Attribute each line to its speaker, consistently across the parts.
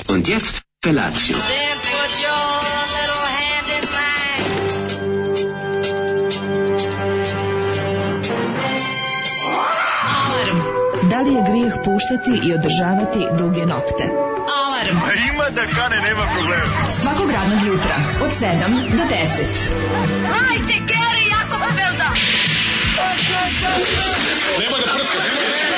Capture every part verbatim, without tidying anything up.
Speaker 1: Und jetzt Felatio.
Speaker 2: Then put your little hand in mine.
Speaker 3: Alarm. Da li je grijeh puštati i održavati duge nokte? Alarm.
Speaker 4: A ima da kane, nema problema.
Speaker 3: Svakog radnog jutra od sedam do deset.
Speaker 2: Hajde, Geri, jako se velda.
Speaker 4: Nema da prska, nema da prska.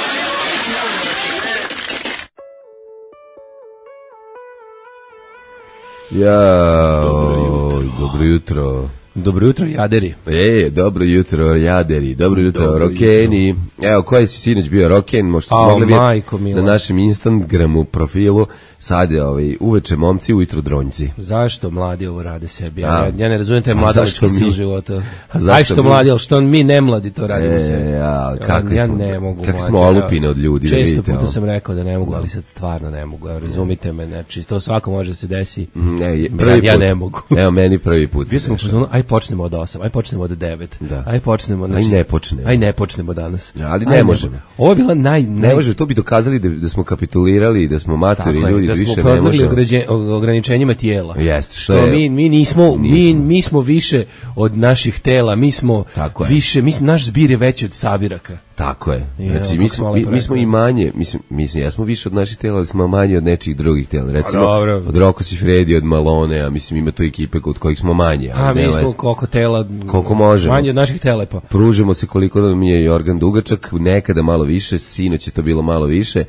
Speaker 5: Jao, dobro jutro.
Speaker 6: Dobro jutro, jaderi.
Speaker 5: E, dobro jutro, jaderi. Dobro jutro, dobro rokeni. Jutro. Evo, koji si sinoć bio roken? Možda ste mogli vidjeti na našem Instagramu profilu. Sad je ovaj, uveče momci, ujutro dronjci.
Speaker 6: Zašto mladi ovo rade sebi? Ja, ja ne razumijem taj mladalački stil života. Aj što
Speaker 5: mi?
Speaker 6: Mladi, ali što mi ne mladi to radimo
Speaker 5: e,
Speaker 6: sebi?
Speaker 5: Ja, kako ja,
Speaker 6: ja
Speaker 5: smo,
Speaker 6: ne mogu.
Speaker 5: Kako smo olupine od ljudi.
Speaker 6: Često
Speaker 5: da vidite,
Speaker 6: puta
Speaker 5: ovo.
Speaker 6: sam rekao da ne mogu, ali sad stvarno ne mogu. Evo, razumite me, znači to svako može da se desi.
Speaker 5: Ne,
Speaker 6: prvi ja, ja ne mogu.
Speaker 5: Evo, meni prvi put.
Speaker 6: Bio sam u fazonu, aj počnemo od osam, aj počnemo od devet.
Speaker 5: Da.
Speaker 6: Aj počnemo, znači,
Speaker 5: aj ne počnemo.
Speaker 6: Aj ne počnemo danas.
Speaker 5: Ja, ali ne aj možemo. Ne,
Speaker 6: ovo je bila naj, naj...
Speaker 5: Ne može, to bi dokazali da, da smo kapitulirali i da smo matori ljudi, da, da više ne možemo.
Speaker 6: Ograničenjima tijela.
Speaker 5: Jeste, što,
Speaker 6: što
Speaker 5: je,
Speaker 6: mi mi nismo, mi mi smo više od naših tela, mi smo više, mi naš zbir je veći od sabiraka.
Speaker 5: Tako je. Znači mi smo mi, mi smo i manje, mislim mislim ja smo više od naših tela, ali smo manje od nečih drugih tela. Recimo od Rocco Siffredi, od Malone, a mislim ima tu ekipe kod kojih smo manje,
Speaker 6: a mi smo koliko tela,
Speaker 5: koliko možemo.
Speaker 6: Manje od naših tela pa.
Speaker 5: Pružimo se koliko nam je Jorgan dugačak, nekada malo više, sinoć je to bilo malo više.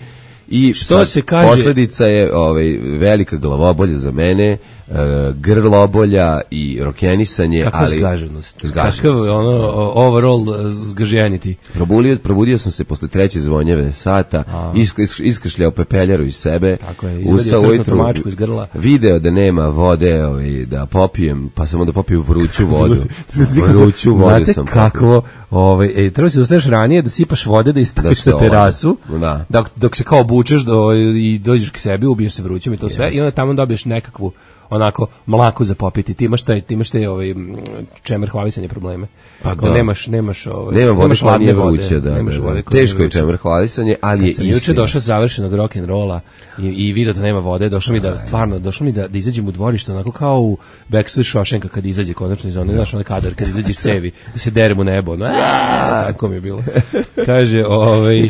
Speaker 5: I
Speaker 6: što se kaže,
Speaker 5: posledica je ovaj velika glavobolja za mene, uh, grlobolja i rokenisanje,
Speaker 6: kakva
Speaker 5: ali
Speaker 6: zgaženost. Kakav ono overall zgaženiti.
Speaker 5: Probudio, probudio sam se posle treće zvonjeve sata, isk, isk, iskršljao pepeljaru iz sebe.
Speaker 6: Tako je, izvadio crknu tomačku iz grla.
Speaker 5: Video da nema vode, ovaj, da popijem, pa sam onda popio vruću vodu. Vruću vodu
Speaker 6: znate
Speaker 5: sam
Speaker 6: kako, ovaj, ej, treba si ustaneš ranije da sipaš vode, da istaviš na terasu,
Speaker 5: da.
Speaker 6: Dok, dok se kao obučeš do, i dođeš k sebi, ubiješ se vrućom i to sve, yes. I onda tamo dobiješ nekakvu onako mlaku za popiti. Ti imaš taj, ti imaš taj ovaj čemer hvalisanje probleme.
Speaker 5: Pa
Speaker 6: da. Nemaš, nemaš ovaj,
Speaker 5: nema vode,
Speaker 6: nemaš hladne vode,
Speaker 5: vruće, da,
Speaker 6: nemaš
Speaker 5: da,
Speaker 6: vode.
Speaker 5: Teško je čemer hvalisanje, ali je istina.
Speaker 6: Juče došao završenog rock and rolla i, i video da nema vode, došao mi da stvarno, došao mi da da izađem u dvorište onako kao u Backstreet Shawshanka kad izađe konačno iz one, znaš, onaj kadar kad izađe iz cevi, da se deremo nebo. No, tako mi je bilo. Kaže, ovaj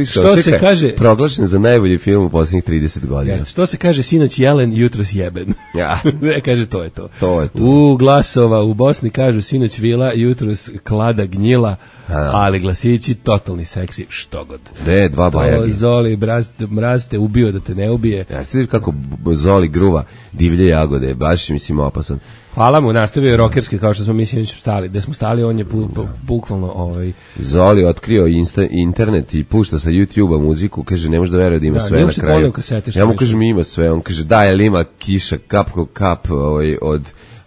Speaker 5: što se kaže, proglašen za najbolji film u poslednjih trideset godina.
Speaker 6: Jeste, što se kaže, sinoć jelen, jutros jeben.
Speaker 5: Ja.
Speaker 6: Ne, kaže, to je to.
Speaker 5: To je to.
Speaker 6: U Glasova u Bosni kažu sinoć vila, jutros klada gnjila, a, ali glasići totalni seksi, što god.
Speaker 5: Ne, dva bajagi.
Speaker 6: Zoli, mraz, mraz te ubio da te ne ubije.
Speaker 5: Ja, ste vidio kako Zoli gruva divlje jagode, baš mislim opasan.
Speaker 6: Hvala mu, nastavio je rokerski kao što smo mislim stali. Da smo stali, on je bu, bu, bukvalno ovaj
Speaker 5: Zoli otkrio insta, internet i pušta sa YouTubea muziku, kaže ne može da veruje da ima da, sve na kraju.
Speaker 6: Kasete,
Speaker 5: ja mu kažem ima sve, on kaže da je ima kiša kap kap ovaj od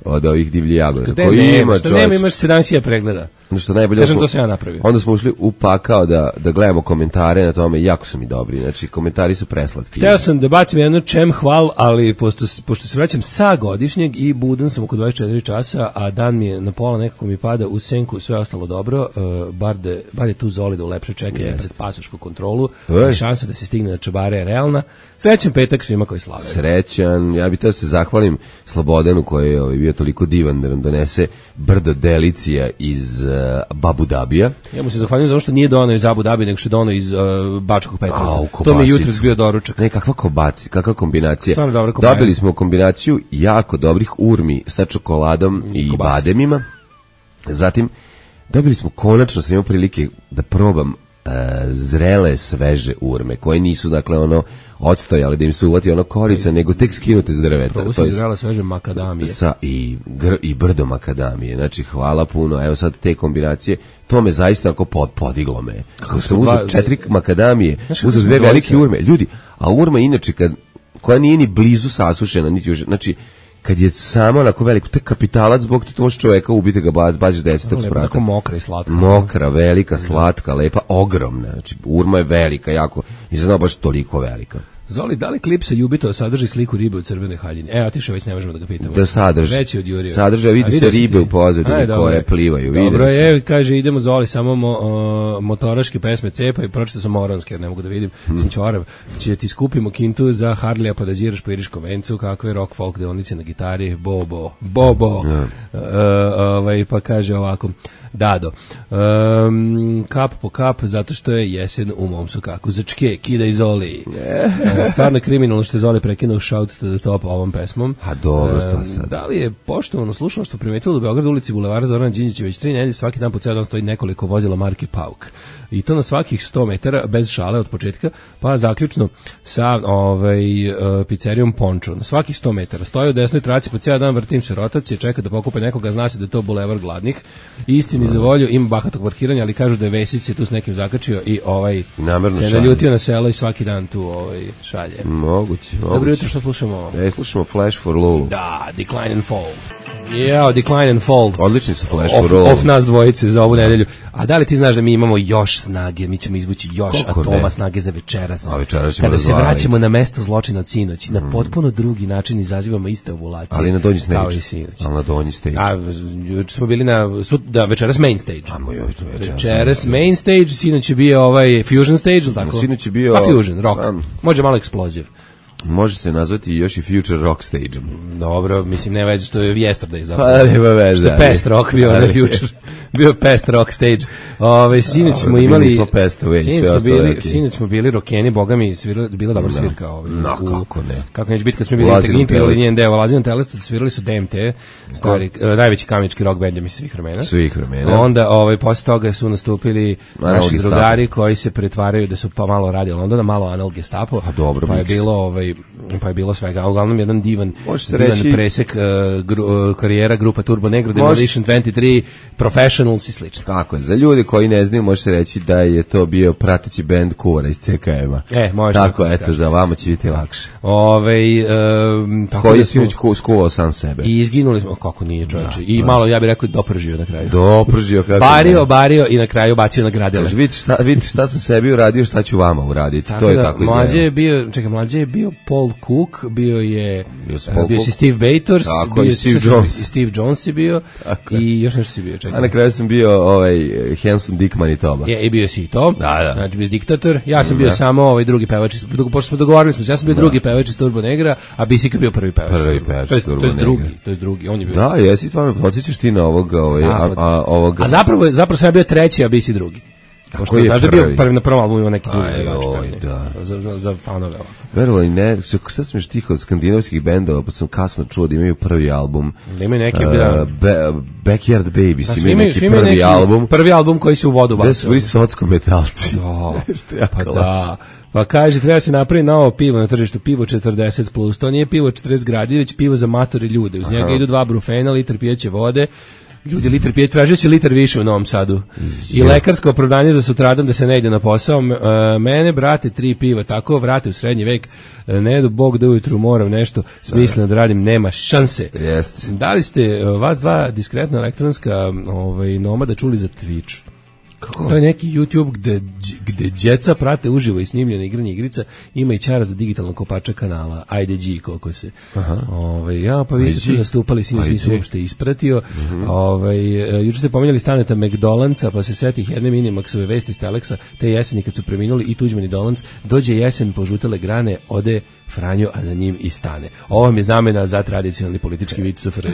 Speaker 5: od ovih divljih jagoda.
Speaker 6: Koji nema, ima, što nema, imaš sedam hiljada pregleda.
Speaker 5: Ono što najbolje,
Speaker 6: kažem, to sam ja napravio.
Speaker 5: Onda smo ušli u pakao da, da gledamo komentare na tome, jako su mi dobri, znači komentari su preslatki.
Speaker 6: Hteo sam da bacim jednu čem hval, ali pošto, pošto se vraćam sa godišnjeg i budan sam oko dvadeset četiri časa, a dan mi je na pola nekako mi pada u senku, sve ostalo dobro, uh, bar, de, bar je tu Zoli da ulepša čekanje pred pasošku kontrolu, i šansa da se stigne na Čabare je realna. Srećan petak svima koji slave.
Speaker 5: Srećan, ja bih teo se zahvalim Slobodanu koji je ovaj, bio toliko divan da nam donese brdo delicija iz uh, Abu Dabija.
Speaker 6: Ja mu se zahvaljujem zato što nije donao iz Abu Dabija, nego što je donao iz uh, Bačkog Petrovca. To mi je jutros bio doručak.
Speaker 5: Ne, kakva kobaci, kakva kombinacija.
Speaker 6: Stvarno dobra kombinacija.
Speaker 5: Dobili smo kombinaciju jako dobrih urmi sa čokoladom mm, i kobasi. Bademima. Zatim, dobili smo konačno, sam imao prilike da probam uh, zrele, sveže urme, koje nisu, dakle, ono, odstojali da im se uvati ono korica, nego tek skinute s drveta.
Speaker 6: Probu se zrela sveže makadamije.
Speaker 5: Sa, i, gr, I brdo makadamije. Znači, hvala puno. Evo sad te kombinacije, to me zaista ako pod, podiglo me. Kako sam uzeo četiri makadamije, uzeo dve velike urme. Ljudi, a urma inače, kad, koja nije ni blizu sasušena, niti još, znači, kad je samo onako veliko, to je kapitalac zbog to može čoveka ubiti ga baš desetog sprata.
Speaker 6: Tako mokra i slatka.
Speaker 5: Mokra, velika, slatka, lepa, ogromna. Znači, urma je velika, jako, i znao baš toliko velika.
Speaker 6: Zoli, da li klip sa Jubito sadrži sliku ribe u crvenoj haljini? E, otišao, već ne možemo da ga pitamo.
Speaker 5: Da sadrži.
Speaker 6: Već je odjurio.
Speaker 5: Sadrži, vidi se ribe u pozadini koje plivaju.
Speaker 6: Dobro je, kaže, idemo Zoli, samo mo, o, motoraške pesme cepa i pročito sam moronske, jer ne mogu da vidim, hmm. sam čorav. Će ti skupimo kintu za Harlija pa da điraš po Iriškom vencu, kakve rock folk deonice na gitari, bobo, bobo. Yeah. Uh, ovaj, pa kaže ovako, Dado, um, kap po kap, zato što je jesen u mom sokaku. Začke, kida i Zoli. Yeah. Stvarno kriminalno što je Zoli prekinuo Shout to the Top ovom pesmom.
Speaker 5: A dobro, što sad?
Speaker 6: Um, da li je poštovano slušalo što primetilo da u Beogradu ulici Bulevara Zorana Đinđića već tri nedelje svaki dan po ceo dan stoji nekoliko vozila marke Pauk. I to na svakih sto metara, bez šale od početka, pa zaključno sa ovaj, uh, pizzerijom Pončo. Na svakih sto metara stoji u desnoj traci, po cijel dan vrtim se rotacije, čeka da pokupe nekoga, zna se da je to bulevar gladnih. Istini za volju, ima bahatog parkiranja, ali kažu da je Vesić se tu s nekim zakačio i ovaj namerno se naljutio na selo i svaki dan tu ovaj, šalje.
Speaker 5: Moguće, moguće.
Speaker 6: Dobro jutro, što slušamo?
Speaker 5: E, slušamo Flash for Lulu.
Speaker 6: Da, Decline and Fall. Yeah, Decline and Fall.
Speaker 5: Odlični su Flash
Speaker 6: of,
Speaker 5: for Lulu.
Speaker 6: Of nas dvojice za ovu nedelju. A da li ti znaš da mi imamo još snage, mi ćemo izvući još
Speaker 5: Kako
Speaker 6: atoma
Speaker 5: ne?
Speaker 6: Snage za večeras.
Speaker 5: A večeras ćemo
Speaker 6: kada se
Speaker 5: razvaliti.
Speaker 6: vraćamo na mesto zločina od sinoć, mm. na potpuno drugi način izazivamo iste ovulacije.
Speaker 5: Ali na donji stage.
Speaker 6: Kao i sinoć.
Speaker 5: Ali na donji stage.
Speaker 6: A, juče smo bili na, sud, da, večeras main stage.
Speaker 5: Amo joj, to večeras.
Speaker 6: Večeras main stage, sinoć je bio ovaj Fusion stage, ili tako?
Speaker 5: Sinoć je bio...
Speaker 6: Pa Fusion, rock.
Speaker 5: Um,
Speaker 6: Može malo eksploziv.
Speaker 5: Može se nazvati još i Future Rock Stage.
Speaker 6: Dobro, mislim, ne veze što je Yesterday zapravo.
Speaker 5: Pa nema veze.
Speaker 6: Što je Pest Rock bio na Future. Bio Pest Rock Stage. Ove, sinoć smo imali...
Speaker 5: Mi smo Pest Away, sve ostalo.
Speaker 6: Bili, sinoć smo bili rokeni, boga mi, svirali, bila dobra svirka. Ovaj,
Speaker 5: no,
Speaker 6: u,
Speaker 5: kako ne.
Speaker 6: Kako neće biti kad smo bili integralni njen deo. Lazinom Telestu svirali su D M T, stari, uh, najveći kamenički rock band mi svih vremena.
Speaker 5: Svih vremena.
Speaker 6: Onda, ovaj, posle toga su nastupili naši drugari koji se pretvaraju da su pa malo radi Londona, malo Anal Gestapo.
Speaker 5: A dobro,
Speaker 6: pa je bilo, ovaj, pa je bilo svega, uglavnom jedan divan, divan
Speaker 5: reći,
Speaker 6: presek uh, gru, uh, karijera grupa Turbo Negro, Demolition dvadeset tri, Professionals i slično.
Speaker 5: Tako je, za ljudi koji ne znaju može se reći da je to bio prateći bend Kuvara iz C K M-a.
Speaker 6: E, može
Speaker 5: tako, tako eto, za vama će biti lakše.
Speaker 6: Ove, um, tako
Speaker 5: koji
Speaker 6: da
Speaker 5: je sinoć skuvao sam sebe.
Speaker 6: I izginuli smo, kako nije čovječe, i malo, ja bih rekao, dopržio na kraju.
Speaker 5: Dopržio, kako
Speaker 6: bario, bario i na kraju bacio na gradele.
Speaker 5: Vidite šta, vidite šta sam sebi uradio, šta ću vama uraditi.
Speaker 6: Tako
Speaker 5: to je
Speaker 6: da,
Speaker 5: tako
Speaker 6: mlađe je bio, čekaj, mlađe je bio Paul Cook, bio je bio, uh, bio si Steve Bators,
Speaker 5: tako,
Speaker 6: bio
Speaker 5: i Steve Jones.
Speaker 6: I Steve Jones je bio tako. I još nešto si bio, čekaj.
Speaker 5: A na kraju sam bio ovaj Hanson Dick Manitoba.
Speaker 6: Je, i bio si i to.
Speaker 5: Da, da.
Speaker 6: Znači, bio si diktator. Ja sam bio da. samo ovaj drugi pevač. Pošto smo dogovorili smo se, ja sam bio da. drugi pevač iz Turbo Negra, a Bisika bio prvi pevač.
Speaker 5: Prvi pevač iz Turbo
Speaker 6: Negra. To je drugi,
Speaker 5: Negra.
Speaker 6: to je drugi, on je bio.
Speaker 5: Da, jesi stvarno, podsjećaš ti na ovog, ovaj,
Speaker 6: da,
Speaker 5: a, a, ovog...
Speaker 6: A zapravo, zapravo sam ja bio treći, a Bisi drugi.
Speaker 5: Kako je prvi?
Speaker 6: Bio prvi na prvom albumu ima neki drugi pevač.
Speaker 5: Da.
Speaker 6: Za, za, za fanove.
Speaker 5: Verovali ne, šta sam još tih od skandinavskih bendova, pa sam kasno čuo da imaju prvi album.
Speaker 6: Da imaju neki,
Speaker 5: uh,
Speaker 6: da.
Speaker 5: Be, Backyard Babies,
Speaker 6: da,
Speaker 5: imaju neki
Speaker 6: imaju
Speaker 5: prvi
Speaker 6: neki,
Speaker 5: album.
Speaker 6: Prvi album koji se u vodu bacio.
Speaker 5: Da su bili socko metalci.
Speaker 6: Da, pa da. Pa kaže, treba se napraviti novo pivo na tržištu, pivo četrdeset plus. To nije pivo četrdeset gradi, već pivo za matore ljude. Uz njega Aha. idu dva brufena, litar pijeće vode. Ljudi, litar pije, tražio se litar više u Novom Sadu. I lekarsko opravdanje za sutradan da se ne ide na posao. Mene, brate, tri piva, tako vrate u srednji vek, ne jedu Bog da ujutru moram nešto smisleno da radim, nema šanse.
Speaker 5: Jest.
Speaker 6: Da li ste vas dva diskretno elektronska ovaj, nomada čuli za Twitch? Kako? To je neki YouTube gde, gde djeca prate uživo i snimljene igranje igrica, ima i čara za digitalnog kopača kanala, ajde G, koliko se. Ove, ja, pa vi ste tu nastupali, sinoć nisam uopšte ispratio. Uh-huh. Ove, juče ste pominjali Staneta McDolandsa, pa se setih jedne Minimaxove vesti iz Telexa, te jeseni kad su preminuli i Tuđman i Dolanc, dođe jesen, požutele grane, ode Franjo, a za njim i stane. Ovo vam je zamena za tradicionalni politički vic S F R J.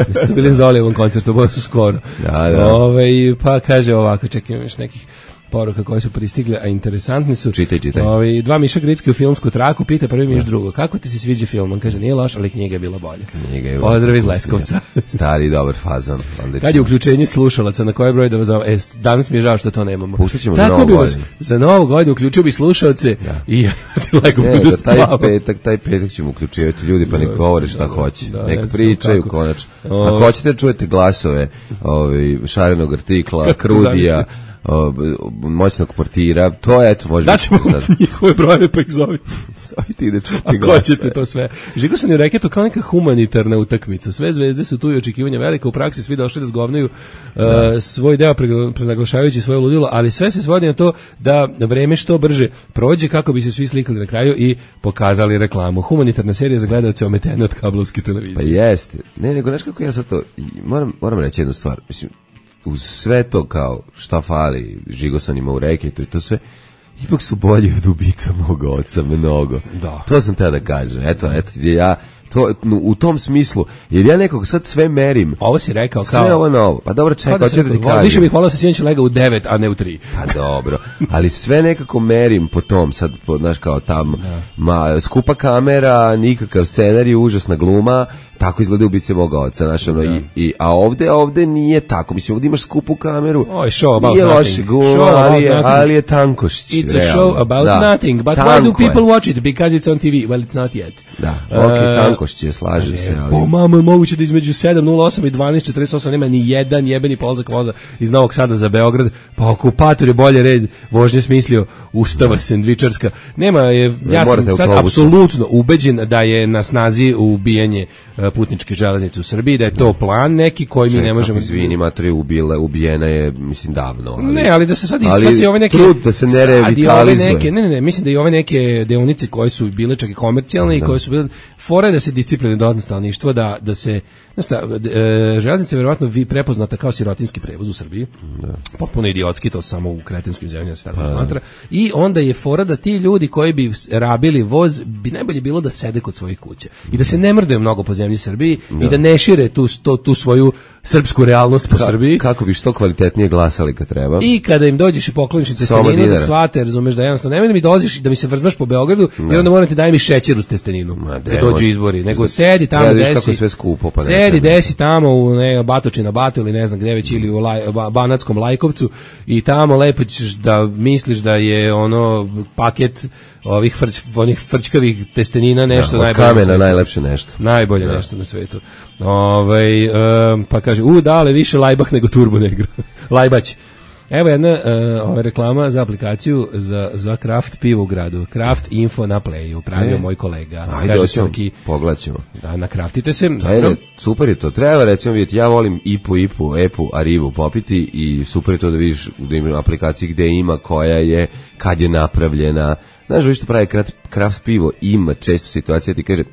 Speaker 6: Niste bili za Olijevom koncertu, bo su skoro.
Speaker 5: Da, da.
Speaker 6: Ove, pa kaže ovako, čekaj, još nekih poruka koje su pristigle, a interesantni su.
Speaker 5: Čitaj, čitaj.
Speaker 6: Ovi, dva miša Gricki u filmsku traku, pita prvi miš drugo, kako ti se sviđa film? On kaže, nije loš, ali knjiga je bila bolja.
Speaker 5: Knjiga je
Speaker 6: Pozdrav iz Leskovca.
Speaker 5: Stari, dobar fazon.
Speaker 6: Kad je uključenje slušalaca, na koje broj da vas zove? E, danas mi je žao što to nemamo.
Speaker 5: Pustit ćemo
Speaker 6: Tako
Speaker 5: za novu
Speaker 6: godinu. Za novu godinu uključio bi slušalce da. I lego
Speaker 5: ne,
Speaker 6: budu
Speaker 5: da taj
Speaker 6: spavao.
Speaker 5: petak, taj petak ćemo uključivati ljudi, pa nek govore šta da, hoće. Da, nek pričaju konačno.
Speaker 6: O...
Speaker 5: Ako hoćete da čujete glasove ovaj, šarenog artikla, Krudija, o, moćnog portira, to je, eto, može...
Speaker 6: Daćemo njihove brojeve, pa ih zovi.
Speaker 5: Zovi ti da čuti
Speaker 6: A
Speaker 5: glasa.
Speaker 6: ko ćete to sve? Žigosan je reketo kao neka humanitarna utakmica. Sve zvezde su tu i očekivanja velika, u praksi svi došli da zgovnaju uh, svoj deo pre- prenaglašavajući svoje ludilo, ali sve se svodi na to da vreme što brže prođe kako bi se svi slikali na kraju i pokazali reklamu. Humanitarna serija za gledaoce ometene od kablovske televizije.
Speaker 5: Pa jeste. Ne, nego, znaš kako ja sad to... Moram, moram reći jednu stvar. Mislim, uz sve to kao šta fali Žigosanima u reketu i to sve, ipak su bolji od ubica mog oca, mnogo.
Speaker 6: Da.
Speaker 5: To sam te da kažem. Eto, eto, ja... To, u tom smislu, jer ja nekog sad sve merim.
Speaker 6: Ovo si rekao kao...
Speaker 5: Sve ovo novo. Pa dobro, čekaj, hoću da ti kažem.
Speaker 6: Više bih volao sa sinoć lega u devet, a ne u tri.
Speaker 5: Pa dobro, ali sve nekako merim po tom, sad, po, znaš, kao tam, ma, skupa kamera, nikakav scenarij, užasna gluma, tako izgleda ubice moga oca, znaš, ono, i, i, a ovde, ovde nije tako, mislim, ovde imaš skupu kameru,
Speaker 6: oh, show about
Speaker 5: nije
Speaker 6: nothing.
Speaker 5: loše gluma,
Speaker 6: Show
Speaker 5: ali je,
Speaker 6: nothing.
Speaker 5: ali je tankošć.
Speaker 6: It's
Speaker 5: realno.
Speaker 6: a show about
Speaker 5: da.
Speaker 6: nothing, but
Speaker 5: Tanko
Speaker 6: why do people
Speaker 5: je.
Speaker 6: watch it? Because it's on T V. Well, it's not yet.
Speaker 5: Da, ok,
Speaker 6: Uh,
Speaker 5: tankošć je, slažem se, ali...
Speaker 6: O, mama, moguće da između sedam nula osam i dvanaest četrdeset osam nema ni jedan jebeni polazak voza iz Novog Sada za Beograd, pa okupator je bolje red vožnje smislio, ustava sendvičarska. Nema, je,
Speaker 5: Ne,
Speaker 6: ja sam
Speaker 5: morate
Speaker 6: sad
Speaker 5: autobusom.
Speaker 6: apsolutno ubeđen da je na snazi ubijanje uh, putničke železnice u Srbiji, da je to plan neki koji mi ne možemo...
Speaker 5: Izvini, matri, ubila, ubijena je, mislim, davno. Ali,
Speaker 6: Ne, ali da se sad i
Speaker 5: ali
Speaker 6: sad se ove neke
Speaker 5: trud da se ne
Speaker 6: sad i ove
Speaker 5: revitalizuje.
Speaker 6: neke, ne, ne, ne, mislim da i ove neke deonice koje su bile čak i komercijalne i koje su bile fore da se discipline dodatno stanovništvo, da da se znaš šta, e, železnica je verovatno vi prepoznata kao sirotinski prevoz u Srbiji. Da. Potpuno idiotski, to samo u kretinskim zemljama se tako smatra. I onda je fora da ti ljudi koji bi rabili voz bi najbolje bilo da sede kod svojih kuća i da se ne mrdaju mnogo po zemlji Srbiji i da ne šire tu to, tu svoju srpsku realnost po
Speaker 5: Ka,
Speaker 6: Srbiji.
Speaker 5: Kako bi što kvalitetnije glasali kad treba.
Speaker 6: I kada im dođeš i pokloniš im testeninu da shvate, razumeš da jednostavno nemoj da mi doziš da mi se vrzmaš po Beogradu, jer onda moram ti daj mi šećer uz testeninu.
Speaker 5: Ma,
Speaker 6: Da dođu izbori, nego sedi tamo
Speaker 5: ja,
Speaker 6: desi.
Speaker 5: Kako je sve skupo, pa ne
Speaker 6: sedi desi tamo u ne Batočina Batu ili ne znam gde već ili u Laj, ba, Banatskom Lajkovcu i tamo lepo ćeš da misliš da je ono paket ovih frč, onih frčkavih testenina nešto
Speaker 5: ja,
Speaker 6: najbolje.
Speaker 5: Od kamena najlepše nešto.
Speaker 6: Najbolje ja. Nešto na svetu. Ovaj um, pa kaže, u dale više lajbah nego turbo negro. Lajbać. Evo jedna uh, ova reklama za aplikaciju za, za Kraft pivo u gradu. Kraft Info na Playu, pravio e, moj kolega.
Speaker 5: Ajde, oćemo, pogledaćemo.
Speaker 6: Da, nakraftite se.
Speaker 5: Ajde, super je to. Treba recimo vidjeti, ja volim Ipu, Ipu, Epu, Arivu popiti i super je to da vidiš da ima aplikaciji gde ima, koja je, kad je napravljena. Znaš, vi što pravi Kraft pivo, ima često situacija, ti kaže...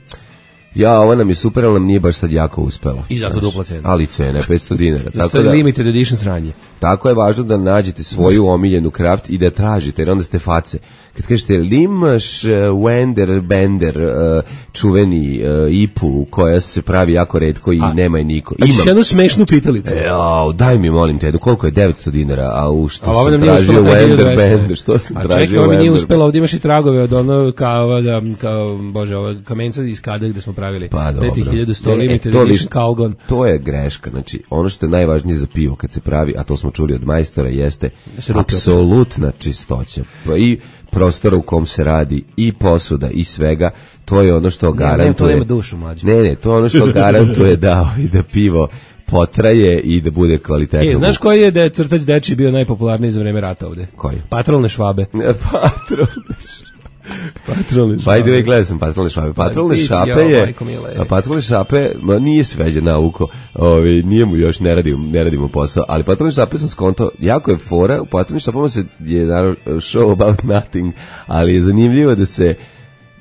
Speaker 5: Ja, ovo nam je super, ali nam nije baš sad jako uspelo.
Speaker 6: I zato dupla cena.
Speaker 5: Ali cena je petsto dinara.
Speaker 6: Zato je limited edition sranje.
Speaker 5: Tako je važno da nađete svoju omiljenu kraft i da tražite, jer onda ste face. Kad kažete, li imaš uh, Wender, Bender, uh, čuveni uh, Ipu, koja se pravi jako retko i a, nema je niko.
Speaker 6: Imam. A ćeš jednu smešnu pitalicu.
Speaker 5: E, au, daj mi, molim te, koliko je devetsto dinara, a u što a sam tražio Wender, Bender, što sam
Speaker 6: a
Speaker 5: tražio
Speaker 6: čekaj, Wender. A čekaj, ovo nije uspelo, ovdje imaš i tragove od ono, kao, da, kao bože, ovo, kamenca iz kada gde smo pravili.
Speaker 5: Pa dobro.
Speaker 6: pet hiljada sto limited edition Calgon.
Speaker 5: To je greška, znači, ono što je najvažnije za pivo kad se pravi, a to smo čuli od majstora, jeste apsolutna čistoća. I prostora u kom se radi, i posuda, i svega, to je ono što garantuje... Ne,
Speaker 6: to nema dušu, mlađe.
Speaker 5: Ne, ne, to je ono što garantuje da, da pivo potraje i da bude kvalitetno.
Speaker 6: E, znaš koji je da je crtač dečiji bio najpopularniji za vreme rata ovde?
Speaker 5: Koji?
Speaker 6: Patrolne švabe.
Speaker 5: Patrolne švabe.
Speaker 6: Patrolne šape.
Speaker 5: By the way, gledao sam patrolne šape. Patrolne šape je, a patrolne šape, ma nije sveđe nauko, ovi, nije mu još, ne radimo, ne radimo posao, ali patrolne šape sam skontao, jako je fora, u patrolne šapama se je naravno show about nothing, ali je zanimljivo da se,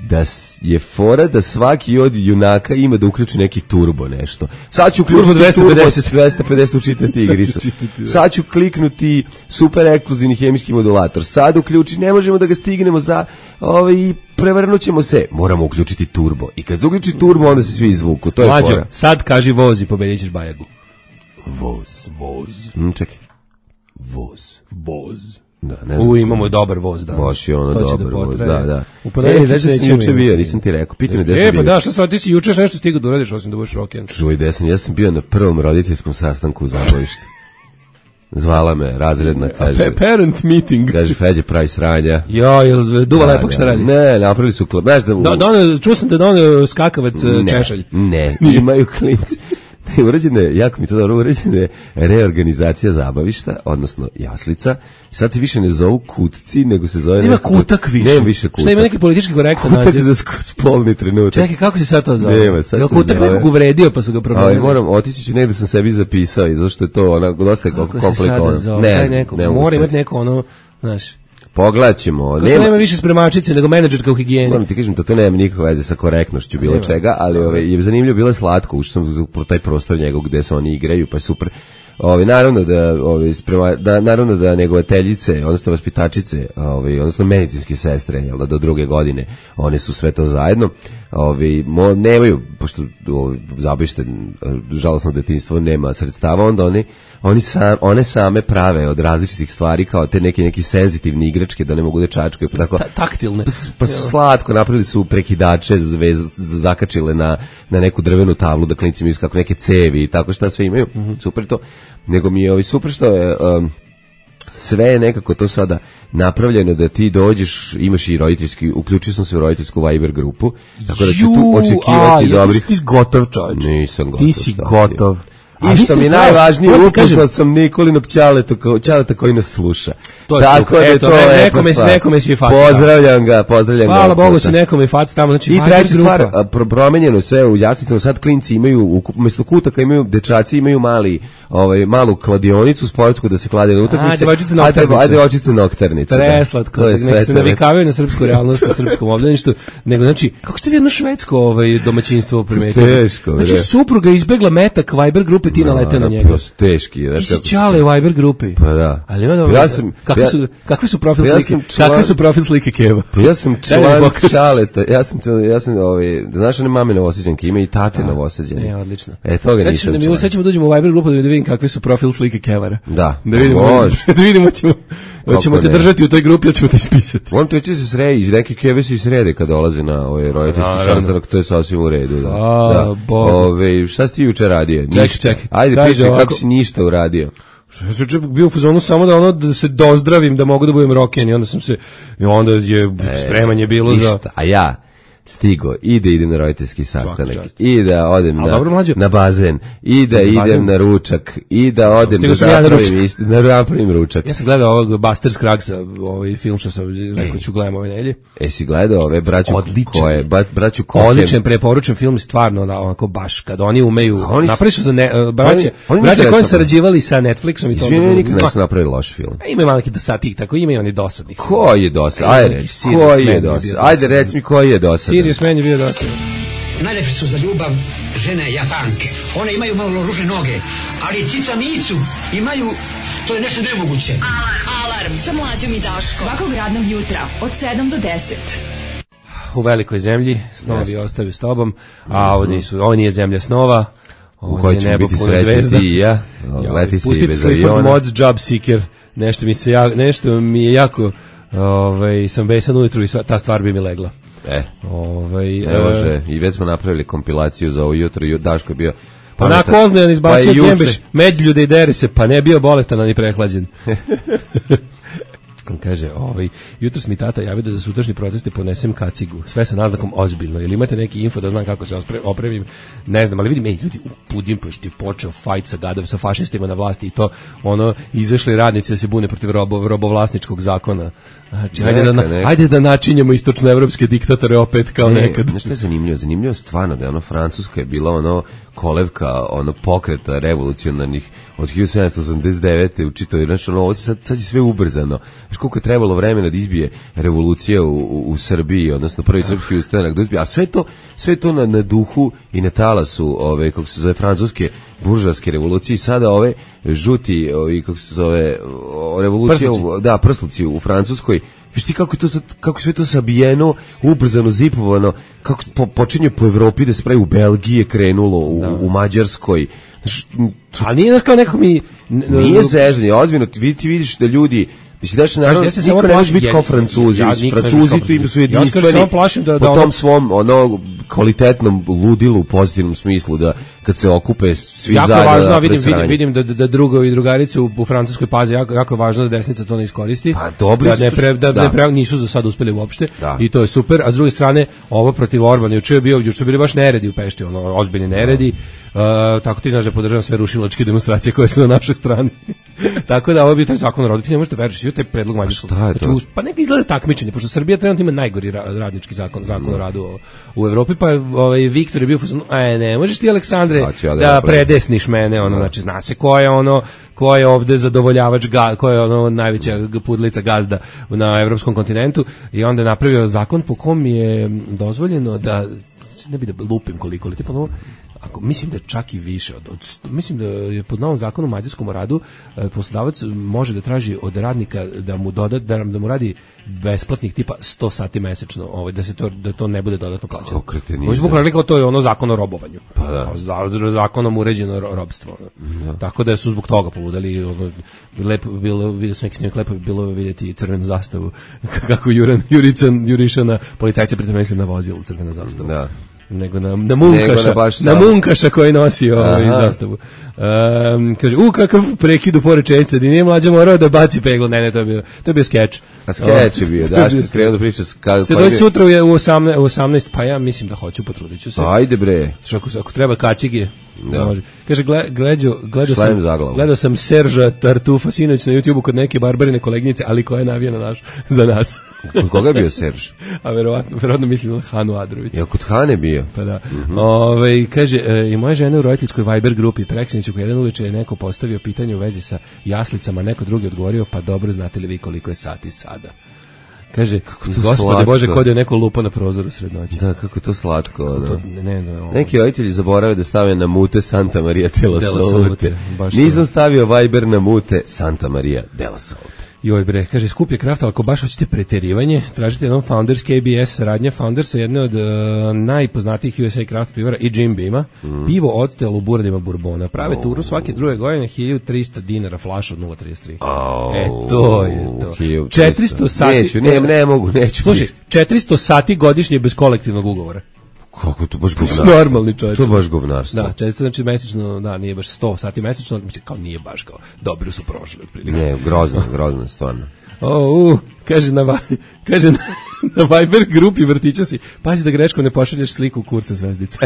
Speaker 5: da je fora da svaki od junaka ima da uključi neki turbo nešto. Sad ću uključiti
Speaker 6: dvesta pedeset
Speaker 5: dvesta pedeset učitati igricu. Sad ću kliknuti super ekskluzivni hemijski modulator. Sad uključi, ne možemo da ga stignemo za ovaj, i prevrnut ćemo se. Moramo uključiti turbo. I kad se uključi turbo, onda se svi izvuku. To je
Speaker 6: Mlađo,
Speaker 5: fora.
Speaker 6: sad kaži voz i pobedit ćeš Bajagu.
Speaker 5: Voz.
Speaker 6: Voz.
Speaker 5: Mm, čekaj. Voz.
Speaker 6: Voz.
Speaker 5: Da, ne znam.
Speaker 6: U, imamo dobar voz danas.
Speaker 5: Baš je ono dobar
Speaker 6: da
Speaker 5: voz, da, da.
Speaker 6: U ponedeljak
Speaker 5: e, da sam juče bio, nisam ti rekao, pitaj me gde sam bio.
Speaker 6: E, pa da, šta sad, ti si juče nešto stigao da uradiš, osim da budeš roken.
Speaker 5: Čuj, gde sam, ja sam bio na prvom roditeljskom sastanku u Zabojištu. Zvala me, razredna, kaže...
Speaker 6: A parent meeting.
Speaker 5: Kaže, Feđe, pravi sranja.
Speaker 6: Jo, jel duva da, lepak šta radi?
Speaker 5: Ne, napravili su klub. Znaš da...
Speaker 6: Da, da, čuo sam da da on skakavac
Speaker 5: ne,
Speaker 6: češalj.
Speaker 5: Ne, imaju klinci. Ne, urađena je, jako mi to dobro, urađena je reorganizacija zabavišta, odnosno jaslica. Sad se više ne zovu kutci, nego se zove...
Speaker 6: Nema kutak više.
Speaker 5: Nema više kutak.
Speaker 6: Šta ima neki politički korektan naziv?
Speaker 5: Kutak za spolni trenutak.
Speaker 6: Čekaj, kako se sad to zove?
Speaker 5: Nema, sad
Speaker 6: Jel
Speaker 5: se
Speaker 6: kutak
Speaker 5: zove...
Speaker 6: nekog uvredio pa su ga promenili?
Speaker 5: Ali moram, otići ću negde sam sebi zapisao i zato što je to onako dosta komplikovano.
Speaker 6: Ne, neko, mora imati neko ono, znaš...
Speaker 5: Pogledat ćemo.
Speaker 6: Nema, nema više spremačice nego menadžerka u higijeni.
Speaker 5: Moram ti kažem da to nema nikakve veze sa korektnošću bilo nema. Čega, ali ove, je zanimljivo, bilo je slatko, ušao sam u taj prostor njegov gde se oni igraju, pa je super. Ove, naravno da, ove, sprema, da, naravno da negovateljice, odnosno vaspitačice, ove, odnosno medicinske sestre, jel da, do druge godine, one su sve to zajedno. Ove, mo, nemaju, pošto ove, zabište, žalosno detinjstvo nema sredstava, onda oni, oni sam, one same prave od različitih stvari, kao te neke neki senzitivne igračke, da ne mogu da čačkaju, pa tako.
Speaker 6: Ta, taktilne.
Speaker 5: Pa, pa su slatko, napravili su prekidače, zvez, zakačile na, na neku drvenu tablu, da klinci imaju kako neke cevi i tako šta sve imaju, mm-hmm. Super to. Nego mi je ovi super što je um, sve je nekako to sada napravljeno da ti dođeš, imaš i roditeljski, uključio sam se u roditeljsku Viber grupu, tako da ću tu očekivati
Speaker 6: a,
Speaker 5: dobri.
Speaker 6: Ja, ti si gotov čovječ.
Speaker 5: Nisam gotov.
Speaker 6: Ti si gotov.
Speaker 5: I što mi je najvažnije, upoznao sam Nikolinog Ćaleta, Ćaleta koji nas sluša.
Speaker 6: To je
Speaker 5: tako
Speaker 6: super.
Speaker 5: da
Speaker 6: Eto,
Speaker 5: to je
Speaker 6: nekome, nekome si fac.
Speaker 5: Pozdravljam ga, pozdravljam
Speaker 6: Hvala
Speaker 5: ga.
Speaker 6: Bogu si nekome fac tamo. Znači,
Speaker 5: i treća stvar, pro, promenjeno sve u jasnicama, sad klinci imaju, umjesto kutaka imaju, dečaci imaju mali, ovaj, malu kladionicu sportsku da se klade na utakmice.
Speaker 6: Ajde, očice noktarnice.
Speaker 5: Ajde, očice noktarnice.
Speaker 6: Preslatko, da. Nek se navikavaju na srpsku realnost, na srpskom obdaništu, nego, znači, kako ste vi jedno švedsko ovaj, domaćinstvo primetili?
Speaker 5: Teško,
Speaker 6: znači, supruga izbegla metak Viber grupe, ti nalete na njega.
Speaker 5: Teški,
Speaker 6: ti si Ćale u Viber grupi.
Speaker 5: Pa da.
Speaker 6: Ali ima
Speaker 5: ja sam,
Speaker 6: kakve,
Speaker 5: ja,
Speaker 6: su, kakve su profil
Speaker 5: ja
Speaker 6: slike?
Speaker 5: Član,
Speaker 6: kakve su profil slike Keva?
Speaker 5: Pa ja sam član Ćaleta. Ja sam, ja sam ovaj, znaš one mame Novosađanke, ima i tate Novosađane.
Speaker 6: Ne, odlično.
Speaker 5: E, toga sad nisam član.
Speaker 6: Sad ćemo dođemo u Viber grupu da vidim kakve su profil slike Kevara.
Speaker 5: Da.
Speaker 6: Da vidimo, da vidimo ćemo, hoćemo te držati u toj grupi, ili ćemo te ispisati.
Speaker 5: On to će se sredi, neki Keve se srede kad dolaze na ovaj roditeljski sastanak, to je sasvim u redu. Da.
Speaker 6: A,
Speaker 5: da. Ove, šta si ti juče radio?
Speaker 6: Čekaj, čekaj.
Speaker 5: Ajde, piši kako si ništa uradio.
Speaker 6: Ja sam juče bio u fazonu samo da ono da se dozdravim, da mogu da budem roken i onda sam se i onda je e, spremanje bilo ništa. Za
Speaker 5: a ja stigo i da idem na roditeljski sastanak i da odem na, dobro, na bazen i da idem bazen. Na ručak i da odem da napravim, ja na napravim ručak.
Speaker 6: Ja sam gledao ovog Buster Scruggsa, ovaj film što sam rekao ću gledam ove nedelje.
Speaker 5: E si gledao ove braću koje, braću Kohen.
Speaker 6: Odličan, preporučujem film, stvarno onako baš kad oni umeju, oni napravili su za ne, braće, oni, braće koji sarađivali sa Netflixom i to.
Speaker 5: Izvini, nikad nisu napravili loš film.
Speaker 6: Ima malo neki dosadnih, tako ima i oni dosadnih.
Speaker 5: Ko je dosad? Ajde, ko je dosad? Ajde, reci mi ko je dosad.
Speaker 6: Sirius Man je bio dosadan.
Speaker 1: Najlepše su za ljubav žene Japanke. One imaju malo ružne noge, ali cica micu imaju, to je nešto nemoguće.
Speaker 3: Alarm, alarm sa Mlađom i Daškom. Svakog radnog jutra od sedam do deset.
Speaker 6: U velikoj zemlji, snovi ostaju s tobom, a ovo, nisu, ovo nije zemlja snova.
Speaker 5: U kojoj ćemo biti srećni ti i ja. Leti si i bez aviona.
Speaker 6: Pustite Mods Job Seeker. Nešto mi, se ja, nešto mi je jako, ovaj, sam besan ujutru i sva, ta stvar bi mi legla.
Speaker 5: E,
Speaker 6: ovaj,
Speaker 5: ne može, i već smo napravili kompilaciju za ovo jutro i Daško je bio
Speaker 6: pa onako oznojan izbacio pa Kembeš medljude i deri se, pa ne bio bolestan ani prehlađen. Kaže, ovaj, jutros mi tata javio da za sutrašnje proteste ponesem kacigu, sve sa naznakom ozbiljno. Ili imate neki info da znam kako se opremim? Ne znam, ali vidim, ej, ljudi, u Budimpešti je počeo fajt sa gadov, sa fašistima na vlasti i to, ono, izašli radnici da se bune protiv robo, robovlasničkog zakona. Znači, neka, ajde, da, neka. ajde da načinjemo istočnoevropske diktatore opet kao ne, nekad.
Speaker 5: Nešto je zanimljivo, zanimljivo stvarno da je ono Francuska je bila ono kolevka ono pokreta revolucionarnih od hiljadu sedamsto osamdeset devete u čitavoj, znači ono ovo sad, sad je sve ubrzano. Znači koliko je trebalo vremena da izbije revolucija u, u, u Srbiji, odnosno prvi srpski ustanak da izbije, a sve to, sve to na, na duhu i na talasu ove, kako se zove, francuske buržovske revolucije, sada ove žuti, ovi, kako se zove, revolucija,
Speaker 6: prsluci.
Speaker 5: Da, prsluci u Francuskoj. Viš ti kako je to sad, kako sve to sabijeno, ubrzano, zipovano, kako po, počinje po Evropi da se pravi u Belgiji je krenulo, u, u Mađarskoj. Znaš,
Speaker 6: to, ali nije znaš kao neko mi...
Speaker 5: Nije zežanje, ozbiljno, ti, ti vidiš da ljudi... Mislim, daš, naravno, ja niko ne može biti kao Francuzi. Ja, Francuzi tu im su jedinstveni
Speaker 6: ja da, da
Speaker 5: po tom
Speaker 6: ono...
Speaker 5: svom, ono, kvalitetnom ludilu u pozitivnom smislu, da kad se okupe svi
Speaker 6: jako
Speaker 5: zajedno
Speaker 6: važno,
Speaker 5: da
Speaker 6: vidim, vidim, vidim da, da drugovi i drugarice u, u Francuskoj paze, jako, jako je važno da desnica to ne iskoristi,
Speaker 5: pa, dobri
Speaker 6: da, ne pre, da,
Speaker 5: da.
Speaker 6: ne pre, nisu za sad uspeli uopšte,
Speaker 5: da.
Speaker 6: I to je super, a s druge strane, ovo protiv Orbana, juče je bio, juče su bili baš neredi u Pešti, ono, ozbiljni neredi, uh, tako ti znaš da podržavam sve rušilačke demonstracije koje su na našoj strani. Tako da ovo bi taj zakon o radu, ti ne možete veruješ, svi taj predlog mađarskog. Znači, pa neka izgleda takmičenje, pošto Srbija trenutno ima najgori radnički zakon, zakon o radu u Evropi, pa ovaj Viktor je bio fuzon, aj ne, možeš ti Aleksandre ja da predesniš mene, ono, znači zna se ko je ono, ko je ovde zadovoljavač, ga, ko je ono najveća pudlica gazda na evropskom kontinentu, i onda je napravio zakon po kom je dozvoljeno da, ne bi da lupim koliko, ali tipa ono, ako mislim da je čak i više od, od mislim da je pod novom zakonu o mađarskom radu e, poslodavac može da traži od radnika da mu doda da, da mu radi besplatnih tipa sto sati mesečno, ovaj da se to da to ne bude dodatno plaćeno. Oni su pokrali kao to je ono zakon o robovanju.
Speaker 5: Pa da.
Speaker 6: Za, zakonom uređeno robstvo. Da. Tako da su zbog toga poludeli, ono lepo bilo vidio sam neki snimak, lepo bilo vidjeti crvenu zastavu kako Juran Jurican Juriša na policajce, pritom mislim na vozilu crvena zastava. Da. nego na, na munkaša, na, na munkaša koji nosi ovaj zastavu. Um, kaže, u kakav prekid u porečenice, da nije Mlađa morao da baci peglo, ne, ne, to je bio, to je bio skeč.
Speaker 5: A skeč je bio, daš krenuo da priča.
Speaker 6: Ste doći sutra u osamnaest, pa ja mislim da hoću, potrudit ću se.
Speaker 5: Ajde bre.
Speaker 6: Ako, ako treba kacige, da. Može. Kaže, gledao, gledao sam,
Speaker 5: zaglavu.
Speaker 6: gledao sam Serža Tartufa sinoć na YouTubeu kod neke barbarine koleginice, ali koja je navija na naš, za nas.
Speaker 5: Kod koga je bio Serž?
Speaker 6: A verovatno, verovatno mislim na Hanu Adrović.
Speaker 5: Ja kod Hane bio.
Speaker 6: Pa da. Mm-hmm. Ove, kaže, e, i moja žena u roditeljskoj Viber grupi, preksiniću koji jedan uveče je neko postavio pitanje u vezi sa jaslicama, neko drugi odgovorio, pa dobro, znate li vi koliko je sati sada? Kaže, Gospode Bože, kod je neko lupa na prozoru sred noći.
Speaker 5: Da, kako je to slatko.
Speaker 6: To, ne, ne, ne,
Speaker 5: neki roditelji zaborave da stave na mute Santa Maria della Salute. Nisam stavio Viber na mute Santa Maria della Salute.
Speaker 6: Joj bre, kaže, skup je kraft, ali ako baš hoćete preterivanje, tražite jednom Founders K B S, saradnja Foundersa, jedne od uh, najpoznatijih U S A kraft pivara i Jim Beama, mm. pivo odtelo u buradima Bourbona. Prave oh. turu svake druge godine, hiljadu trista dinara flaš od nula trideset tri.
Speaker 5: Oh.
Speaker 6: E, to je to. četiristo sati.
Speaker 5: Neću, ne, ne mogu, neću.
Speaker 6: Slušaj, četiristo sati godišnje bez kolektivnog ugovora.
Speaker 5: Kako to baš govnarstvo?
Speaker 6: Normalni čovjek.
Speaker 5: To baš govnarstvo.
Speaker 6: Da, često znači mesečno, da, nije baš sto sati mesečno, kao nije baš kao dobro su prošli otprilike.
Speaker 5: Ne, grozno, grozno stvarno.
Speaker 6: O, u, kaže na kaže na, na Viber grupi vrtića si. Pazi da greškom ne pošalješ sliku kurca zvezdice.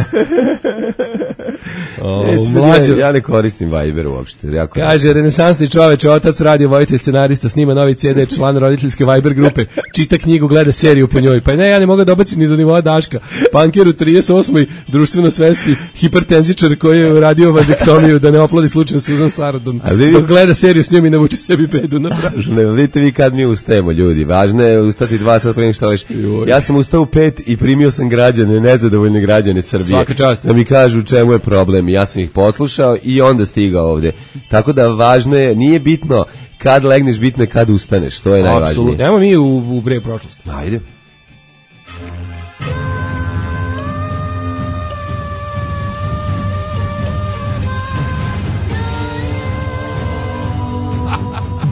Speaker 6: O, mlađo,
Speaker 5: ja ne koristim Viber uopšte. Jako
Speaker 6: kaže, renesansni čoveč, otac, radio vojitelj, scenarista, snima novi C D, član roditeljske Viber grupe, čita knjigu, gleda seriju po njoj. Pa ne, ja ne mogu da obacim ni do nivoa Daška. Panker u trideset osmoj društveno svesti, hipertenzičar koji je uradio vazektomiju da ne oplodi slučajno Susan Sarandon. Dok gleda seriju s njom i navuče sebi pedu na pražu.
Speaker 5: Ne, vidite vi kad mi ustajemo, ljudi. Važno je ustati dva sata prije što leš. Ja sam ustao u pet i primio sam građane, nezadovoljne građane Srbije.
Speaker 6: Svaka čast.
Speaker 5: Da mi kažu čemu je problem. Ja sam ih poslušao i onda stigao ovde. Tako da važno je, nije bitno kad legneš, bitno je kad ustaneš. To je najvažnije.
Speaker 6: Apsolutno. Evo mi u, u bre prošlost.
Speaker 5: Ajde.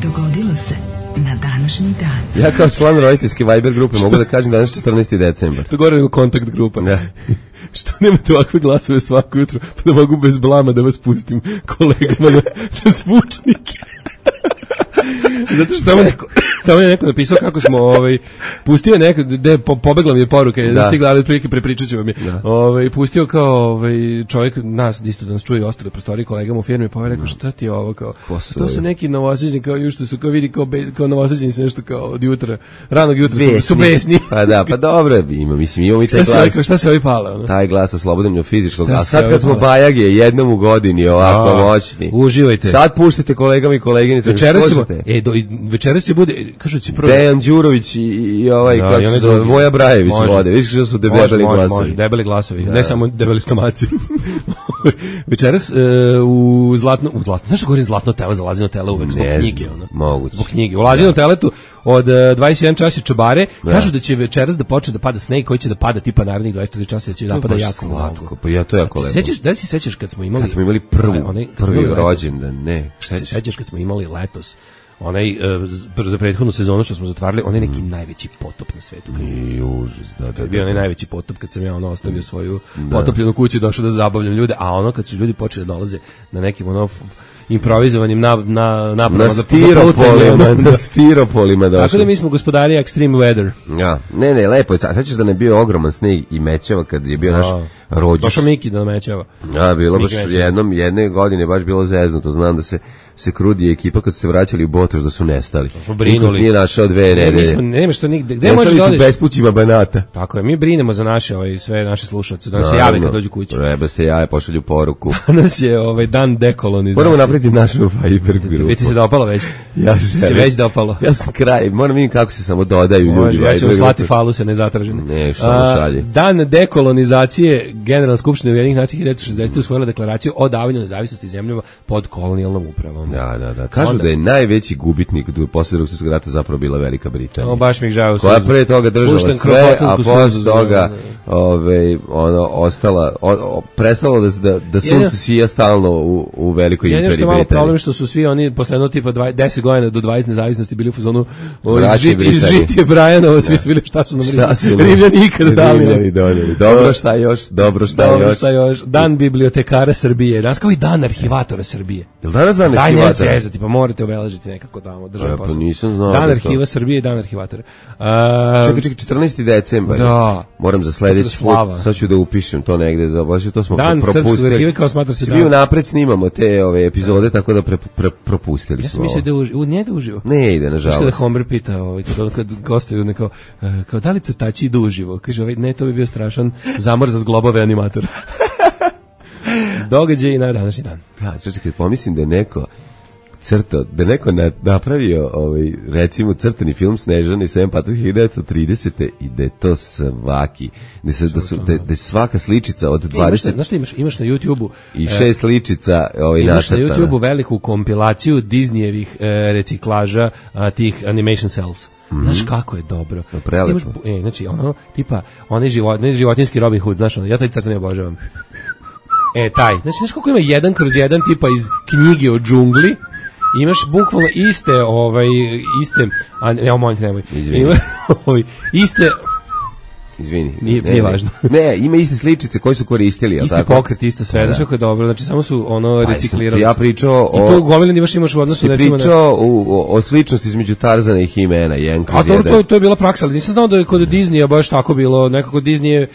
Speaker 3: Dogodilo se na današnji dan.
Speaker 5: Ja kao član roditeljske Viber grupe mogu da kažem danas četrnaesti decembar.
Speaker 6: To gore nego kontakt grupa.
Speaker 5: Da.
Speaker 6: Što nemate ovakve glasove svako jutro, pa da mogu bez blama da vas pustim kolegama na, na zvučnike. Zato što tamo neko, tamo je neko napisao kako smo, ovaj, pustio neko, de, po, pobegla mi je poruka, da, da stigla, ali prilike prepričat ću vam je, ovaj, pustio kao ovaj, čovjek nas, isto da nas čuje i ostale prostorije kolegama u firmi, pa ovaj rekao, šta ti je ovo, kao, to su neki novosađeni, kao ju što su, kao vidi, kao, be, kao novosađeni se nešto kao od jutra, ranog jutra besni. Su, su besni.
Speaker 5: Pa da, pa dobro, ima, mislim, imamo i taj
Speaker 6: šta
Speaker 5: glas.
Speaker 6: Rekao, šta se ovi pala? Ono?
Speaker 5: Taj glas oslobodan fizičkog, a sad kad smo bajage jednom u godini, ovako a, moćni.
Speaker 6: Uživajte.
Speaker 5: Sad puštajte kolegama i koleginicama.
Speaker 6: Večeras ćemo, e, do, večeras će bude, kažu će prvo
Speaker 5: Dejan Đurović i, i ovaj no, kako se zove Voja Brajević vode. Vidiš što su debeli glasovi. Može,
Speaker 6: debeli glasovi, da. Ne samo debeli stomaci. Večeras uh, u zlatno, u zlatno, znaš što govorim zlatno tele, za Lazino tele uvek zbog knjige, ono.
Speaker 5: Moguće.
Speaker 6: Zbog knjige. U Lazino teletu od uh, dvadeset jedan čas je čobare, da. Kažu da će večeras da počne da pada sneg koji će da pada tipa narednih dvadeset četiri časa, da će da pada jako
Speaker 5: slatko. Pa ja to jako lepo.
Speaker 6: Sećaš, da si sećaš kad smo imali
Speaker 5: kad smo imali prvu, onaj prvi rođendan, ne.
Speaker 6: Šta se sećaš kad smo imali letos onaj uh, za prethodnu sezonu što smo zatvarali, on je neki mm. najveći potop na svetu.
Speaker 5: I užas, da, da, da.
Speaker 6: Bio onaj najveći potop kad sam ja ono ostavio svoju da. potopljenu kuću i došao da zabavljam ljude, a ono kad su ljudi počeli da dolaze na nekim ono improvizovanim na na na
Speaker 5: na stiropolima, na stiropolima došli.
Speaker 6: Tako da mi smo gospodari extreme weather.
Speaker 5: Ja, ne, ne, lepo je. Sećaš da ne bio ogroman sneg i mećava kad je bio naš rođus.
Speaker 6: Došao Miki da mećava.
Speaker 5: Ja, bilo baš jednom, jedne godine baš bilo zeznuto. Znam da se se Krudi ekipa kad su se vraćali u Botoš da su nestali.
Speaker 6: Smo brinuli.
Speaker 5: Nije našao dve nedelje.
Speaker 6: Mi smo, nema što nigde. Gde možeš da odeš?
Speaker 5: Bespućima Banata.
Speaker 6: Tako je, mi brinemo za naše, ovaj, sve naše slušalce, da se jave kad dođu kući.
Speaker 5: Treba se jave, pošalju poruku.
Speaker 6: Danas je ovaj dan dekolonizacije.
Speaker 5: Moramo napraviti našu Viber grupu.
Speaker 6: Vi ti se dopalo već?
Speaker 5: Ja se
Speaker 6: već dopalo.
Speaker 5: Ja sam kraj, moram vidjeti kako se samo dodaju
Speaker 6: Može,
Speaker 5: ljudi.
Speaker 6: Ja ću slati faluse nezatražene.
Speaker 5: Ne, što mu šalje.
Speaker 6: Dan dekolonizacije, Generalna skupština Ujedinjenih nacija hiljadu šezdesetih usvojila deklaraciju o davanju nezavisnosti zemljama pod kolonijalnom upravom.
Speaker 5: Da, da, da. Kažu onda da je najveći gubitnik posle Drugog svjetskog rata zapravo bila Velika Britanija.
Speaker 6: O, baš mi ih žao.
Speaker 5: Koja pre toga držala sve, a posle toga ove, ono, ostala, o, o, prestalo da, da, da sunce sija stalno u, u Velikoj imperiji Britanije.
Speaker 6: Jedno što malo problem što su svi oni posle jedno tipa deset godina do dvadeset nezavisnosti bili u fazonu iz žitije Brajanovo, svi su bili šta su nam Rimljani ikada dali.
Speaker 5: Dobro šta još, dobro šta
Speaker 6: dobro
Speaker 5: još.
Speaker 6: Šta još. Dan bibliotekara Srbije, danas kao i dan arhivatora Srbije.
Speaker 5: Jel danas dan arhivatora?
Speaker 6: Daj ne zezati, pa morate obeležiti nekako tamo.
Speaker 5: Ja, pa nisam znao.
Speaker 6: Dan arhiva Srbije i dan arhivatora.
Speaker 5: Uh, čekaj, čekaj, četrnaesti decembar.
Speaker 6: Da.
Speaker 5: Moram za sledeći put, sad ću da upišem to negde, za baš to smo
Speaker 6: dan
Speaker 5: propustili. Dan
Speaker 6: srpskog arhiva kao smatra se dan.
Speaker 5: Svi unapred snimamo te ove epizode, tako da pre, pre, propustili
Speaker 6: ja
Speaker 5: smo.
Speaker 6: Ja sam mislio da uživo, nije da uživo.
Speaker 5: Ne ide, nažalost.
Speaker 6: Kada Homer pita, ovaj, kad, kad gostuju, neko, uh, kao da li crtači idu uživo? Kaže, ovaj, ne, to bi bio strašan zamor za zglobove animatora. Događaj na današnji dan.
Speaker 5: Ja, čekaj, pomislim da je neko crto, da neko na, napravio ovaj, recimo crtani film Snežana i sedam patrulja hiljadu devetsto tridesete i da je to svaki, da, se, da, su, da, da je svaka sličica od dvadeset...
Speaker 6: Znaš što imaš, imaš na YouTube-u...
Speaker 5: I šest sličica ovaj,
Speaker 6: imaš
Speaker 5: nacrtana.
Speaker 6: Na YouTube-u veliku kompilaciju Disneyevih e, reciklaža a, tih animation cells. Mm-hmm. Znaš kako je dobro.
Speaker 5: Prelepo.
Speaker 6: E, znači, ono, tipa, onaj život, životinski Robin Hood, znaš, ono, ja taj crtani obožavam. E, taj. Znači, znaš koliko ima jedan kroz jedan tipa iz knjige o džungli, imaš bukvalno iste, ovaj, iste, a ne, molim te, nemoj. Ima, ovaj, iste...
Speaker 5: Izvini.
Speaker 6: Nije,
Speaker 5: ne,
Speaker 6: nije
Speaker 5: ne,
Speaker 6: važno.
Speaker 5: Ne, ima iste sličice koje su koristili,
Speaker 6: isti
Speaker 5: tako?
Speaker 6: Pokret, isto sve, znaš kako je dobro, znači samo su ono reciklirali.
Speaker 5: Ja pričao o...
Speaker 6: I to gomilan imaš imaš u odnosu...
Speaker 5: Ti pričao o, o sličnosti između Tarzana i Himena, jedan kroz jedan.
Speaker 6: A dobro, to, to je bila praksa, ali nisam znao da je kod Disneya baš tako bilo, nekako Disney je...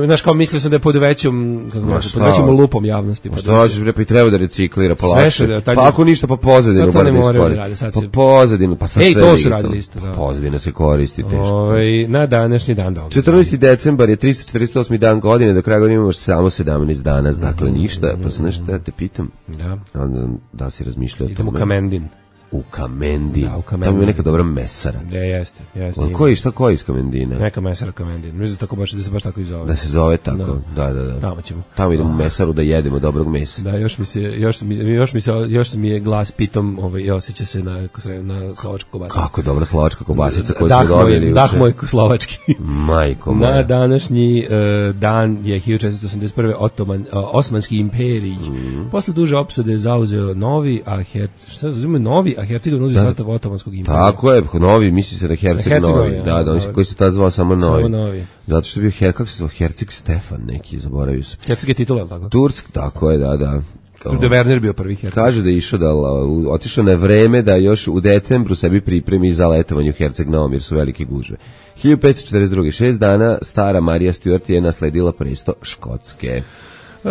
Speaker 6: Znaš, kao mislio sam da je pod većom, kako no, pod većom lupom javnosti.
Speaker 5: Što hoćeš, pa i treba da reciklira polakše.
Speaker 6: Da, taj...
Speaker 5: Pa ako ništa, pa pozadinu.
Speaker 6: Sad to ne moraju da radi. Sad
Speaker 5: pa pozadinu, pa sad
Speaker 6: Ej,
Speaker 5: sve
Speaker 6: to su radili isto.
Speaker 5: Da. Pozadina se koristi teško.
Speaker 6: Oj, na današnji dan da.
Speaker 5: četrnaesti decembar je tristo četrdeset osmi dan godine, do kraja godine imamo samo sedamnaest dana, dakle ništa. Pa se nešto ja te pitam.
Speaker 6: Da.
Speaker 5: Onda da si razmišljao o tome.
Speaker 6: Idemo u Kamendin.
Speaker 5: U Kamendin.
Speaker 6: Da, u Kamendin.
Speaker 5: Tamo je neka dobra mesara.
Speaker 6: Da, jeste, jeste.
Speaker 5: O, koji, šta koji iz Kamendina?
Speaker 6: Neka mesara Kamendin. Mislim da tako baš da se baš tako i zove.
Speaker 5: Da se zove tako. Da, da, da.
Speaker 6: Tamo ćemo.
Speaker 5: Tamo idemo u mesaru da jedemo dobrog mesa.
Speaker 6: Da, još mi se još mi još mi se još mi je glas pitom, ovaj i osjeća se na na slovačku kobasicu.
Speaker 5: Kako dobra slovačka kobasica koju smo dobili.
Speaker 6: Dah moj slovački.
Speaker 5: Majko moja.
Speaker 6: Na današnji uh, dan je hiljadu četiristo osamdeset prve Otoman, uh, Osmanski imperij. Mm. Posle duže opsade zauzeo Novi, a Her, šta zauzeo Novi, a Hercegovina uzeo sastav Otomanskog imperija.
Speaker 5: Tako je, Novi, misli se da Herceg Novi. Ja, da, da, oni koji se tada zvao samo Novi.
Speaker 6: Samo Novi.
Speaker 5: Zato što je bio, her, kako se zvao, Herceg Stefan neki, zaboravio se.
Speaker 6: Herceg je titula, je tako?
Speaker 5: Tursk, tako je, da, da.
Speaker 6: Kažu da je Werner bio prvi Herceg.
Speaker 5: Kaže da je išao da, otišao na vreme da još u decembru sebi pripremi za letovanje u Herceg Novom, jer su velike gužve. hiljadu petsto četrdeset druge šest dana, stara Marija Stuart je nasledila presto Škotske.
Speaker 6: Uh,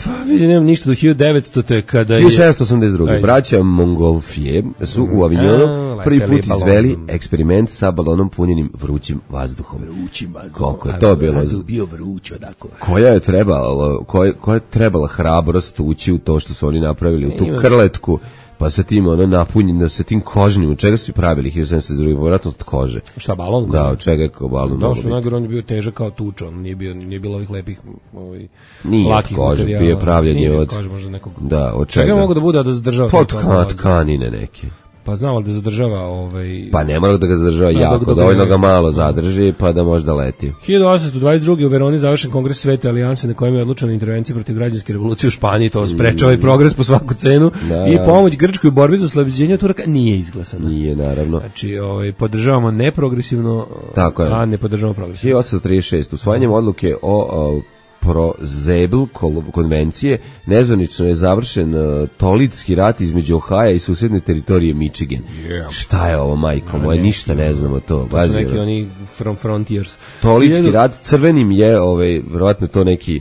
Speaker 6: pa vidim, nemam ništa do hiljadu devetstote kada je...
Speaker 5: hiljadu sedamsto osamdeset druge braća Montgolfier su u Avignonu prvi put izveli eksperiment sa balonom punjenim vrućim vazduhom.
Speaker 6: Vrućim vazduhom.
Speaker 5: Koliko je to bilo?
Speaker 6: Vazduh bio vruć, odako.
Speaker 5: Koja je trebala, koja, koja je trebala hrabrost ući u to što su oni napravili, u tu krletku, pa sa tim ono napunjeno, sa tim kožnim, od čega su pravili hiljadu sedamsto druge, vjerojatno od kože.
Speaker 6: Šta, balon?
Speaker 5: Da, od čega je kao balon.
Speaker 6: Da, što najgore, on je bio težak kao tuča, on nije, bio, nije bilo ovih lepih, ovih
Speaker 5: nije
Speaker 6: lakih
Speaker 5: kože,
Speaker 6: materijala.
Speaker 5: Bio pravljenje od...
Speaker 6: Kože, možda nekog...
Speaker 5: Da, od čega?
Speaker 6: Čega mogu da bude da zadržava?
Speaker 5: Pod tkanine neke.
Speaker 6: Pa znao da zadržava ovaj...
Speaker 5: Pa ne mora da ga zadržava
Speaker 6: Da,
Speaker 5: jako,
Speaker 6: dok- dok-
Speaker 5: dovoljno ga malo zadrži pa da može da leti.
Speaker 6: hiljadu osamsto dvadeset druge u Veroni završen kongres Svete alijanse na kojem je odlučena intervencija protiv građanske revolucije u Španiji, to sprečava i progres po svaku cenu
Speaker 5: Da,
Speaker 6: i
Speaker 5: da.
Speaker 6: pomoć Grčkoj u borbi za oslobođenje Turaka nije izglasana.
Speaker 5: Nije, naravno.
Speaker 6: Znači, ovaj, podržavamo neprogresivno,
Speaker 5: Tako je.
Speaker 6: a ne podržavamo progresivno.
Speaker 5: hiljadu osamsto trideset šest usvajanjem odluke o, o Prozebel konvencije nezvanično je završen uh, tolitski rat između Ohaja i susedne teritorije Michigan.
Speaker 6: Yeah.
Speaker 5: Šta je ovo, majko moje, ništa ne znamo to.
Speaker 6: To su
Speaker 5: Bazi,
Speaker 6: neki oni from frontiers.
Speaker 5: tolitski
Speaker 6: Hiljadu-
Speaker 5: rat, crvenim je, ovaj, verovatno to neki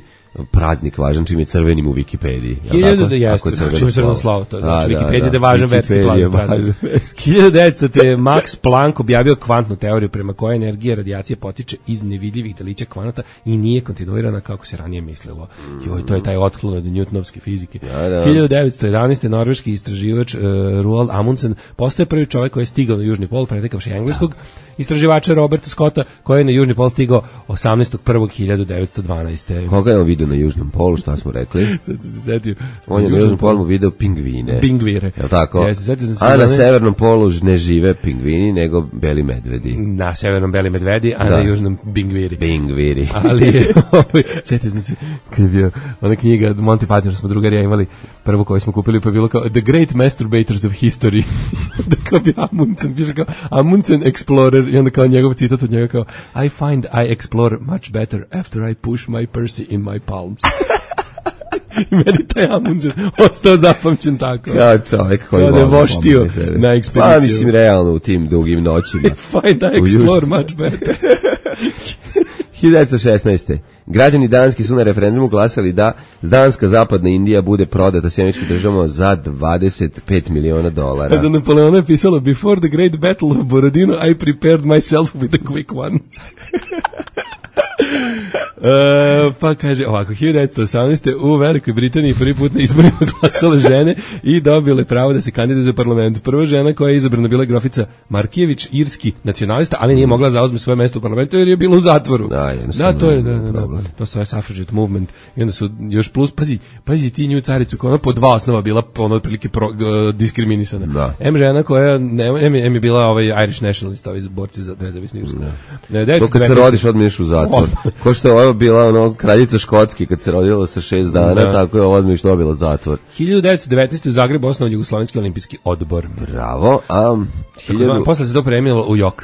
Speaker 5: praznik važan, čim je crvenim u Wikipediji. je li
Speaker 6: Hiljadu
Speaker 5: tako?
Speaker 6: da jeste,
Speaker 5: Ako je
Speaker 6: znači
Speaker 5: crveno
Speaker 6: crveno
Speaker 5: slovo.
Speaker 6: slavo, to je znači
Speaker 5: Da, da,
Speaker 6: Wikipedia da je važan verski
Speaker 5: Wikipedia je
Speaker 6: praznik.
Speaker 5: važan verski.
Speaker 6: hiljadu devetsto te je Max Planck objavio kvantnu teoriju prema kojoj energija radijacije potiče iz nevidljivih delića kvanata i nije kontinuirana kako se ranije mislilo. Joj, to je taj otklon od newtonovske fizike.
Speaker 5: Da, da.
Speaker 6: hiljadu devetsto jedanaeste norveški istraživač uh, Roald Amundsen postaje prvi čovjek koji je stigao na južni pol, pretekavši engleskog istraživača Roberta Scotta, koji je na južni pol stigao osamnaestog prvog hiljadu devetsto dvanaeste.
Speaker 5: Koga je on vidio na južnom polu, šta smo rekli?
Speaker 6: Sad sam se setio.
Speaker 5: On je na južnom polu video pingvine.
Speaker 6: Pingvire.
Speaker 5: Je li tako?
Speaker 6: Jeste, setio sam se
Speaker 5: A na
Speaker 6: za one-
Speaker 5: severnom polu ne žive pingvini, nego beli medvedi.
Speaker 6: Na severnom beli medvedi, a
Speaker 5: Da.
Speaker 6: na južnom bingviri.
Speaker 5: Pingviri.
Speaker 6: Ali je, ovaj, sjetio sam se, kad je bio ona knjiga Monty Python, smo drugarija imali, prvo koju smo kupili, pa je bilo kao The Great Masturbators of History. Da kao bi Amundsen, piše kao Amundsen Explorer, i onda kao njegov citat od njega kao I find I explore much better after I push my Percy in my palms. I meni taj Amundsen ostao zapamćen tako.
Speaker 5: Ja, čovjek koji
Speaker 6: Kada je
Speaker 5: voli
Speaker 6: voštio
Speaker 5: pomoći sebi.
Speaker 6: na ekspediciju.
Speaker 5: Pa mislim realno u tim dugim noćima.
Speaker 6: Find I
Speaker 5: U
Speaker 6: explore
Speaker 5: južnom-
Speaker 6: much better.
Speaker 5: hiljadu devetsto šesnaeste Građani Danski su na referendumu glasali da Danska zapadna Indija bude prodata Sjemičkim državama za dvadeset pet miliona dolara.
Speaker 6: A za Napoleona je pisalo Before the great battle of Borodino I prepared myself with a quick one. E, pa kaže ovako, hiljadu devetsto osamnaeste u Velikoj Britaniji prvi put na izborima glasale žene i dobile pravo da se kandiduju za parlament. Prva žena koja je izabrana bila je grofica Markijević, irski nacionalista, ali nije mogla zauzme svoje mesto u parlamentu jer je bila u zatvoru.
Speaker 5: Da, jednostavno
Speaker 6: da to je, da,
Speaker 5: nije
Speaker 6: da, da.
Speaker 5: problem.
Speaker 6: To se zove suffragette movement. I onda su još plus, pazi, pazi ti nju caricu koja je ona po dva osnova bila ono otprilike pro, g- diskriminisana.
Speaker 5: Da.
Speaker 6: M žena koja, ne, M, je- M je bila ovaj Irish nationalist, ovi borci za nezavisnu Irsku. Ne,
Speaker 5: To kad se rodiš odmiješ u zatvor. Ko što je ovo bila ono kraljica Škotske kad se rodila sa šest dana,
Speaker 6: Da.
Speaker 5: tako je ovo odmiješ dobila zatvor.
Speaker 6: hiljadu devetsto devetnaeste u Zagrebu osnovan Jugoslovenski olimpijski odbor.
Speaker 5: Bravo, a
Speaker 6: Takozvani-
Speaker 5: hiljadu...
Speaker 6: Posle se to premijelo u J O K,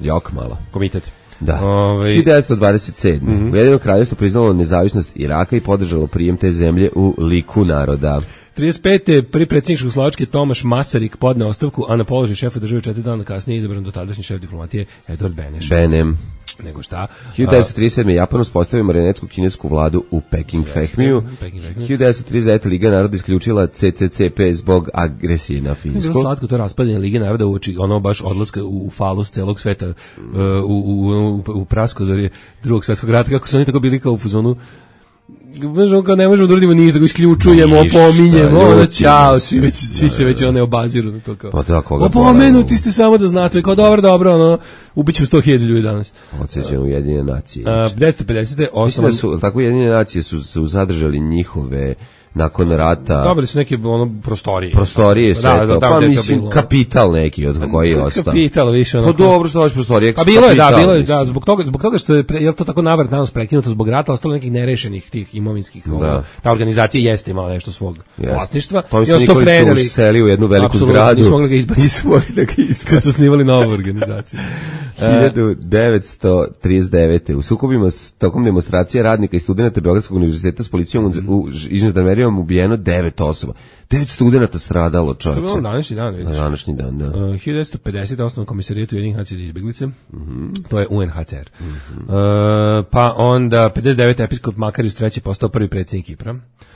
Speaker 5: Jok malo.
Speaker 6: komitet.
Speaker 5: Da.
Speaker 6: Ovaj,
Speaker 5: hiljadu devetsto dvadeset sedme
Speaker 6: Mhm.
Speaker 5: Ujedinjeno kraljevstvo priznalo nezavisnost Iraka i podržalo prijem te zemlje u liku naroda.
Speaker 6: trideset pete prvi predsjednik Čehoslovačke Tomaš Masaryk podneo ostavku, a na položaj šefa države četiri dana kasnije izabran dotadašnji šef diplomatije Edvard Beneš.
Speaker 5: Benem.
Speaker 6: Nego šta?
Speaker 5: hiljadu devetsto trideset sedme Japan uspostavio marionetsku kinesku vladu u Peking Fehmiju.
Speaker 6: Peking Fehmiju.
Speaker 5: hiljadu devetsto trideset devete Liga naroda isključila C C C P zbog agresije na
Speaker 6: Je bilo
Speaker 5: Finsku.
Speaker 6: slatko to raspadanje Lige naroda uoči ono baš odlaska u, u falus celog sveta uh, u, u, u, u praskozorje drugog svetskog rata, kako su oni tako bili kao u fuzonu. Možemo kao ne možemo da uradimo ništa, ga isključujemo,
Speaker 5: Ništa,
Speaker 6: opominjemo, ono,
Speaker 5: ljutimo
Speaker 6: ćao,
Speaker 5: se.
Speaker 6: svi, već, svi se već one obaziru na to kao.
Speaker 5: Pa da, koga
Speaker 6: Opomenuti
Speaker 5: bole,
Speaker 6: ste samo da znate, kao dobro, dobro, ono, ubićemo sto hiljada ljudi danas.
Speaker 5: Podsjećam Ujedinjene nacije.
Speaker 6: Uh, devetsto pedesete
Speaker 5: Mislim
Speaker 6: osnovan,
Speaker 5: da su, tako Ujedinjene nacije su, su zadržali njihove nakon rata
Speaker 6: dobili su neke ono prostorije.
Speaker 5: prostorije, sve
Speaker 6: Da,
Speaker 5: to.
Speaker 6: da, tamo
Speaker 5: pa
Speaker 6: gde je to
Speaker 5: mislim,
Speaker 6: bilo.
Speaker 5: kapital neki od koji je ostao.
Speaker 6: Kapital više ono.
Speaker 5: Pa dobro što hoćeš prostorije.
Speaker 6: Pa bilo je, da,
Speaker 5: kapital,
Speaker 6: bilo je,
Speaker 5: mislim.
Speaker 6: da, zbog toga, zbog toga što je, pre, je li to tako navrat danas prekinuto zbog rata, ostalo nekih nerešenih tih imovinskih,
Speaker 5: Da.
Speaker 6: ono, ta organizacija jeste imala nešto svog
Speaker 5: Jeste.
Speaker 6: vlasništva.
Speaker 5: Tomislav
Speaker 6: I onda su to
Speaker 5: Nikolić su
Speaker 6: predali.
Speaker 5: useli u jednu veliku
Speaker 6: Apsolutno,
Speaker 5: zgradu.
Speaker 6: nisu mogli ga izbaciti.
Speaker 5: Nisu mogli da ga izbaciti.
Speaker 6: Kad su osnivali novu organizaciju.
Speaker 5: hiljadu devetsto trideset devete U sukobima s tokom demonstracije radnika i studenata Beogradskog univerziteta s policijom u, u žandarmerijom ubijeno devet osoba. Devet studenata stradalo,
Speaker 6: To je bilo
Speaker 5: čovječe.
Speaker 6: na današnji dan,
Speaker 5: Na
Speaker 6: vidiš.
Speaker 5: današnji dan, da.
Speaker 6: Uh, hiljadu devetsto pedesete osnovan komisarijat Ujedinjenih nacija za izbeglice. To je U N H C R. Uh, pa onda pedeset devete episkop Makarius treći postao prvi predsjednik Kipra.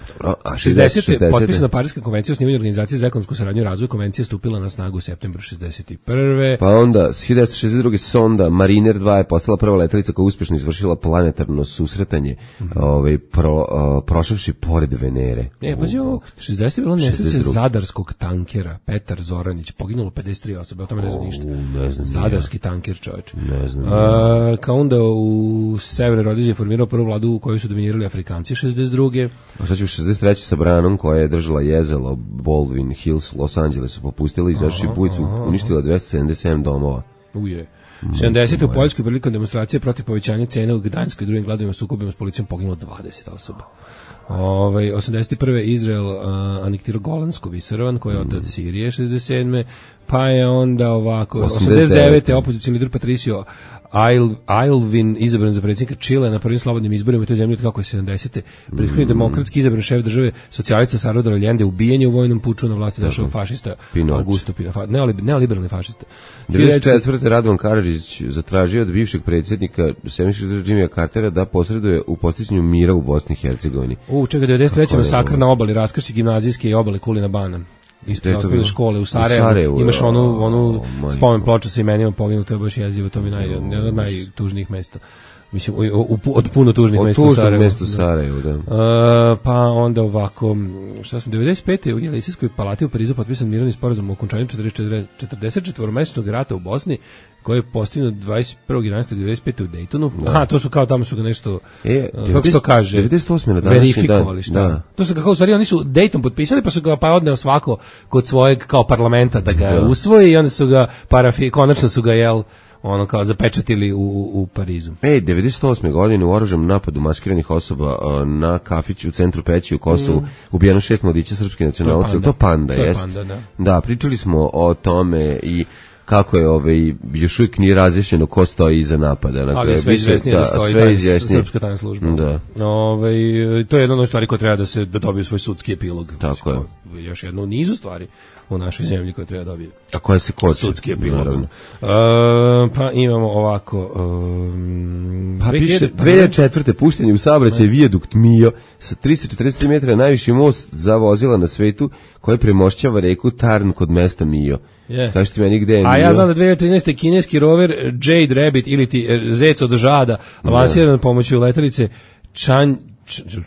Speaker 5: Dobro, a
Speaker 6: šezdesete
Speaker 5: šezdesete
Speaker 6: potpisana Pariska konvencija o osnivanju organizacije za ekonomsku saradnju i razvoj. Konvencija je stupila na snagu u septembru šezdeset prve
Speaker 5: Pa onda, s hiljadu devetsto šezdeset druge sonda Mariner dva je postala prva letelica koja uspješno izvršila planetarno susretanje, mm-hmm. ovaj, pro, uh, prošavši pored Venere.
Speaker 6: E, pa je ovo, šezdeset je bilo nesreće zadarskog tankera, Petar Zoranić, poginulo pedeset tri osobe, o tome ne znam ništa.
Speaker 5: Ne znam,
Speaker 6: Zadarski tanker, čovječ.
Speaker 5: Ne znam.
Speaker 6: Uh, kao onda u Severnoj Rodiziji je formirao prvu vladu u kojoj su dominirali Afrikanci šezdeset druge.
Speaker 5: A sad ću šezdeset treće sa Branom koja je držala jezelo Baldwin Hills, Los Angelesu, popustila i izašli put su uništila dvesta sedamdeset sedam domova.
Speaker 6: Uje. sedamdesete u Poljskoj prilikom demonstracije protiv povećanja cene u Gdańskoj i drugim gladovima sukobima s policijom poginulo dvadeset osoba. Ovaj osamdeset prve Izrael uh, anektirao Golansku visoravan koja je otac Sirije šezdeset sedme pa je onda ovako osamdeset devete opozicioni lider Patricio Ail, Aylwin izabran za predsjednika Čile na prvim slobodnim izborima u toj zemlji kako je sedamdesete Prethodni mm. demokratski izabran šef države socijalista Salvador Allende ubijen je u vojnom puču na vlasti došao fašista Augusto Pinochet, neoliberalni fašista.
Speaker 5: devedeset četvrte Radovan Karadžić zatražio od bivšeg predsjednika Sjedinjenih Država Jimmya Cartera da posreduje u postizanju mira u Bosni i Hercegovini.
Speaker 6: U čega devedeset treće masakr na obali raskršće gimnazijske i obale Kulina Bana. Ispred osnovne škole u Sarajevu, u Sarajevu imaš onu, onu oh, spomen ploču sa imenima poginulo, to je baš jezivo, to mi naj, jedan od najtužnijih mesta. Mislim, u, u, od puno tužnih mesta u Sarajevu. Od tužnih mesta u Sarajevu, da. da. Uh, pa onda ovako, šta smo, devedeset pete u Jelisejskoj palati u Parizu potpisan mirovni sporazum o okončanju četrdeset četvoromesečnog rata u Bosni, koji je postignut dvadeset prvog jedanaestog devedeset pete u Daytonu. Da. Aha, to su kao tamo su ga nešto, e, uh, kako se to kaže,
Speaker 5: devedeset osme na današnji
Speaker 6: verifikovali, šta? Da. To su ga kao, u stvari, oni su Dayton potpisali, pa su ga pa odneo svako kod svojeg kao parlamenta da ga da. usvoji i onda su ga parafi, konačno su ga, jel, ono kao zapečatili u, u Parizu.
Speaker 5: Ej, devedeset osme godine u oružanom napadu maskiranih osoba uh, na kafiću u centru Peći u Kosovu mm. ubijeno šest mladića srpske nacionalnosti. To panda, to jest. Panda, da. Da, pričali smo o tome i kako je ovaj još uvijek nije razjašnjeno ko stoji iza napada.
Speaker 6: Na ali sve izvjesnije da, da stoji taj srpska tajna služba. Da. Ove, to je jedna od stvari koja treba da se da dobije svoj sudski epilog.
Speaker 5: Tako je.
Speaker 6: Još jedno u nizu stvari u našoj zemlji koja treba dobije.
Speaker 5: A koja se koče?
Speaker 6: Sudski epilog. Uh, pa imamo ovako... Um,
Speaker 5: pa piše, dve hiljade četvrte puštenje u saobraćaj vijadukt Mio sa trista četrdeset tri metra najviši most za vozila na svetu koji premošćava reku Tarn kod mesta Mio. Yeah. Kaži ti meni gde je Mio?
Speaker 6: A ja znam da dve hiljade trinaeste kineski rover Jade Rabbit ili ti Zec od žada lansiran pomoću letelice Chan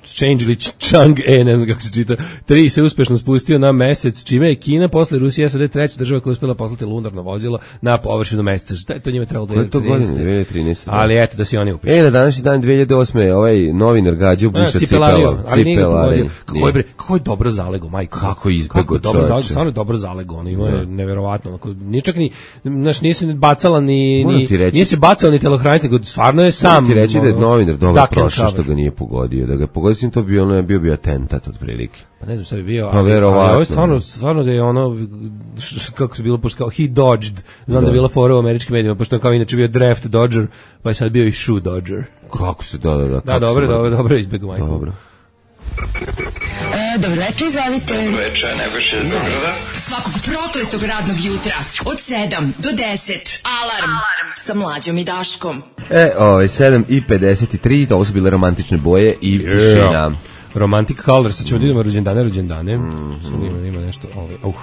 Speaker 6: Change ili Chang'e, ne znam kako se čita, tri se uspešno spustio na mesec, čime je Kina posle Rusije S A D treća država koja je uspela poslati lunarno vozilo na površinu meseca. Šta je to njima trebalo dve hiljade trinaeste?
Speaker 5: dve hiljade trinaeste.
Speaker 6: Ali eto, da si oni upišu.
Speaker 5: E, na današnji dan dve hiljade osme ovaj novinar gađao buša cipela.
Speaker 6: Cipelare. Kako je, bre, kako je dobro zalego, majko.
Speaker 5: Kako je izbego čovječe.
Speaker 6: Stvarno je dobro zalego, ono ima je neverovatno. Nije čak ni, znaš, nije se bacala ni, nije se bacala ni telohranitelj, stvarno je sam.
Speaker 5: Ti reći da je novinar dobro prošao što ga nije pogodio, da ga pogodio sim to bio ono bio bio atentat otprilike.
Speaker 6: Pa ne znam šta bi bio, ali, ali ovo je stvarno, stvarno da je ono, kako se bilo, pošto kao he dodged, znam da, da je bila fora u američkim medijima, pošto je kao inače bio draft dodger, pa je sad bio i shoe dodger.
Speaker 5: Kako se, da, da, da.
Speaker 6: Da, dobro, dobro, dobro, izbjegu majko.
Speaker 5: Dobro.
Speaker 3: E, dobro večer, izvalite.
Speaker 7: Dobro večer, Nebojša iz Beograda.
Speaker 3: Svakog prokletog radnog jutra, od sedam do deset. Alarm, Alarm. Sa Mlađom i Daškom.
Speaker 5: E, ovaj, sedam i pedeset tri, to su bile romantične boje i tišina. Yeah.
Speaker 6: Romantic Color, sad ćemo da idemo rođendane, rođendane. Mm-hmm. Sad ima, ima nešto, ovaj, uh.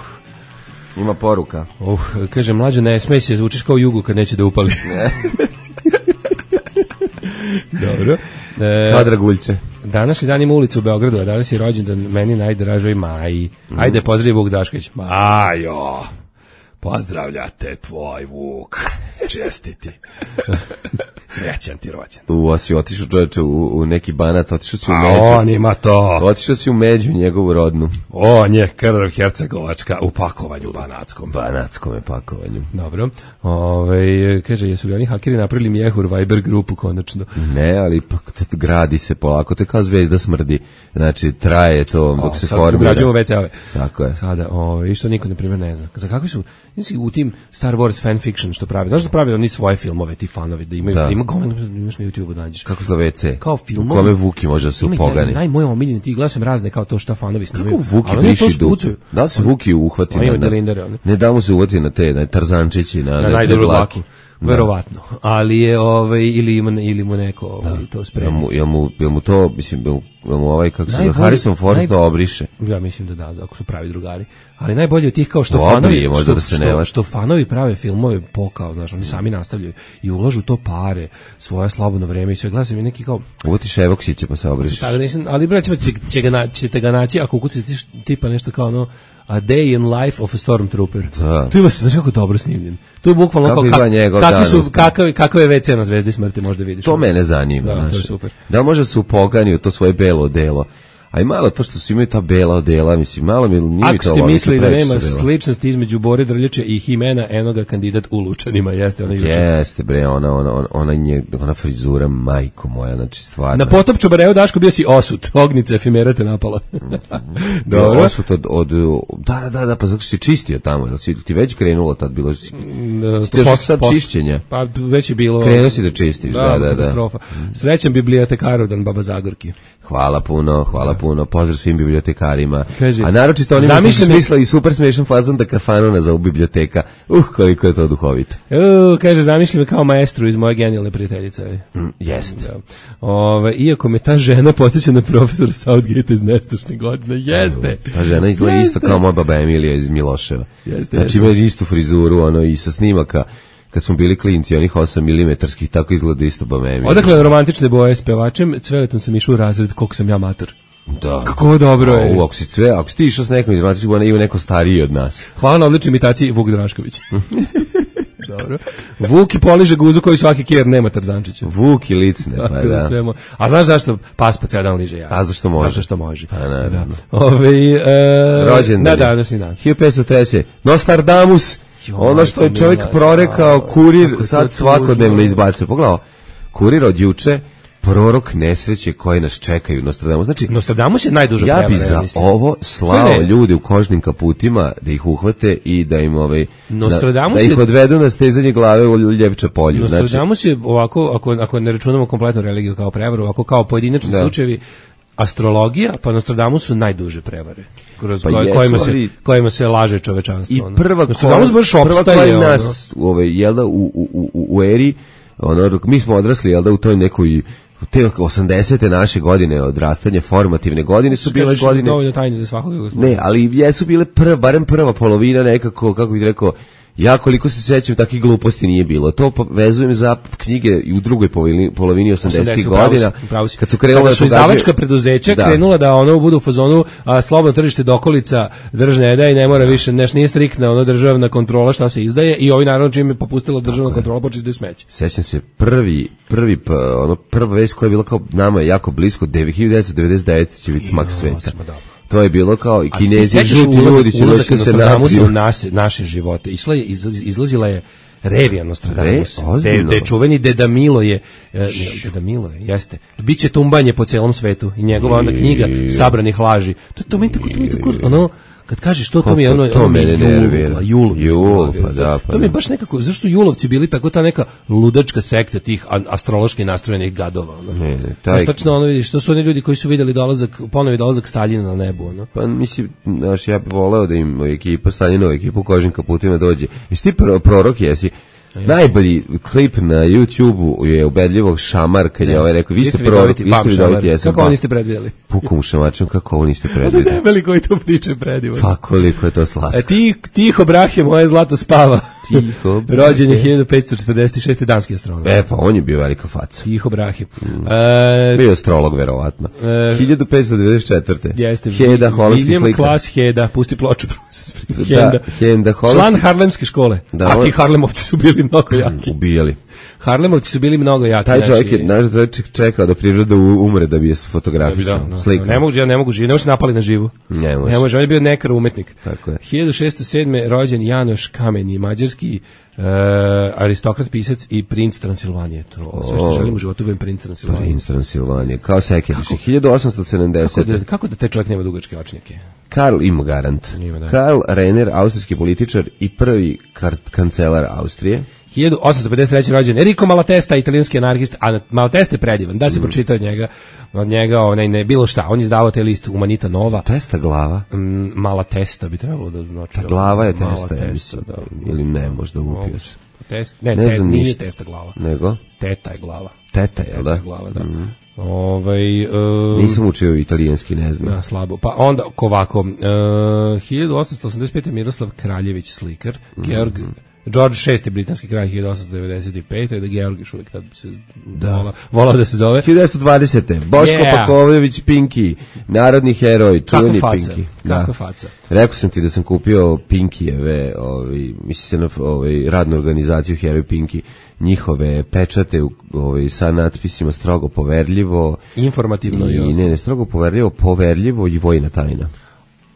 Speaker 5: Ima poruka.
Speaker 6: Uh, kaže, Mlađo, ne smej se, zvučiš kao Jugu kad neće da upali. Dobro. E,
Speaker 5: kao Draguljče.
Speaker 6: Današnji dan ima ulicu u Beogradu, a danas je rođendan meni najdražoj Maji. Mm. Ajde, pozdravi Vuk Dašković. Majo, pozdravljate tvoj Vuk. Čestiti. Srećan ti rođen.
Speaker 5: U, si otišao čovječe u, u neki Banat, otišao si u
Speaker 6: a
Speaker 5: Među.
Speaker 6: On ima to.
Speaker 5: Otišao si u Među, njegovu rodnu.
Speaker 6: On je krv Hercegovačka u pakovanju banatskom.
Speaker 5: Banatskom je pakovanju.
Speaker 6: Dobro. Ove, kaže, jesu li oni hakeri napravili Mjehur Viber grupu konačno?
Speaker 5: Ne, ali gradi se polako, to je kao Zvezda smrdi. Znači, traje to dok o, se formira.
Speaker 6: Ugrađujemo ve ce ove.
Speaker 5: Tako je.
Speaker 6: Sada, ove, što niko, na primjer, ne zna. Za kakvi su, nisi u tim Star Wars fanfiction što pravi? Znaš da pravi oni svoje filmove, ti fanovi, da imaju, da. Ima gomen, imaš na YouTube da nađeš.
Speaker 5: Kako zove ve ce?
Speaker 6: Kao filmovi.
Speaker 5: Kome Vuki može da se upogani.
Speaker 6: Naj moj omiljeni, ti gledam razne kao to šta fanovi snimaju.
Speaker 5: Kako Vuki briši dupe? Da se Vuki uhvati na, na, ne da mu se uvati na te, na Tarzančići, na,
Speaker 6: na, na najdobru dlaku. verovatno. Ali je ovaj ili ima ili mu neko ovaj, to sprema.
Speaker 5: Jel mu, jel mu, jel mu to, mislim, jel mu, jel mu ovaj, kako se zove,
Speaker 6: Najbolji-
Speaker 5: Harrison Ford
Speaker 6: naj-
Speaker 5: to obriše.
Speaker 6: Ja mislim da da, ako su pravi drugari. Ali najbolje od tih kao što
Speaker 5: Dobri
Speaker 6: fanovi,
Speaker 5: je, možda
Speaker 6: što,
Speaker 5: da se ne
Speaker 6: što,
Speaker 5: laže.
Speaker 6: što fanovi prave filmove pokao, znaš, oni sami nastavljaju i ulažu to pare, svoje slobodno vreme i sve. Gledam sam i neki kao
Speaker 5: Uvoti Ševoksiće pa se obriše.
Speaker 6: Tada nisam, ali braćima će, će ga na, ćete ga naći ako ukucate tiš- tipa nešto kao ono A Day in Life of a Stormtrooper.
Speaker 5: Da.
Speaker 6: Tu ima se, znaš kako dobro snimljen. Tu je bukvalno
Speaker 5: Kako
Speaker 6: kao,
Speaker 5: izgleda njegov
Speaker 6: kakvi
Speaker 5: dan
Speaker 6: su,
Speaker 5: usta.
Speaker 6: kakav, kakav je ve ce na Zvezdi smrti, možda vidiš.
Speaker 5: To mene zanima.
Speaker 6: Da, to je
Speaker 5: znaš.
Speaker 6: super.
Speaker 5: Da li može se upogani u to svoje belo odelo? A i malo to što su imaju ta bela odela, mislim, malo mi nije mi
Speaker 6: Ako
Speaker 5: to
Speaker 6: ste
Speaker 5: logika,
Speaker 6: mislili da
Speaker 5: previše
Speaker 6: nema
Speaker 5: su bela.
Speaker 6: sličnosti između Bore Drljače i Himena, eno ga kandidat u Lučanima, jeste ona izučena.
Speaker 5: Jeste, bre, ona, ona, ona, ona, nje, ona frizura, majko moja, znači stvarno.
Speaker 6: Na potop Čobareu, Daško, bio si osut, ognica efimera te napala. Dobro.
Speaker 5: Osut od, od, da, da, da, da, pa zato što si čistio tamo, jel si ti već krenulo tad, bilo si, ti još
Speaker 6: Post-
Speaker 5: sad
Speaker 6: post-
Speaker 5: čišćenja.
Speaker 6: Pa već je bilo...
Speaker 5: Krenuo si da čistiš, da, da, da.
Speaker 6: katastrofa. Srećan bibliotekarodan Baba Zagorki.
Speaker 5: Hvala puno, hvala puno, pozdrav svim bibliotekarima.
Speaker 6: Kaže,
Speaker 5: a naročito onima što su
Speaker 6: zamišljam-
Speaker 5: smislili super smešan fazon da kafanu nazovu biblioteka. Uh, koliko je to duhovito.
Speaker 6: U, kaže, zamišljam me kao maestru iz moje genijalne prijateljice.
Speaker 5: Mm, jeste.
Speaker 6: Da. Ove, iako me ta žena podsjeća na profesora Southgate iz nestašne godine. Jeste.
Speaker 5: Ta žena izgleda
Speaker 6: Jeste.
Speaker 5: isto kao moja baba Emilija iz Miloševa.
Speaker 6: Jeste,
Speaker 5: Znači ima istu frizuru, ono, i sa snimaka, kad smo bili klinci, onih osam milimetarskih, tako izgleda isto baba Emilija.
Speaker 6: Odakle romantične boje s pevačem, Cveletom sam išao u razred, koliko sam ja mator.
Speaker 5: Da.
Speaker 6: Kako dobro je.
Speaker 5: O, ako si sve, ako si ti išao s nekom iz romantičnih boja, ima neko stariji od nas.
Speaker 6: Hvala na odličnoj imitaciji Vuk Drašković. Dobro. Vuk i poliže guzu koji svaki kjer nema Tarzančića.
Speaker 5: Vuk i licne, pa
Speaker 6: Tako
Speaker 5: da.
Speaker 6: sve mo- A znaš zašto pas po ceo dan liže ja?
Speaker 5: A zašto može?
Speaker 6: Zato što može.
Speaker 5: Pa naravno.
Speaker 6: Ove, e,
Speaker 5: Rođendan
Speaker 6: na
Speaker 5: je.
Speaker 6: današnji dan.
Speaker 5: hiljadu petsto trideset. Nostradamus,
Speaker 6: Jo,
Speaker 5: ono što je
Speaker 6: majko
Speaker 5: čovjek
Speaker 6: mila,
Speaker 5: prorekao,
Speaker 6: ja,
Speaker 5: kurir
Speaker 6: kako je to
Speaker 5: sad svakodnevno
Speaker 6: tužno.
Speaker 5: izbacuje. Pogledaj, kurir od juče, prorok nesreće koje nas čekaju. Nostradamus, znači,
Speaker 6: Nostradamus je najduža
Speaker 5: ja
Speaker 6: prevara,
Speaker 5: bi za
Speaker 6: mislim.
Speaker 5: ovo slao
Speaker 6: Ne, ne.
Speaker 5: ljude u kožnim kaputima da ih uhvate i da im ovaj
Speaker 6: Nostradamus
Speaker 5: da, da ih
Speaker 6: je-
Speaker 5: odvedu na stezanje glave u Ljevče polju. Znači,
Speaker 6: Nostradamus je ovako, ako, ako ne računamo kompletnu religiju kao prevaru, ovako kao pojedinačni
Speaker 5: Da.
Speaker 6: slučajevi, astrologija, pa Nostradamus su najduže prevare. Kroz
Speaker 5: Pa
Speaker 6: koje-
Speaker 5: jesu,
Speaker 6: kojima, se,
Speaker 5: ali-
Speaker 6: kojima se laže čovečanstvo.
Speaker 5: i
Speaker 6: ono.
Speaker 5: prva
Speaker 6: Nostradamus baš
Speaker 5: prva
Speaker 6: opstaje.
Speaker 5: koja
Speaker 6: ono.
Speaker 5: nas ovaj jel da u, u, u, u eri ono dok mi smo odrasli jel da u toj nekoj te osamdesete naše godine odrastanje formativne godine su bile
Speaker 6: Kažeš,
Speaker 5: godine
Speaker 6: dovoljno tajne za svakog.
Speaker 5: ne ali jesu bile prva barem prva polovina nekako kako bih rekao. Ja koliko se sećam takih gluposti nije bilo. To vezujem za knjige i u drugoj polovini, polovini osamdesetih godina. Kad su krenule
Speaker 6: Kada su
Speaker 5: da
Speaker 6: izdavačka
Speaker 5: pokazuju-
Speaker 6: preduzeća
Speaker 5: Da.
Speaker 6: krenula da ono budu u fazonu a, slobodno tržište dokolica držne da i ne mora više, neš nije striktna ono državna kontrola šta se izdaje i ovi naravno čim je popustila državna kontrola počeli da smeće.
Speaker 5: Sećam se prvi prvi p- ono prva vest koja je bila kao nama jako blisko hiljadu devetsto devedeset devete će biti smak sveta.
Speaker 6: osma, dobro.
Speaker 5: To je bilo kao i
Speaker 6: A ti
Speaker 5: Kinezi
Speaker 6: sećaš
Speaker 5: žuti
Speaker 6: ulazak-
Speaker 5: ljudi će
Speaker 6: ulazak
Speaker 5: doći se
Speaker 6: Nostradamusa
Speaker 5: napiju.
Speaker 6: u nas, naše živote. Išla je, izlaz- izlazila je Revija Nostradamus.
Speaker 5: Re, ozbiljno?
Speaker 6: De, de čuveni Deda Milo je, e, ne, Deda Milo je, jeste. Biće tumbanje po celom svetu i njegova onda knjiga sabranih laži. To, to mi tako, to mi tako, ono, kad kažeš to, to mi je ono,
Speaker 5: Kako to
Speaker 6: ono mi je
Speaker 5: mene nervira.
Speaker 6: Jul, Jul,
Speaker 5: Jul, pa da, pa
Speaker 6: to mi je
Speaker 5: da.
Speaker 6: baš nekako, zašto su Julovci bili tako ta neka ludačka sekta tih a- astrološki nastrojenih gadova. Ono.
Speaker 5: Ne, ne,
Speaker 6: Znaš,
Speaker 5: taj-
Speaker 6: tačno ono vidiš, to su oni ljudi koji su vidjeli dolazak, ponovi dolazak Staljina na nebu, ono.
Speaker 5: Pa mislim, znaš, ja bih voleo da im ekipa, Staljinova ekipa u kožnim kaputima dođe. Jesi ti pro- prorok, jesi? Najbolji klip na YouTubeu je ubedljivog Šamar kad je ovaj rekao, vi ste prorok, vi ste vidoviti, jesam.
Speaker 6: Kako ovo niste predvidjeli?
Speaker 5: Pukom mu šamačom, kako ovo niste
Speaker 6: Da
Speaker 5: predvidjeli.
Speaker 6: debeli koji to priče predivan.
Speaker 5: Pa koliko je to slatko.
Speaker 6: E ti, tiho brahe, moje zlato spava.
Speaker 5: Tiho,
Speaker 6: Rođen je hiljadu petsto četrdeset šeste. danski astronom.
Speaker 5: E, pa on je bio velika faca.
Speaker 6: Tiho brahe. E,
Speaker 5: Bio astrolog, verovatno.
Speaker 6: E,
Speaker 5: hiljadu petsto devedeset četvrte.
Speaker 6: jeste.
Speaker 5: Heda, holandski
Speaker 6: William
Speaker 5: slikar.
Speaker 6: Klaas Heda, pusti ploču.
Speaker 5: Da,
Speaker 6: Henda.
Speaker 5: Henda, holandski-
Speaker 6: Član Harlemske škole.
Speaker 5: Da,
Speaker 6: A
Speaker 5: on-
Speaker 6: ti Harlemovci su bili mnogo jaki.
Speaker 5: Ubijali.
Speaker 6: Harlemovci su bili mnogo jaki.
Speaker 5: Taj čovjek
Speaker 6: znači-
Speaker 5: je, naš čovjek čekao da priroda u- umre da bi je
Speaker 6: Da,
Speaker 5: fotografisao.
Speaker 6: da, da.
Speaker 5: Slikao.
Speaker 6: Ne mogu, ja ne mogu živjeti, ne može se napali na živu.
Speaker 5: Ne može.
Speaker 6: Ne može, on je bio nekar umetnik.
Speaker 5: Tako je.
Speaker 6: hiljadu šesto sedme. rođen Janoš Kameni, mađarski e, aristokrat, pisac i princ Transilvanije. To sve što želim u životu budem princ Transilvanije.
Speaker 5: Princ Transilvanije, kao Sekeriš. hiljadu osamsto
Speaker 6: Kako
Speaker 5: sedamdeset.
Speaker 6: da, kako da taj čovjek nema dugačke očnike?
Speaker 5: Karl ima garant.
Speaker 6: Ima, da.
Speaker 5: Karl Renner, austrijski političar i prvi kar- kancelar Austrije.
Speaker 6: hiljadu osamsto pedeset treće. rođen Enrico Malatesta, italijanski anarhist, a Malatesta je predivan, da se pročita od njega, od njega onaj, ne, bilo šta, on je izdavao taj list Humanita Nova,
Speaker 5: Testa glava.
Speaker 6: Mm, Malatesta bi trebalo da znači.
Speaker 5: Ta glava je testa, ja
Speaker 6: Malatesta,
Speaker 5: mislim.
Speaker 6: da.
Speaker 5: Ili ne, možda lupio se.
Speaker 6: test, ne,
Speaker 5: Ne
Speaker 6: te,
Speaker 5: znam
Speaker 6: nije
Speaker 5: ništa.
Speaker 6: testa glava.
Speaker 5: Nego?
Speaker 6: Teta je glava.
Speaker 5: Teta, jel da?
Speaker 6: Teta je glava, da.
Speaker 5: Mhm.
Speaker 6: Ovaj, uh,
Speaker 5: Nisam učio italijanski, ne znam.
Speaker 6: Da, slabo. Pa onda ovako, uh, hiljadu osamsto osamdeset pete. Miroslav Kraljević, slikar, Georg George šesti. britanski kralj hiljadu osamsto devedeset pete. Da Georg još uvijek tad se
Speaker 5: Da.
Speaker 6: vola, volao da se zove.
Speaker 5: hiljadu devetsto dvadesete. Boško
Speaker 6: Yeah.
Speaker 5: Pakovljević Pinki, narodni heroj,
Speaker 6: Kakva
Speaker 5: čuveni
Speaker 6: faca,
Speaker 5: Pinki.
Speaker 6: kakva faca.
Speaker 5: Rekao sam ti da sam kupio Pinkijeve, ovaj, misli se na ovaj, radnu organizaciju Heroj Pinki, njihove pečate u, ovaj, sa natpisima strogo poverljivo.
Speaker 6: Informativno i,
Speaker 5: I, ne, ne, strogo poverljivo, poverljivo i vojna tajna.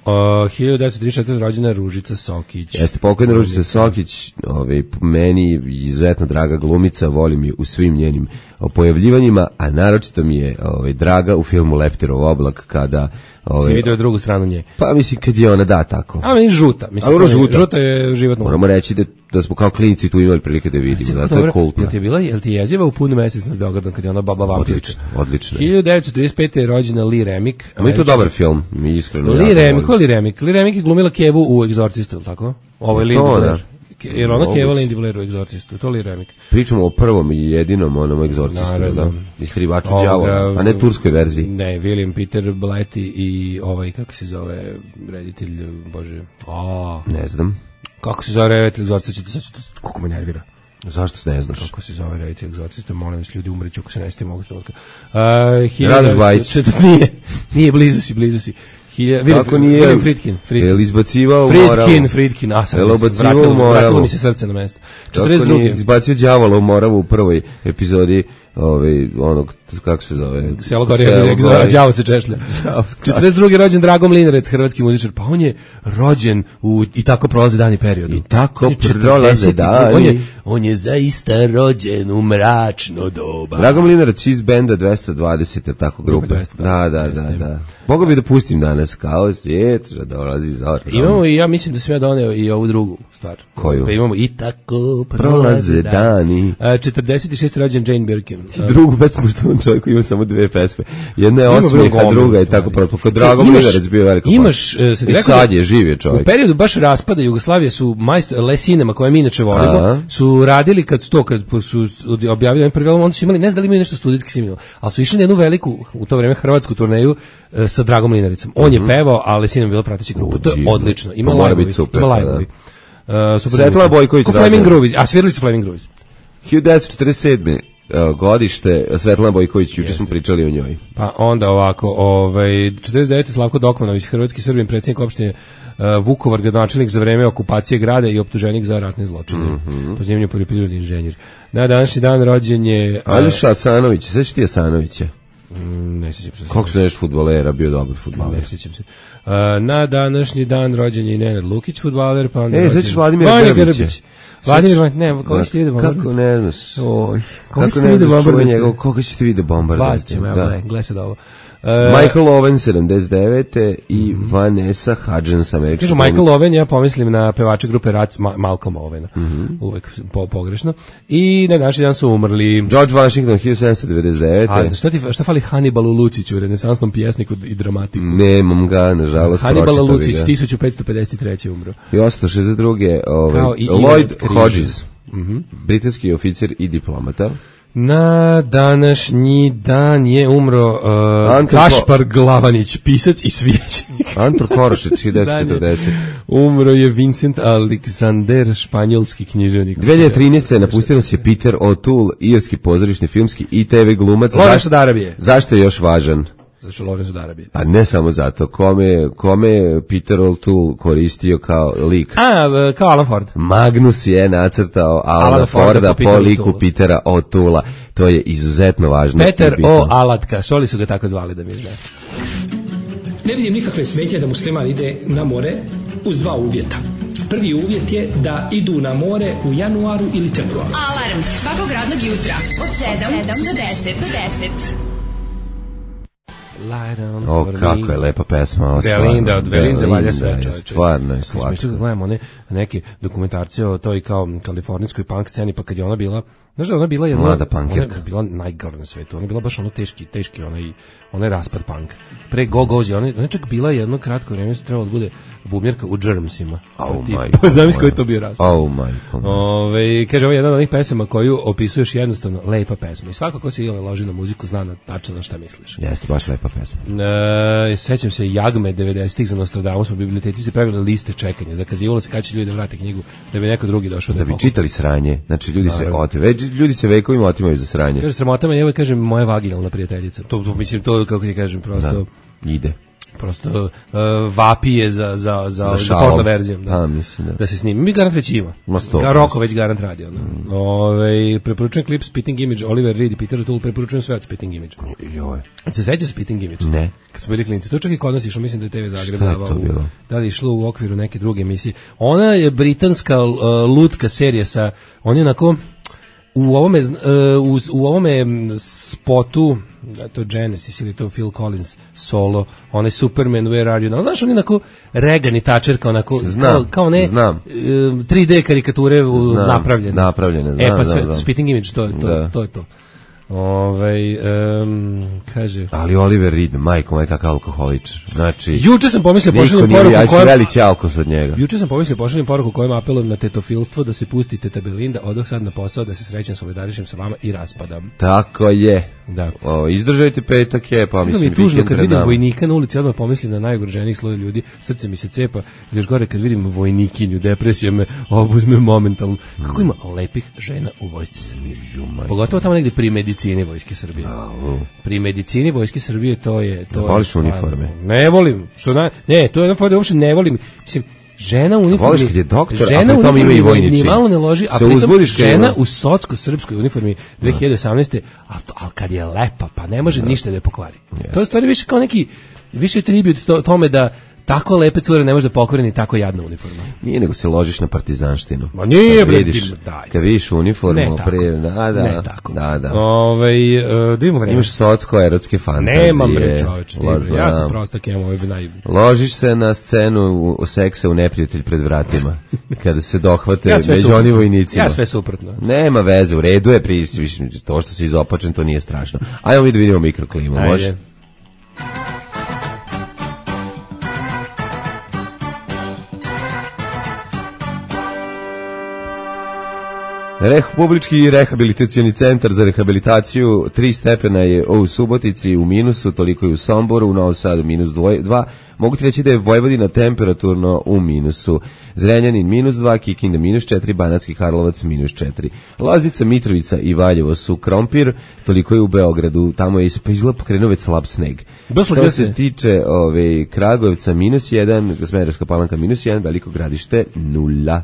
Speaker 6: Uh, hiljadu devetsto trideset četvrte. rođena je Ružica Sokić.
Speaker 5: Jeste pokojna Ružica Sokić, ovaj, meni izuzetno draga glumica, volim je u svim njenim pojavljivanjima, a naročito mi je ovaj, draga u filmu Leptirov oblak, kada... Ovaj,
Speaker 6: Si vidio drugu stranu nje.
Speaker 5: pa mislim kad je ona da tako.
Speaker 6: A meni žuta. Mislim,
Speaker 5: A ono
Speaker 6: to je-
Speaker 5: žuta.
Speaker 6: žuta je životno.
Speaker 5: Moramo reći da, da smo kao klinici tu imali prilike da vidimo, da to je kultno.
Speaker 6: Jel ti je bila, jel ti je jeziva u punu mesec nad Beogradom kad je ona baba vampirka?
Speaker 5: Odlično, odlično.
Speaker 6: hiljadu devetsto trideset pete. je rođena Lee Remick.
Speaker 5: A je to dobar film, mi iskreno.
Speaker 6: Lee
Speaker 5: jako
Speaker 6: Remick, ko
Speaker 5: volim.
Speaker 6: Lee Remick? Lee Remick je glumila Kevu u Egzorcistu, ili tako? Ovo je
Speaker 5: To,
Speaker 6: Lindy
Speaker 5: da.
Speaker 6: Blair. Ke- Jer ona
Speaker 5: Moguće.
Speaker 6: Keva Lindy Blair u Egzorcistu, to Lee Remick.
Speaker 5: Pričamo o prvom i jedinom onom egzorcistu,
Speaker 6: Naravno.
Speaker 5: da? Iskrivaču
Speaker 6: Ovoga,
Speaker 5: đavola, a ne turskoj verziji.
Speaker 6: Ne, William Peter Blatty i ovaj, kako se zove reditelj, bože, a,
Speaker 5: Ne znam.
Speaker 6: kako se zove reditelj Egzorcista, sad ću to, kako me nervira.
Speaker 5: Zašto ne znaš?
Speaker 6: Kako se zove reditelj Egzorcista, molim vas, ljudi umreću ako se ne sjetimo ovog trenutka. Uh,
Speaker 5: Radoš Bajić.
Speaker 6: četvrt- Nije, nije, blizu si, blizu si. Hilja,
Speaker 5: Kako nije?
Speaker 6: William Friedkin. Friedkin.
Speaker 5: Jel izbacivao moralu?
Speaker 6: Friedkin, Friedkin, a sad
Speaker 5: Jel
Speaker 6: mi se
Speaker 5: ubacivao
Speaker 6: vratilo,
Speaker 5: moralu?
Speaker 6: vratilo mi se srce na mesto. četrdeset
Speaker 5: Kako nije
Speaker 6: druge.
Speaker 5: izbacio đavola u Moravu u prvoj epizodi ovaj, onog, kako se zove?
Speaker 6: Selo Gorija,
Speaker 5: Selo Gorija.
Speaker 6: đavo se češlja. četrdeset druge. rođen Drago Mlinarec, hrvatski muzičar, pa on je rođen u, i tako prolaze dani periodu.
Speaker 5: I tako
Speaker 6: On je
Speaker 5: prolaze
Speaker 6: četrdeset
Speaker 5: dani.
Speaker 6: On je, on je zaista rođen u mračno doba.
Speaker 5: Drago Mlinarac iz benda dvesta dvadeset, je tako grupe?
Speaker 6: dvesta dvadeset,
Speaker 5: Da, da, da,
Speaker 6: jeste.
Speaker 5: da. Mogu bi da pustim danas kao svijet, že dolazi zor.
Speaker 6: Imamo i ja mislim da sam ja doneo i ovu drugu stvar.
Speaker 5: Koju?
Speaker 6: Pa imamo i tako
Speaker 5: Prolaze
Speaker 6: prolaze
Speaker 5: dani.
Speaker 6: dani. četrdeset šesti. rođen Jane Birkin.
Speaker 5: I drugu pesmu što on čovjek ima samo dve pesme. Jedna je
Speaker 6: Ima
Speaker 5: osmijeha,
Speaker 6: gomilu
Speaker 5: druga je
Speaker 6: stvari.
Speaker 5: tako propala. Kod Drago
Speaker 6: Imaš-
Speaker 5: Mlinarac bio veliko.
Speaker 6: Imaš, e, sad
Speaker 5: I
Speaker 6: rekao
Speaker 5: sad
Speaker 6: da-
Speaker 5: je, živ je
Speaker 6: U
Speaker 5: čovjek.
Speaker 6: periodu baš raspada Jugoslavije su majstor Le Cinema, koje mi inače volimo,
Speaker 5: Aha.
Speaker 6: su radili kad to kad su objavili prvi album, onda su imali, ne znam da li imaju nešto studijski snimilo, ali su išli na jednu veliku u to vreme hrvatsku turneju e, sa Dragom Mlinaricom. On je pevao, a Le Cinema je bila prateća grupa. To je
Speaker 5: divno.
Speaker 6: odlično. Ima
Speaker 5: To mora
Speaker 6: live-ovi,
Speaker 5: biti super,
Speaker 6: ima
Speaker 5: pa
Speaker 6: live-ovi. E, super
Speaker 5: Svetlana
Speaker 6: zvuči.
Speaker 5: Bojković
Speaker 6: Ko Flaming
Speaker 5: rođena.
Speaker 6: Groovies, a svirali su Flaming Groovies.
Speaker 5: hiljadu devetsto četrdeset sedme. evo, godište, Svetlana Bojković, juče smo pričali o njoj.
Speaker 6: Pa onda ovako, ovaj četrdeset devete. Slavko Dokmanović, hrvatski Srbin, predsjednik opštine uh, Vukovar, gradonačelnik za vreme okupacije grada i optuženik za ratne zločine. Mm-hmm. Po zanimanju poljoprivredni inženjer. Na današnji dan rođen je uh,
Speaker 5: Aljoša Asanović, sveći ti Asanovića?
Speaker 6: mm, ne sjećam se.
Speaker 5: Kako se neš fudbalera, bio dobar fudbaler.
Speaker 6: Ne sjećam se. Uh, na današnji dan rođen je i Nenad Lukić, fudbaler, pa onda
Speaker 5: E,
Speaker 6: rođen-
Speaker 5: sećaš Vladimira
Speaker 6: Vanja
Speaker 5: Grbića?
Speaker 6: Grbić. Vladimir, Van- ne, koga ćete vidjeti bombardovati?
Speaker 5: Kako ne znaš?
Speaker 6: Oj, koga
Speaker 5: Kako
Speaker 6: ćete
Speaker 5: ne
Speaker 6: vidjeti
Speaker 5: znaš čuvaj
Speaker 6: bombardovati?
Speaker 5: njegov, koga ćete vidjeti bombardovati?
Speaker 6: Vas ćemo, evo,
Speaker 5: Da.
Speaker 6: gledaj, gledaj sad ovo. Uh,
Speaker 5: Michael Owen, sedamdeset devete i Vanessa Hudgens, američka.
Speaker 6: Kažu Michael Owen, ja pomislim na pevača grupe Rats, Ma- Malcolm Owena. Uvek po, pogrešno. I na naši dan su umrli.
Speaker 5: George Washington, hiljadu sedamsto devedeset devete.
Speaker 6: A šta ti šta fali Hannibalu Luciću, renesansnom pjesniku i dramatiku?
Speaker 5: Nemam ga, nažalost,
Speaker 6: Hannibal
Speaker 5: pročitao bi
Speaker 6: Lucić
Speaker 5: ga.
Speaker 6: tisuću petsto pedeset treće umro.
Speaker 5: I osamsto šezdeset druge. Ovaj,
Speaker 6: Kao i
Speaker 5: Lloyd
Speaker 6: Ivan Križ.
Speaker 5: Hodges, britanski oficir i diplomata.
Speaker 6: Na današnji dan je umro uh,
Speaker 5: Anton
Speaker 6: Kašpar Glavanić, pisac i svijećenik.
Speaker 5: Anton Korošić, hiljadu devetsto četrdeset.
Speaker 6: Umro je Vincent Alexander, španjolski književnik.
Speaker 5: dve hiljade trinaeste. napustio nas je Peter O'Toole, irski pozorišni, filmski i te ve glumac.
Speaker 6: Lorenzo
Speaker 5: Zašto-
Speaker 6: Darabije.
Speaker 5: Zašto je još važan?
Speaker 6: Zašto Lorenzo Darabije?
Speaker 5: Pa ne samo zato, kome, kome je Peter O'Toole koristio kao lik?
Speaker 6: A, v- kao Alan Ford.
Speaker 5: Magnus je nacrtao Alana
Speaker 6: Alana Forda
Speaker 5: Forda
Speaker 6: po
Speaker 5: po
Speaker 6: Peteru
Speaker 5: liku
Speaker 6: O'Toole.
Speaker 5: Petera O'Toola. To je izuzetno važno.
Speaker 6: Peter
Speaker 5: i bitno.
Speaker 6: O. Alatka, šoli su ga tako zvali da mi zna.
Speaker 8: Ne vidim nikakve smetnje da musliman ide na more uz dva uvjeta. Prvi uvjet je da idu na more u januaru ili februaru.
Speaker 3: Alarm svakog radnog jutra od sedam do deset. Do deset.
Speaker 6: Light on
Speaker 5: O,
Speaker 6: for
Speaker 5: kako
Speaker 6: me.
Speaker 5: je lepa pesma. Ovo stvarno.
Speaker 6: Belinda, od Belinde valja
Speaker 5: Belinda
Speaker 6: sve,
Speaker 5: je,
Speaker 6: čovječe.
Speaker 5: Stvarno je
Speaker 6: Slatko.
Speaker 5: slatko.
Speaker 6: Smiješno da gledamo one neke dokumentarce o toj kao kalifornijskoj punk sceni, pa kad je ona bila Znaš da ona bila jedna,
Speaker 5: Mlada
Speaker 6: ona
Speaker 5: punkirka.
Speaker 6: je bila najgora na svetu, ona je bila baš ono teški, teški onaj, onaj raspad punk. Pre Go Gozi, ona je čak bila jedno kratko vreme, su trebalo da bude bubnjarka u Germsima.
Speaker 5: Oh,
Speaker 6: Ti,
Speaker 5: majko
Speaker 6: pa zamisli
Speaker 5: moja.
Speaker 6: koji je to bio raspad.
Speaker 5: Oh, majko.
Speaker 6: Ove, kaže, ovo je jedna od onih pesama koju opisuješ jednostavno lepa pesma. I svako ko se ili loži na muziku zna na tačno na šta misliš.
Speaker 5: Jeste, baš lepa pesma.
Speaker 6: E, sećam se Jagme devedesetih za Nostradamus u biblioteci se pravile liste čekanja. Zakazivalo se kada će ljudi da vrate knjigu da bi neko drugi došao da,
Speaker 5: Da bi
Speaker 6: pokupi.
Speaker 5: čitali sranje. Znači, ljudi se
Speaker 6: Naravno.
Speaker 5: ote, već ljudi se vekovima otimaju za sranje.
Speaker 6: Kaže, sramota me, evo kažem, moja vaginalna prijateljica. To, to mislim, to, kako ti kažem, prosto...
Speaker 5: Da, ide.
Speaker 6: prosto uh, vapije za, za, za, za,
Speaker 5: šalom.
Speaker 6: porno verzijom. Da,
Speaker 5: A, mislim, da.
Speaker 6: da se snimi. Mi garant već ima.
Speaker 5: Ma sto
Speaker 6: Ga Roko već garant radi. Ono. Mm. Ove, preporučujem klip Spitting Image, Oliver Reed i Peter O'Toole, preporučujem sve od Spitting Image.
Speaker 5: Joj.
Speaker 6: Se sećaš Spitting Image?
Speaker 5: Ne.
Speaker 6: Kad smo bili klinici. To čak i kod nas išlo, mislim da je Te V Zagreb
Speaker 5: Šta je
Speaker 6: davao
Speaker 5: to
Speaker 6: u-
Speaker 5: bilo?
Speaker 6: Da li je išlo u okviru neke druge emisije. Ona je britanska uh, lutka serija sa, on je onako u ovome, uh, u, u ovome spotu, da to je Genesis ili to Phil Collins solo, onaj Superman, Where Are You Now, znaš, on je onako Reagan i Thatcher, kao onako,
Speaker 5: Znam,
Speaker 6: kao, kao ne,
Speaker 5: znam.
Speaker 6: uh, tri D karikature u-
Speaker 5: Znam,
Speaker 6: napravljene.
Speaker 5: napravljene,
Speaker 6: E,
Speaker 5: znam,
Speaker 6: pa
Speaker 5: znam,
Speaker 6: sve,
Speaker 5: znam.
Speaker 6: Spitting Image, to, je to,
Speaker 5: Da.
Speaker 6: to je to. Ovaj um, kaže...
Speaker 5: Ali Oliver Reed, majko, je tako alkoholičar. Znači,
Speaker 6: Juče sam pomislio
Speaker 5: niko
Speaker 6: pošaljem
Speaker 5: nije,
Speaker 6: poruku
Speaker 5: ja ću
Speaker 6: kojom...
Speaker 5: veliki alkos od njega.
Speaker 6: Juče sam pomislio pošaljem poruku kojom apelujem na tetofilstvo da se pusti Teta Belinda, odoh sad na posao da se srećem, solidarišem sa vama i raspadam.
Speaker 5: Tako je.
Speaker 6: Da.
Speaker 5: O, izdržajte petak je, pa
Speaker 6: Kako mi
Speaker 5: mislim
Speaker 6: je tužno
Speaker 5: vikend
Speaker 6: kad
Speaker 5: pred
Speaker 6: vidim
Speaker 5: nama.
Speaker 6: vojnika na ulici, odmah pomislim na najugroženijih sloj ljudi, srce mi se cepa, i još gore kad vidim vojnikinju, depresija me obuzme momentalno. Kako ima lepih žena u vojsci Srbije. Pogotovo tamo negde pri medicini vojske Srbije. Pri medicini vojske Srbije to je... To
Speaker 5: Ne
Speaker 6: je
Speaker 5: voliš
Speaker 6: stvarno-
Speaker 5: uniforme?
Speaker 6: Ne volim. Što na, ne, to je jedna fora, uopšte ne volim. Mislim, žena u uniformi...
Speaker 5: Voliš kad je doktor, a
Speaker 6: žena
Speaker 5: pri
Speaker 6: u
Speaker 5: tome ima i
Speaker 6: uniformi
Speaker 5: vojni
Speaker 6: ni
Speaker 5: čin.
Speaker 6: malo ne loži, a
Speaker 5: Se
Speaker 6: pritom
Speaker 5: uzbudiš kad
Speaker 6: žena
Speaker 5: ima-
Speaker 6: u socsko-srpskoj uniformi dve hiljade osamnaeste. a to, al kad je lepa, pa ne može ništa da je pokvari. To je stvari više kao neki, više tribut to, tome da tako lepe cure ne može da pokvari ni tako jadna uniforma.
Speaker 5: Nije, nego se ložiš na partizanštinu.
Speaker 6: Ma nije,
Speaker 5: Kad
Speaker 6: bre,
Speaker 5: vidiš,
Speaker 6: ti- daj.
Speaker 5: kad vidiš uniformu,
Speaker 6: Ne tako.
Speaker 5: pre, da, da,
Speaker 6: Ne tako.
Speaker 5: da, da.
Speaker 6: Ovaj, e, da imamo vreme.
Speaker 5: Imaš socko-erotske fantazije.
Speaker 6: Nemam bre čoveče, ti,
Speaker 5: La
Speaker 6: bre, ja sam
Speaker 5: znam.
Speaker 6: prostak, imam ovaj naj...
Speaker 5: Ložiš se na scenu u, u seksa u neprijatelj pred vratima, kada se dohvate
Speaker 6: Ja sve
Speaker 5: među
Speaker 6: suprotno.
Speaker 5: onim vojnicima.
Speaker 6: Ja sve suprotno.
Speaker 5: Nema veze, u redu je, pri, više, to što si izopačen, to nije strašno. Ajmo mi da vidimo mikroklimu,
Speaker 6: Ajde.
Speaker 5: može? Republički rehabilitacioni centar za rehabilitaciju tri stepena je u Subotici u minusu, toliko je u Somboru, u Novom Sadu minus dva. Mogu ti reći da je Vojvodina temperaturno u minusu. Zrenjanin minus dva, Kikinda minus četiri, Banatski Karlovac minus četiri. Loznica, Mitrovica i Valjevo su krompir, toliko je u Beogradu, tamo je pa izgleda pokrenuo već slab sneg.
Speaker 6: Baš
Speaker 5: Što
Speaker 6: slagio
Speaker 5: se
Speaker 6: se.
Speaker 5: tiče ove, Kragujevca minus jedan, Smederevska Palanka minus jedan, Veliko Gradište nula.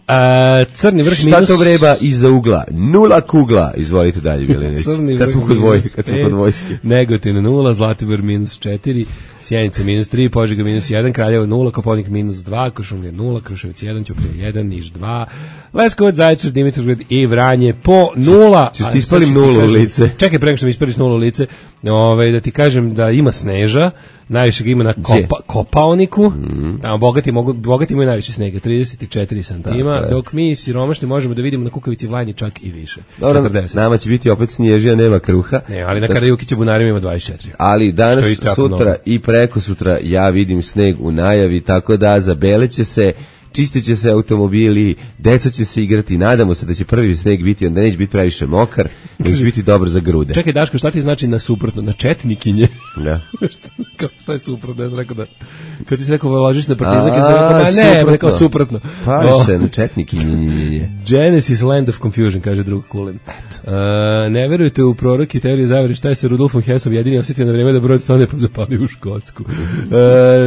Speaker 6: A, crni vrh
Speaker 5: Šta
Speaker 6: minus...
Speaker 5: to vreba iza ugla? Nula kugla. Izvolite dalje, Bjelinić.
Speaker 6: Crni
Speaker 5: Kad
Speaker 6: vrh
Speaker 5: smo kod
Speaker 6: minus
Speaker 5: vojske, kad smo
Speaker 6: pet,
Speaker 5: kod vojske.
Speaker 6: Negotin nula, Zlatibor minus četiri, Sjenica minus tri, Požega minus jedan, Kraljevo nula, Koponik minus dva, Kuršumlija nula, Kruševac jedan, Ćuprija jedan, Niš dva, Leskovac, Zaječar, Dimitrovgrad i Vranje po nula.
Speaker 5: Ćeš
Speaker 6: A,
Speaker 5: ti ispalim
Speaker 6: sad ću ti
Speaker 5: nulu u
Speaker 6: kažem-
Speaker 5: lice?
Speaker 6: Čekaj, prema što mi ispališ nulu u lice, ovaj, da ti kažem da ima sneža, najviše ga ima na kopa, Kopaoniku, mm. tamo bogati, mogu, bogati imaju najviše snega, trideset četiri santima,
Speaker 5: Tako je.
Speaker 6: dok mi siromašni možemo da vidimo na Kukavici Vlanji čak i više,
Speaker 5: Dobro,
Speaker 6: četrdeset.
Speaker 5: nama će biti opet snježija, nema kruha.
Speaker 6: Ne, ali na Karajukića Bunarima ima dvadeset četiri.
Speaker 5: Ali danas,
Speaker 6: Što je isto jako
Speaker 5: sutra
Speaker 6: mnogo.
Speaker 5: i preko sutra ja vidim sneg u najavi, tako da zabeleće se, čistit će se automobili, deca će se igrati, nadamo se da će prvi sneg biti, onda neće biti previše mokar, nego će biti dobar za grude.
Speaker 6: Čekaj, Daško, šta ti znači na suprotno? Na četnikinje?
Speaker 5: Da.
Speaker 6: Kao, šta je suprotno? Ja sam rekao da... Kad ti se rekao ložiš na partizanke,
Speaker 5: A,
Speaker 6: sam rekao, ma ne,
Speaker 5: suprotno.
Speaker 6: rekao suprotno.
Speaker 5: Pariš
Speaker 6: O,
Speaker 5: se na četnik i nje.
Speaker 6: Genesis Land of Confusion, kaže drug Kulin. Uh, ne verujete u proroke i teorije zavere, šta je sa Rudolfom Hessom jedini osjetio na vreme da broj tone pa zapali u Škotsku. Uh,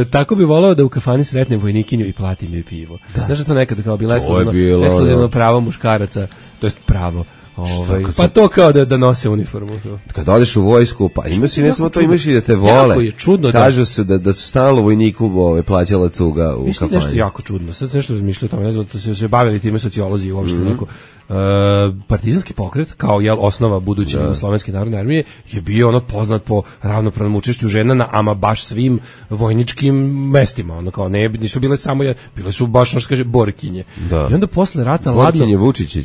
Speaker 6: tako bi volao da u kafani sretnem vojnikinju i platim joj pivo. Znaš da to nekada kao bilo
Speaker 5: To je
Speaker 6: ekskluzivno,
Speaker 5: bilo,
Speaker 6: ekskluzivno
Speaker 5: da.
Speaker 6: pravo muškaraca, to jest pravo. Ovaj,
Speaker 5: kad
Speaker 6: pa
Speaker 5: sam-
Speaker 6: to kao da, da nose uniformu.
Speaker 5: Kad odeš u vojsku, pa imaš i ne
Speaker 6: jako
Speaker 5: samo to,
Speaker 6: čudno.
Speaker 5: imaš i da te
Speaker 6: Jako
Speaker 5: vole.
Speaker 6: je čudno da-
Speaker 5: Kažu se da, da su stalno vojniku ove, plaćala cuga u
Speaker 6: Mislim
Speaker 5: kafani.
Speaker 6: nešto jako čudno. Sad sam nešto razmišljao o tome, ne znam, to se se bavili time sociolozi uopšte
Speaker 5: Mhm.
Speaker 6: onako. Uh, partizanski pokret kao jel osnova buduće Jugoslovenske narodne armije je bio ono poznat po ravnopravnom učešću žena na ama baš svim vojničkim mestima, ono kao ne nisu bile samo bile su baš ono što kaže borkinje. Da. I onda posle rata ladno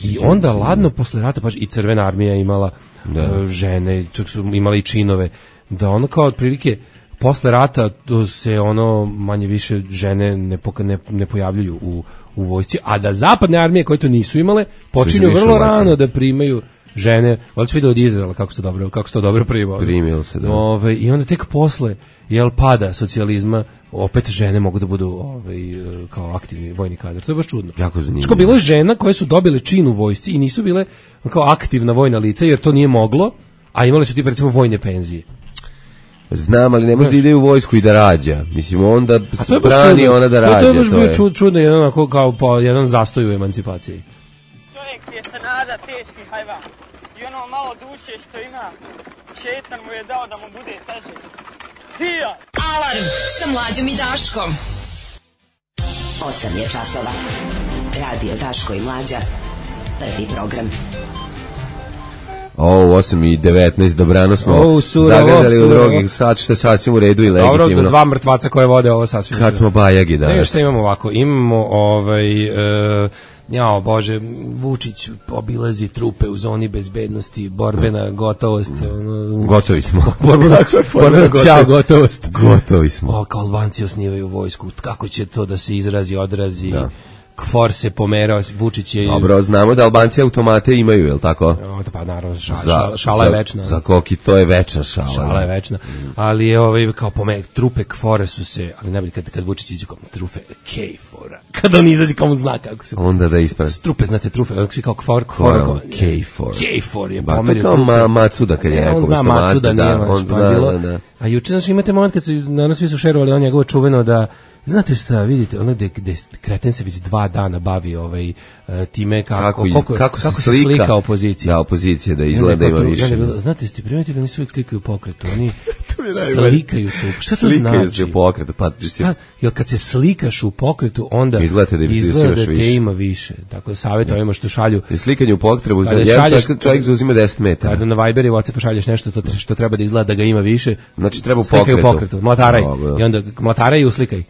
Speaker 6: i onda ladno posle rata baš i Crvena armija imala uh, žene, čak su imale i činove, da ono kao otprilike posle rata to se ono manje više žene ne, poka, ne, ne pojavljuju u u vojsci, a da zapadne armije koje to nisu imale počinju vrlo rano da primaju žene. Valjda vidio od Izraela kako se dobro kako se to dobro primilo.
Speaker 5: Primilo se, da.
Speaker 6: Ove, i onda tek posle jel pada socijalizma opet žene mogu da budu ovaj kao aktivni vojni kadar. To je baš čudno.
Speaker 5: Jako zanimljivo.
Speaker 6: Što bilo je žena koje su dobile čin u vojsci i nisu bile kao aktivna vojna lica jer to nije moglo, a imale su ti recimo vojne penzije.
Speaker 5: Znam, ali ne može da ide u vojsku i da rađa. Mislim, onda brani ona da rađa.
Speaker 6: To je baš bio čud, čudno, jedan, onako, kao po, jedan zastoj u emancipaciji.
Speaker 9: Čovjek je se nada teški hajvan. I ono malo duše što ima, šetan mu je dao da mu bude teže. Hija!
Speaker 3: Alarm sa Mlađom i Daškom.
Speaker 10: Osam je časova. Radio Daško i Mlađa. Prvi program.
Speaker 5: O, osam i devetnaest, dobrano smo o, zagledali u drugi sat, što je sasvim u redu i legitimno.
Speaker 6: Dobro, dva mrtvaca koje vode ovo sasvim.
Speaker 5: Kad smo bajagi danas.
Speaker 6: Ne, što imamo ovako, imamo ovaj... Uh, jao, Bože, Vučić obilazi trupe u zoni bezbednosti, borbena gotovost. Ono,
Speaker 5: Gotovi smo.
Speaker 6: borbena, borbena gotovost. gotovost.
Speaker 5: Gotovi smo.
Speaker 6: O, kao Albanci osnivaju vojsku, kako će to da se izrazi, odrazi... Da. Kfor se pomerao, Vučić je...
Speaker 5: Dobro, znamo da Albanci automate imaju, je li tako?
Speaker 6: O, pa naravno, šala, šala, šala je večna.
Speaker 5: Za koki to je večna šala.
Speaker 6: Šala je večna, ali je ovaj, kao pomer, trupe Kfora su se, ali najbolje kad, kad Vučić iđe kao trupe Kejfora, kad on izađe kao on zna kako se...
Speaker 5: Onda da ispravi.
Speaker 6: Trupe, znate, trupe, kao Kfor, Kfor,
Speaker 5: Kejfor.
Speaker 6: Kejfor je
Speaker 5: pomerio. Ba, to kao ma, Macuda kad je rekao.
Speaker 6: On zna Macuda, nije mač, pa bilo. A juče, znači, imate moment kad su, naravno svi su šerovali on njegovo čuveno da znate šta, vidite, ono gde, gde Kreten se već dva dana bavi ovaj, time kako,
Speaker 5: kako, iz,
Speaker 6: kako,
Speaker 5: kako,
Speaker 6: kako se
Speaker 5: slika,
Speaker 6: slika opozicija.
Speaker 5: Da, opozicija, da izgleda ima više.
Speaker 6: Ja bilo, znate, ste primetili da nisu uvijek slikaju u pokretu, oni slikaju se, šta to
Speaker 5: slikaju
Speaker 6: znači?
Speaker 5: Se u pokretu, pa,
Speaker 6: šta, jer kad se slikaš u pokretu, onda
Speaker 5: izgleda da,
Speaker 6: izgleda da te više. Ima više. Tako savjet ovima što šalju.
Speaker 5: I slikanje u pokretu, za jedan čovjek, čovjek zauzima deset metara.
Speaker 6: Kada na Viber i WhatsApp pošalješ nešto to, što treba da izgleda da ga ima više,
Speaker 5: znači treba u pokretu.
Speaker 6: U pokretu. Mlataraj. I onda mlataraj i uslikaj.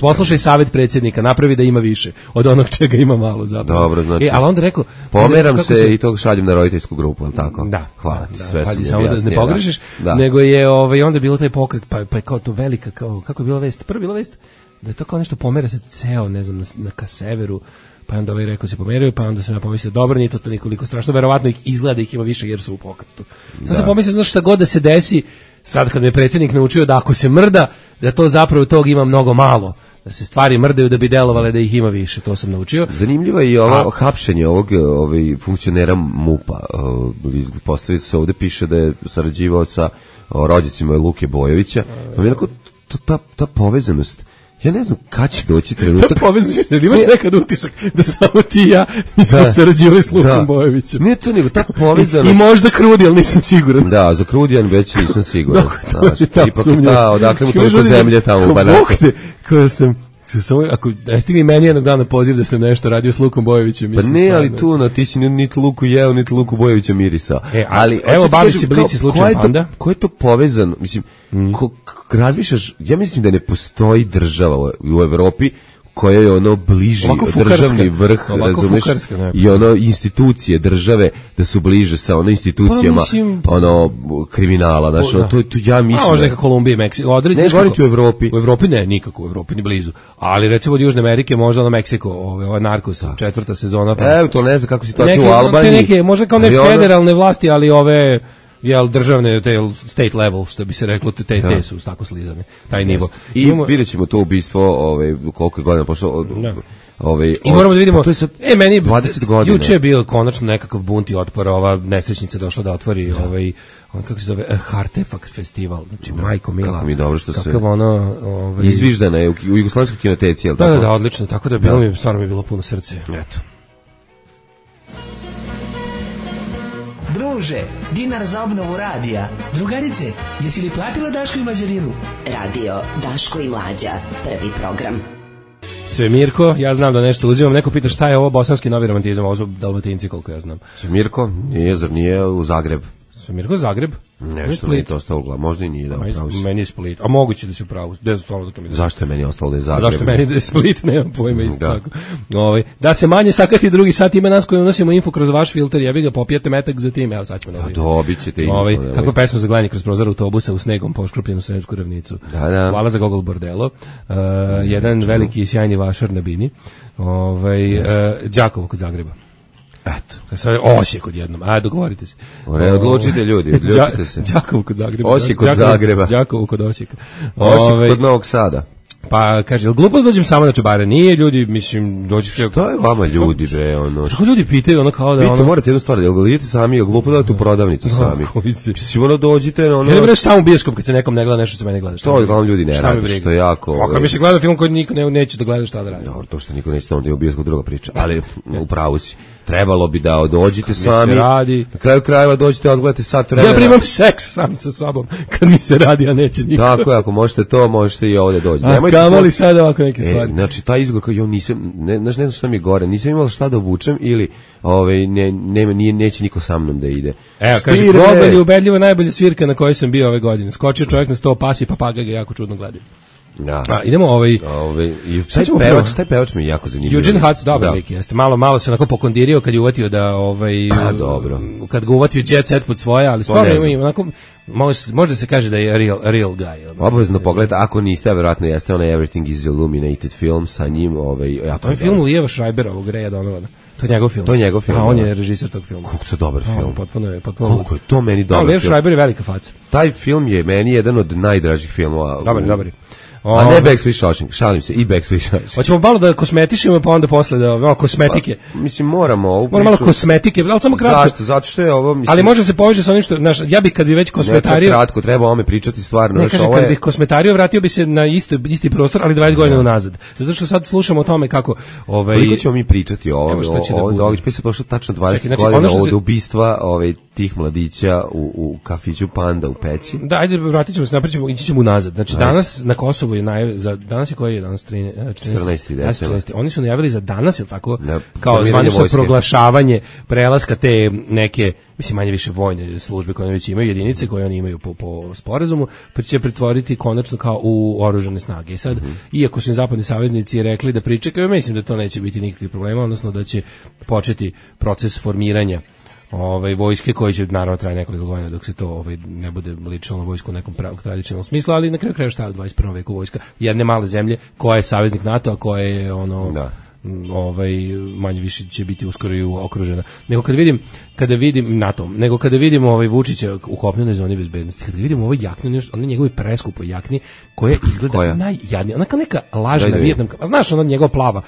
Speaker 6: Poslušaj savjet predsjednika, napravi da ima više od onog čega ima malo zapravo.
Speaker 5: Dobro, znači.
Speaker 6: E, ali onda rekao,
Speaker 5: pomeram se, se i to šaljem na roditeljsku grupu, al tako.
Speaker 6: Da.
Speaker 5: Hvala ti,
Speaker 6: da,
Speaker 5: sve
Speaker 6: pazi,
Speaker 5: sam
Speaker 6: samo
Speaker 5: jasnije,
Speaker 6: da ne pogrešiš,
Speaker 5: da.
Speaker 6: Nego je ovaj onda bilo taj pokret, pa pa je kao to velika kao kako je bila vest. Prva bila vest da je to kao nešto pomera se ceo, ne znam, na, na ka severu. Pa onda ovaj rekao se pomeraju, pa onda sam ja pomislio, dobro, nije to toliko strašno, verovatno ih izgleda ih ima više jer su u pokretu. Sad da. sam pomislio, znaš šta god da se desi, sad kad me predsjednik naučio da ako se mrda, da to zapravo tog ima mnogo malo. Da se stvari mrdaju da bi delovale da ih ima više, to sam naučio.
Speaker 5: Zanimljivo je i ovo hapšenje ovog ovaj, funkcionera MUP-a. Postaviti se ovde piše da je sarađivao sa rođacima Luke Bojovića. Pa mi je onako, ta, ta povezanost, ja ne znam kad će doći trenutak.
Speaker 6: Da povezaš, jer imaš nekad utisak da samo ti i ja nismo sarađivali s Lukom da. Bojovićem.
Speaker 5: Nije to nego ta povezanost.
Speaker 6: I, I možda Krudi, ali nisam siguran.
Speaker 5: Da, za Krudijan već nisam siguran.
Speaker 6: Dok, znači, to je ipak
Speaker 5: da, odakle mu toliko zemlje tamo u Banatu.
Speaker 6: Koja sam... Samo, ako ne stigni meni jednog dana poziv da sam nešto radio s Lukom Bojovićem.
Speaker 5: Pa ne, ali tu na ti si niti Luku jeo, niti Luku Bojovića mirisao.
Speaker 6: E, ali, evo bavi se Blici slučaj Panda.
Speaker 5: Ko je to povezano? Mislim, mm. ko, razmišljaš, ja mislim da ne postoji država u Evropi koja je ono bliži državni vrh, razumeš, i ono institucije države da su bliže sa ono institucijama, pa, mislim, ono kriminala, znaš, ono, to, to ja mislim.
Speaker 6: A možda neka Kolumbija i Meksiko, odreći.
Speaker 5: Ne, govoriti u Evropi.
Speaker 6: U Evropi ne, nikako u Evropi, ni blizu. Ali recimo od Južne Amerike, možda ono Meksiko, ove, ova Narcos, da. četvrta sezona. Pa,
Speaker 5: evo, to ne znam kako situacija
Speaker 6: neke,
Speaker 5: u Albaniji.
Speaker 6: Neke, možda kao ne federalne vlasti, ali ove... jel državne, te state level, što bi se reklo, te, te, te su tako slizane, taj nivo.
Speaker 5: I imamo, vidjet ćemo to ubistvo, ovaj, koliko je godina pošlo, od, ovaj,
Speaker 6: i moramo da vidimo,
Speaker 5: to je sad
Speaker 6: e, meni,
Speaker 5: dvadeset godina.
Speaker 6: Juče je bio konačno nekakav bunt i otpor, ova nesrećnica došla da otvori, da. ovaj, on kako se zove, Artefakt festival, znači, da. Majko Mila.
Speaker 5: Kako mi je dobro što
Speaker 6: se
Speaker 5: ono, ovaj, izviždana je u, u Jugoslovenskoj kinoteci, jel tako?
Speaker 6: Da, da, da, odlično, tako da je bilo da. mi, stvarno mi je bilo puno srce.
Speaker 5: Eto.
Speaker 11: Druže, dinar za obnovu radija. Drugarice, jesi li platila Daško i Mlađarinu?
Speaker 10: Radio Daško i Mlađa, prvi program.
Speaker 6: Svemirko, ja znam da nešto uzimam. Neko pita šta je ovo bosanski novi romantizam, ovo su Dalmatinci koliko ja znam.
Speaker 5: Svemirko, nije, zar nije u Zagreb?
Speaker 6: Svemirko Zagreb?
Speaker 5: Nešto mi je to ostalo u glavu, možda i nije da upravo si.
Speaker 6: Meni je Split, a moguće da se upravo. Da
Speaker 5: Zašto je meni ostalo da je Zagreb?
Speaker 6: Zašto meni da je Split, nemam pojma isto da. Tako. Ovaj da se manje sakati drugi sat ima nas koji unosimo info kroz vaš filter, jebi ga popijete metak za tim, evo sad ćemo
Speaker 5: da. Dobićete info.
Speaker 6: Ovaj kako pesma za gledanje kroz prozor autobusa u snegom poškropljenu Sremsku ravnicu.
Speaker 5: Da, da.
Speaker 6: Hvala za Gogol Bordelo. Uh, jedan veliki i sjajni vašar na bini. Ovaj uh, Đakovo kod Zagreba.
Speaker 5: Eto.
Speaker 6: Sad Osijek odjednom. A dogovorite se.
Speaker 5: Ore, odlučite ljudi, odlučite se.
Speaker 6: Đakovo kod Zagreba.
Speaker 5: Osijek kod Zagreba.
Speaker 6: Đakovo kod Osijeka.
Speaker 5: Osijek kod Novog Sada.
Speaker 6: Pa kaže, glupo da dođem samo na čubare. Nije ljudi, mislim, dođi što
Speaker 5: Što je vama ljudi bre, ono?
Speaker 6: Što ljudi pitaju ono kao da
Speaker 5: Pite,
Speaker 6: ono.
Speaker 5: morate jednu stvar, jel ga idete sami, jel glupo da odete u prodavnicu sami? Mislim, ono dođite na ono.
Speaker 6: Ja ne samo u bioskop kad se nekom ne gleda nešto se mene gleda.
Speaker 5: Što uglavnom ljudi ne rade, što je jako.
Speaker 6: Ako mi se gleda film koji niko ne neće da gleda šta da radi.
Speaker 5: Dobro, to što niko neće onda je u bioskop druga priča, ali u pravu si. Trebalo bi da dođete sami. Na kraju krajeva dođete, odgledate sat vremena.
Speaker 6: Ja primam seks sam sa sobom kad mi se radi, a neće niko.
Speaker 5: Tako je, ako možete to, možete i ovdje doći.
Speaker 6: A kamoli sad ovako neke stvari.
Speaker 5: E, znači, taj izgovor kao, jo, nisam, ne, znaš, ne znam šta mi je gore, nisam imala šta da obučem ili ovaj, ne, nema, nije, neće niko sa mnom da ide.
Speaker 6: Evo, kaže, Gogol je ubedljivo najbolja svirka na kojoj sam bio ove godine. Skočio čovjek na sto pasi, papagaj ga jako čudno gleda.
Speaker 5: Ja.
Speaker 6: A, idemo ovaj
Speaker 5: ovaj i taj pevač, taj pevač mi je jako zanimljiv.
Speaker 6: Eugene Hutz, dobar lik jeste. Malo malo se onako pokondirio kad je uvatio da ovaj
Speaker 5: a, dobro.
Speaker 6: Kad ga uvatio Jet Set pod svoje, ali stvarno ima onako može može se kaže da je real real guy.
Speaker 5: Obavezno pogledajte, ako niste, verovatno jeste onaj Everything is Illuminated film sa njim, ovaj ja
Speaker 6: to je film Lijeva Schreibera, ovog Reja Donovana. To je njegov film.
Speaker 5: To je njegov film.
Speaker 6: A on je režiser tog filma.
Speaker 5: Kako to dobar film.
Speaker 6: Potpuno je, potpuno.
Speaker 5: Koliko je to meni dobar.
Speaker 6: Lijev Schreiber je velika faca.
Speaker 5: Taj film je meni jedan od najdražih filmova.
Speaker 6: Dobar, dobar.
Speaker 5: A ne Backstreet Shawshank, šalim se, i Backstreet Shawshank.
Speaker 6: Hoćemo malo da kosmetišemo, pa onda posle da malo kosmetike.
Speaker 5: Pa, mislim, moramo ovu
Speaker 6: Moramo malo kosmetike, ali samo kratko.
Speaker 5: Zašto? Zato što je ovo, mislim...
Speaker 6: Ali može se poveže sa onim što, znaš, ja bih kad bi već kosmetario...
Speaker 5: Ne, kratko, treba ome pričati stvarno.
Speaker 6: Ne, kažem, kad je... bih kosmetario, vratio bi se na isti, isti prostor, ali dvadeset godina unazad. Zato što sad slušamo o tome kako... Ovaj...
Speaker 5: Koliko ćemo mi pričati o ovom događaju? Pa se prošlo tačno dvadeset znači, godina od se... ubistva ovaj, tih mladića u, u kafiću Panda u Peći.
Speaker 6: Da, ajde, vratit ćemo se, napričamo, ići ćemo unazad. Znači, ajde. Danas na Kosovu je naj... za danas je koji je danas
Speaker 5: četrnaesti decembar.
Speaker 6: Oni su najavili za danas, je tako, ne, kao zvanično proglašavanje prelaska te neke, mislim manje više vojne službe koje već imaju, jedinice koje oni imaju po, po sporazumu, pa će pretvoriti konačno kao u oružane snage. I sad, mm-hmm. iako su im zapadni saveznici rekli da pričekaju, mislim da to neće biti nikakvih problema, odnosno da će početi proces formiranja ovaj vojske koji će naravno traje nekoliko godina dok se to ovaj ne bude ličilo na vojsku u nekom pravog tradicionalnom smislu, ali na kraju krajeva šta je u dvadeset prvom veku vojska jedne male zemlje koja je saveznik NATO, a koja je ono da. ovaj manje više će biti uskoro i okružena. Nego kad vidim kada vidim NATO, nego kada vidimo ovaj Vučića u kopnenoj zoni bezbednosti, kada vidimo ovaj jaknu, on njegovi preskupo jakni koja izgleda najjadnije, ona kao neka lažna vijetnamka. A znaš ona njegova plava,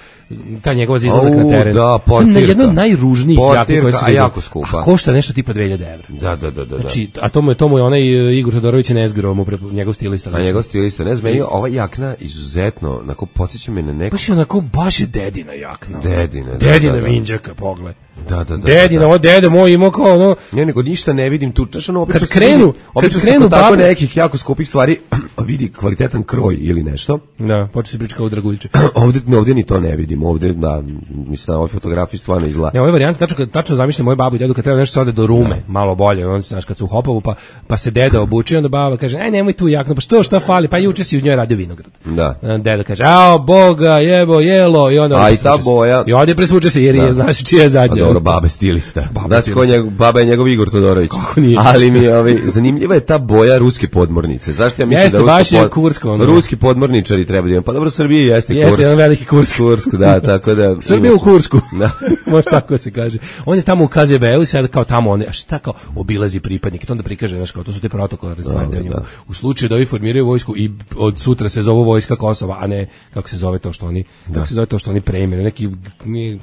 Speaker 6: ta njegova izlazak na teren.
Speaker 5: Da, portirka.
Speaker 6: Na jedno od najružnijih jakni koje se vidi.
Speaker 5: Jako skupa.
Speaker 6: A košta nešto tipa dve hiljade evra.
Speaker 5: Da, da, da, da.
Speaker 6: Znači, a to mu je to mu je onaj Igor Todorović Nezgro, mu njegov stilista.
Speaker 5: A njegov stilista, ne znam, ova jakna izuzetno, onako podsjeća me na neko.
Speaker 6: Baš je onako baš je dedina jakna.
Speaker 5: Dedina, da,
Speaker 6: dedina
Speaker 5: da, da.
Speaker 6: Minđaka, pogled.
Speaker 5: Da, da, da.
Speaker 6: Dedina, ovo dede moj imao kao ono...
Speaker 5: Ne, nego ništa ne vidim tu. Češ, ono,
Speaker 6: kad krenu,
Speaker 5: vidi, kad krenu tako babe... nekih jako skupih stvari, vidi kvalitetan kroj ili nešto.
Speaker 6: Da, počne se priča kao Draguljiće.
Speaker 5: ovde, ovde ni to ne vidim. Ovde, da, mislim, na ovoj fotografiji stvarno izgleda.
Speaker 6: Ne, ove varijante, tačno, tačno zamišljam moju babu i dedu kad treba nešto se ode do Rume, da. Malo bolje, on se, znaš, kad su u Hopovu, pa, pa se deda obuči, onda baba kaže, aj, nemoj tu jaknu, pa što, šta fali, pa juče si uz njoj radio vinograd.
Speaker 5: Da.
Speaker 6: Deda kaže, ao, boga, jebo, jelo, i onda...
Speaker 5: A i ta boja...
Speaker 6: I ovdje presvuče se, jer je, znaš, čija je zadnja.
Speaker 5: A dobro, babe stilista. Znači, ko njegov, baba je njegov Igor Todorović. Ali mi je, ovaj, zanimljiva je ta boja ruske podmornice. Zašto ja mislim
Speaker 6: jeste,
Speaker 5: da
Speaker 6: baš je
Speaker 5: pod...
Speaker 6: kursko, ono.
Speaker 5: ruski podmorničari treba da imam. Pa dobro, Srbije jeste, jeste Kurs.
Speaker 6: Jeste, jedan veliki Kursk.
Speaker 5: Kursk, da, tako da...
Speaker 6: Srbije u Kursku. Da. Može tako se kaže. On je tamo u K Z B-u, sad kao tamo, on je, a šta kao, obilazi pripadnike. To onda prikaže, znaš, kao, to su te protokolare stvari. Da, da. U slučaju da ovi formiraju vojsku i od sutra se zove vojska Kosova, a ne, kako se zove to što oni, da. Kako se zove to što oni preimenuju, neki... Nije,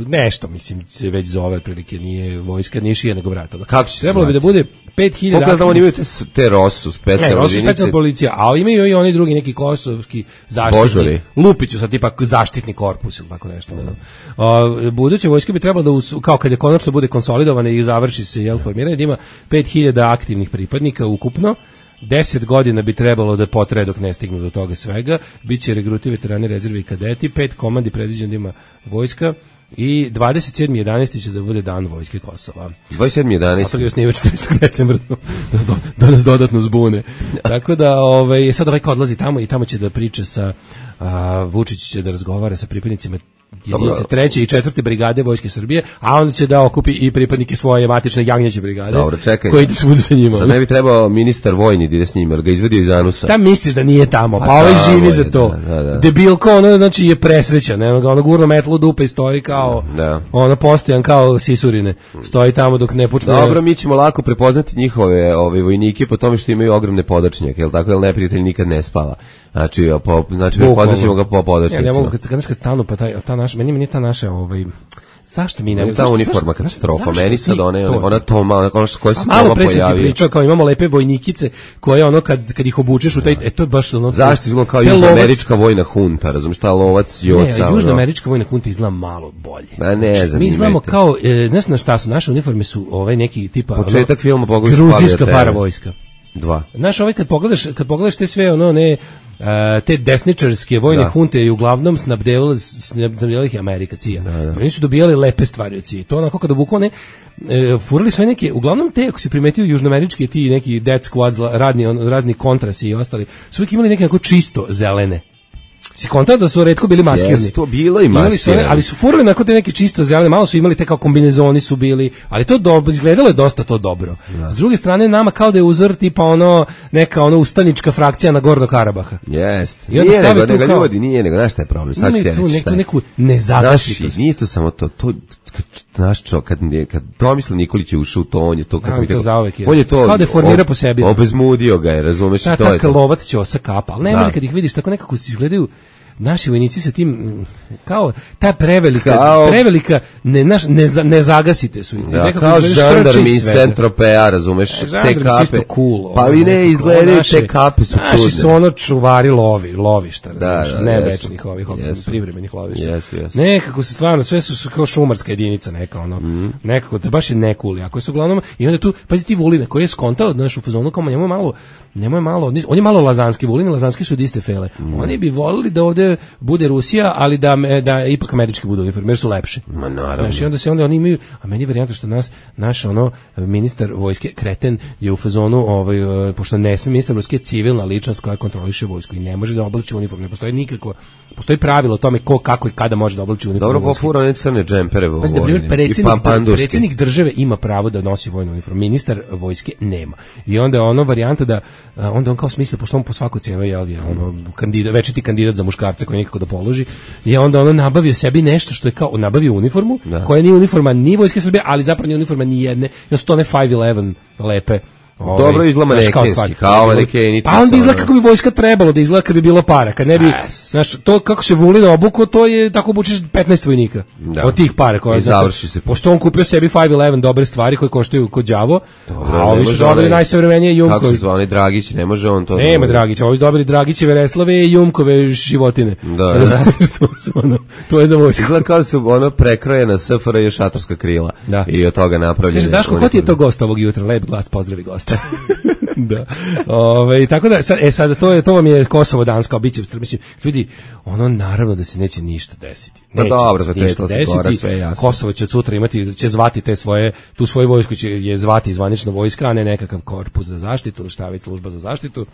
Speaker 6: nešto, mislim, se već zove prilike, nije vojska, nije šija nego vrat.
Speaker 5: Kako će
Speaker 6: trebalo bi da bude pet hiljada...
Speaker 5: Kako da oni imaju te, te Rosu, specijalne
Speaker 6: jedinice? Ne, Rosu specijalna policija, a imaju i oni drugi neki kosovski zaštitni...
Speaker 5: Božori.
Speaker 6: Lupiću sad, tipa zaštitni korpus ili tako nešto. Mm. O, buduće vojske bi trebalo da, us, kao kad je konačno bude konsolidovane i završi se, jel, formiranje, da ima pet hiljada aktivnih pripadnika ukupno, deset godina bi trebalo da potraje dok ne stignu do toga svega. Biće regruti, veterani, rezerve i kadeti, pet komandi predviđeno da ima vojska i dvadeset sedmi jedanaesti će da bude dan vojske Kosova.
Speaker 5: dvadeset sedmi jedanaesti
Speaker 6: Zato li osniva četrnaestog decembra da, da, da nas dodatno zbune. Tako da ovaj, sad ovaj odlazi tamo i tamo će da priča sa a, Vučić će da razgovara sa pripadnicima jedinice treće i četvrte brigade Vojske Srbije, a onda će da okupi i pripadnike svoje matične Jagnjeće brigade.
Speaker 5: Dobro, čekaj.
Speaker 6: Koji ide svuda sa njima.
Speaker 5: Sad ne bi trebao ministar vojni da ide s njim, jer ga izvedio iz anusa.
Speaker 6: Šta misliš da nije tamo? Pa, pa ovaj živi za to. Da, da, da. Debilko, ono, znači je presrećan. Ono, ono gurno metlo dupe i stoji kao, da. Ono postojan kao sisurine. Stoji tamo dok ne počne.
Speaker 5: Dobro, mi ćemo lako prepoznati njihove ove vojnike po tome što imaju ogromne podačnjake, jel tako, jel neprijatelj nikad ne spava. Znači, po, znači prepoznaćemo ga po podačnicima.
Speaker 6: Ja ne mogu kad kad kad stanu pa taj ta naš meni meni ta naša ovaj zašto mi ne
Speaker 5: ta uniforma katastrofa meni sad ona ona to malo ona koja se
Speaker 6: malo pre se ti pričao kao imamo lepe vojnikice koje ono kad kad ih obučeš u taj e to je baš ono
Speaker 5: zašto izgleda kao južnoamerička vojna hunta, razumiješ, ta lovac joca.
Speaker 6: Ne, južnoamerička vojna hunta izgleda malo bolje.
Speaker 5: Pa ne znam.
Speaker 6: Mi znamo kao e, znaš na šta su naše uniforme su ovaj neki tipa
Speaker 5: početak filma pogledaš
Speaker 6: gruzijska paravojska.
Speaker 5: Dva.
Speaker 6: Znaš, ovaj kad pogledaš, kad pogledaš te sve ono ne uh, te desničarske vojne da. hunte i uglavnom snabdevali snabdevali ih Amerika C I A. Da, da. Oni su dobijali lepe stvari od C I A. To onako kada bukvalno ne e, furali sve neke, uglavnom te ako si primetio južnoamerički ti neki death squads radni on, razni kontrasi i ostali, su uvijek imali neke onako čisto zelene. Si kontao da su retko bili maskirni.
Speaker 5: Yes, to bilo i maskirni.
Speaker 6: Ali su furali nakon te neke čisto zelene, malo su imali te kao kombinezoni su bili, ali to dobro, izgledalo je dosta to dobro. Da. S druge strane, nama kao da je uzor tipa ono, neka ono ustanička frakcija na Gorno Karabaha.
Speaker 5: Jeste. Nije nego, nego kao, ljudi, nije nego, znaš šta je problem? Sad ću ti reći šta je.
Speaker 6: Neku nezagasitost.
Speaker 5: Nije to samo to, to znaš čo, kad, kad Tomislav Nikolić je ušao u to, on je to, kako mi tako, on je to,
Speaker 6: kao da formira po sebi.
Speaker 5: Obezmudio ga je, razumeš,
Speaker 6: ta, to je to. Ta lovac ćosa kapa, ali ne može kad ih vidiš tako nekako se izgledaju naši vojnici sa tim kao ta prevelika kao, prevelika ne naš ne, ne zagasite su ih
Speaker 5: ja, kao žandarmi iz Centropea, razumeš, e, te kape
Speaker 6: cool,
Speaker 5: pa vi ne izgledaju te kape su
Speaker 6: naši
Speaker 5: čudne.
Speaker 6: Su ono čuvari lovi lovišta, razumeš, da, da, ne večnih ovih yes, privremenih lovišta
Speaker 5: yes, yes.
Speaker 6: Nekako se stvarno sve su, su kao šumarska jedinica neka ono mm. nekako to baš je nekuli ako su uglavnom i onda tu pazi ti Vulina koji je skontao našu fazonu kao njemu malo njemu je malo on je malo lazanski Vulin, lazanski su od iste fele mm. oni bi volili da ovde bude Rusija, ali da da ipak američki budu uniforme, jer su lepše.
Speaker 5: Ma naravno.
Speaker 6: Znači, onda se onda oni imaju, a meni je varijanta što nas naš ono ministar vojske kreten je u fazonu ovaj pošto ne sme ministar vojske civilna ličnost koja kontroliše vojsku i ne može da oblači uniformu. Ne postoji nikako postoji pravilo o tome ko kako i kada može da oblači uniformu.
Speaker 5: Dobro, pofura one crne džempere vo.
Speaker 6: Pa na primjer predsjednik predsjednik države ima pravo da nosi vojnu uniformu, ministar vojske nema. I onda je ono varijanta da onda on kao smisli pošto on po svaku cenu je ono kandidat, večiti kandidat za muškarca koji nikako da položi, je onda ono nabavio sebi nešto što je kao nabavio uniformu, da. Koja nije uniforma ni Vojske Srbije, ali zapravo nije uniforma ni jedne, no sto ne five eleven lepe.
Speaker 5: Ovaj, dobro izgleda manekenski, kao manekeni.
Speaker 6: Pa on bi izgleda kako bi vojska trebalo da izgleda kad bi bilo para, kad ne bi, yes. Znaš, to kako se Vulin obuko, to je tako obučeš petnaest vojnika da. Od tih para koje
Speaker 5: završi se.
Speaker 6: Pošto on kupio sebi five eleven dobre stvari koje koštaju kod đavo, a ovi su dobili najsavremenije Jumkovi.
Speaker 5: Kako se zva onaj Dragić, ne može on to.
Speaker 6: Nema Dragić, ovi su dobili Dragićeve Reslave i Jumkove životine.
Speaker 5: Da, da.
Speaker 6: to, ono, to je za vojsku.
Speaker 5: Izgleda kao su ono prekrojena S F R J šatorska krila da. I od toga napravljene.
Speaker 6: Daško, ko ti je to gost ovog jutra? Lep glas, pozdravi gosta. Da. Ove, tako da sad, e sad to je to vam je Kosovo danas kao biće mislim ljudi ono naravno da se neće ništa desiti.
Speaker 5: Neće pa dobro, zato je to desiti. Sve jasno.
Speaker 6: Kosovo će od sutra imati će zvati te svoje tu svoju vojsku će je zvati zvanična vojska, a ne nekakav korpus za zaštitu ili šta već služba za zaštitu.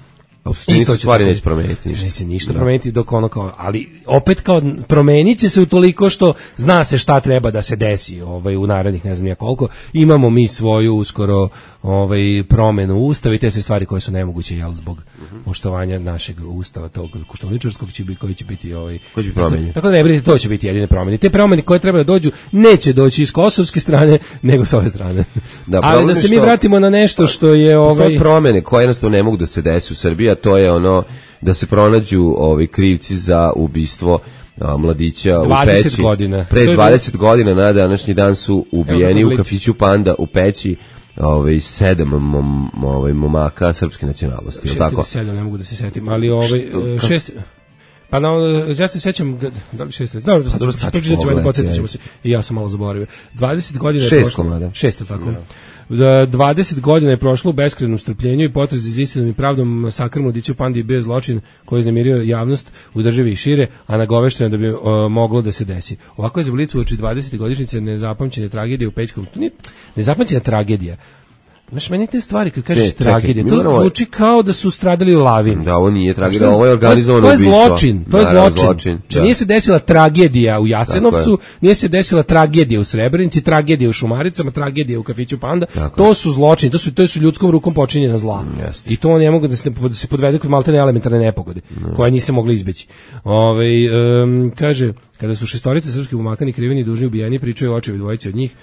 Speaker 5: I to stvari neće promeniti
Speaker 6: ništa. Neće ništa da. Promeniti dok ono kao, ali opet kao promenit će se utoliko što zna se šta treba da se desi ovaj, u narednih ne znam ja koliko. Imamo mi svoju uskoro ovaj, promenu ustava i te sve stvari koje su nemoguće jel, zbog uh-huh. poštovanja našeg ustava, tog koštuničarskog će biti, koji će biti ovaj,
Speaker 5: koji će promeniti.
Speaker 6: Tako da ne brinite, to će biti jedine promene. Te promene koje treba da dođu neće doći iz kosovske strane nego s ove strane. Da, ali da se što, mi vratimo na nešto što je ovaj
Speaker 5: promene koje jednostavno ne mogu da se desi u Srbiji, a to je ono da se pronađu ovi krivci za ubistvo a, mladića u Peći.
Speaker 6: Godina.
Speaker 5: Pre dvadeset godina na današnji dan su ubijeni u kafiću Panda u Peći ovaj sedam mom, ovaj momaka srpske nacionalnosti,
Speaker 6: šest
Speaker 5: tako.
Speaker 6: sedam ne mogu da se setim, ali ovaj šest Pa no, ja se sećam, da li šest, dobro, dobro, sad ću pogledati, podsjetit ćemo se, i ja sam malo zaboravio. dvadeset godina je prošlo.
Speaker 5: Komada.
Speaker 6: Šest, tako. dvadeset godina je prošlo u beskrajnom strpljenju i potrazi za istinom i pravdom. Masakr mladića u Pandi je bio zločin koji je uznemirio javnost u državi i šire, a nagovešteno da bi uh, moglo da se desi. Ovako je za Blic uoči dvadesete godišnjice nezapamćene tragedije u Pećkom. To nije nezapamćena tragedija. Znaš, meni te stvari, kad kažeš tragedije, to moramo... zvuči kao da su stradali u lavini.
Speaker 5: Da, ovo nije tragedija, ovo je organizovano
Speaker 6: ubistvo.
Speaker 5: To je
Speaker 6: zločin, to je da, zločin. zločin da. Nije se desila tragedija u Jasenovcu, nije se desila tragedija u Srebrenici, tragedija u Šumaricama, tragedija u kafiću Panda. Tako to su zločini, to su, to su ljudskom rukom počinjena zla. Mm, I to ne mogu da se, da se podvede kod maltene elementarne nepogode, mm. koje niste mogli izbeći. Ove, um, kaže, kada su šestorice srpskih umakani, kriveni i dužni ubijeni, pričaju očevi dvojice od njih.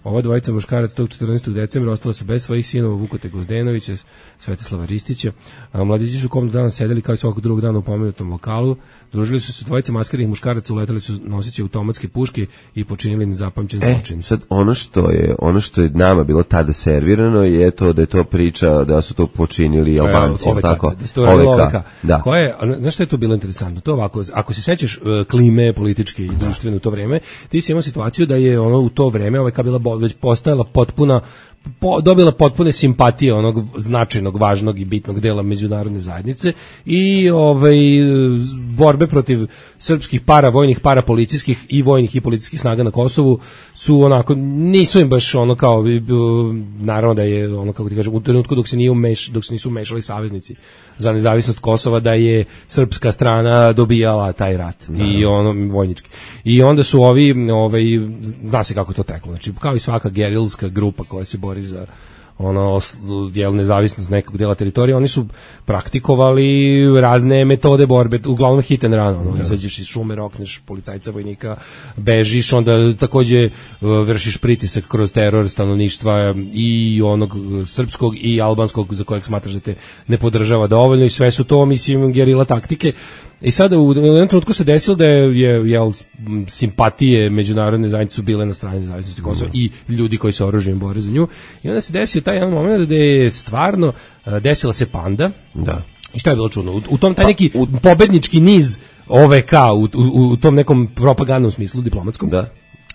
Speaker 6: Ova dvojica muškarac tog četrnaestog decembra ostala su bez svojih sinova Vukote Gozdenovića, Svetislava Ristića. A mladići su komno dana sedeli kao i svakog drugog dana u pomenutom lokalu. Družili su se dvojice maskiranih muškaraca, uletali su noseći automatske puške i počinili nezapamćen zločin.
Speaker 5: E, sad ono što je ono što je nama bilo tada servirano je to da je to priča da su to počinili Albanci,
Speaker 6: e,
Speaker 5: tako.
Speaker 6: O V K. Da. Koje, znaš što je to bilo interesantno? To ovako, ako se sećaš uh, klime političke i društvene u to vreme, ti si imao situaciju da je ono u to vreme O V K bila bo, već postajala potpuna Po, dobila potpune simpatije onog značajnog, važnog i bitnog dela međunarodne zajednice i ovaj borbe protiv srpskih paravojnih, parapolicijskih i vojnih i policijskih snaga na Kosovu su onako, nisu im baš ono kao, naravno da je ono kako ti kažem, u trenutku dok se nije umeš, dok se nisu umešali saveznici za nezavisnost Kosova, da je srpska strana dobijala taj rat no. i ono vojnički. I onda su ovi, ovaj, zna se kako to teklo, znači kao i svaka gerilska grupa koja se bori za ono jel nezavisnost nekog dela teritorija, oni su praktikovali razne metode borbe, uglavnom hit and run, ono, izađeš iz šume, rokneš policajca, vojnika, bežiš, onda takođe vršiš pritisak kroz teror stanovništva i onog srpskog i albanskog za kojeg smatraš da te ne podržava dovoljno i sve su to, mislim, gerila taktike. I sada u jednom trenutku se desilo da je, je jel, simpatije međunarodne zajednice su bile na strani nezavisnosti Kosova i ljudi koji se oružjem bore za nju. I onda se desio taj jedan moment da je stvarno desila se Panda.
Speaker 5: Da.
Speaker 6: I šta je bilo čudno? U, u tom taj neki pa, u... pobednički niz O V K u, u, u tom nekom propagandnom smislu diplomatskom.
Speaker 5: Da.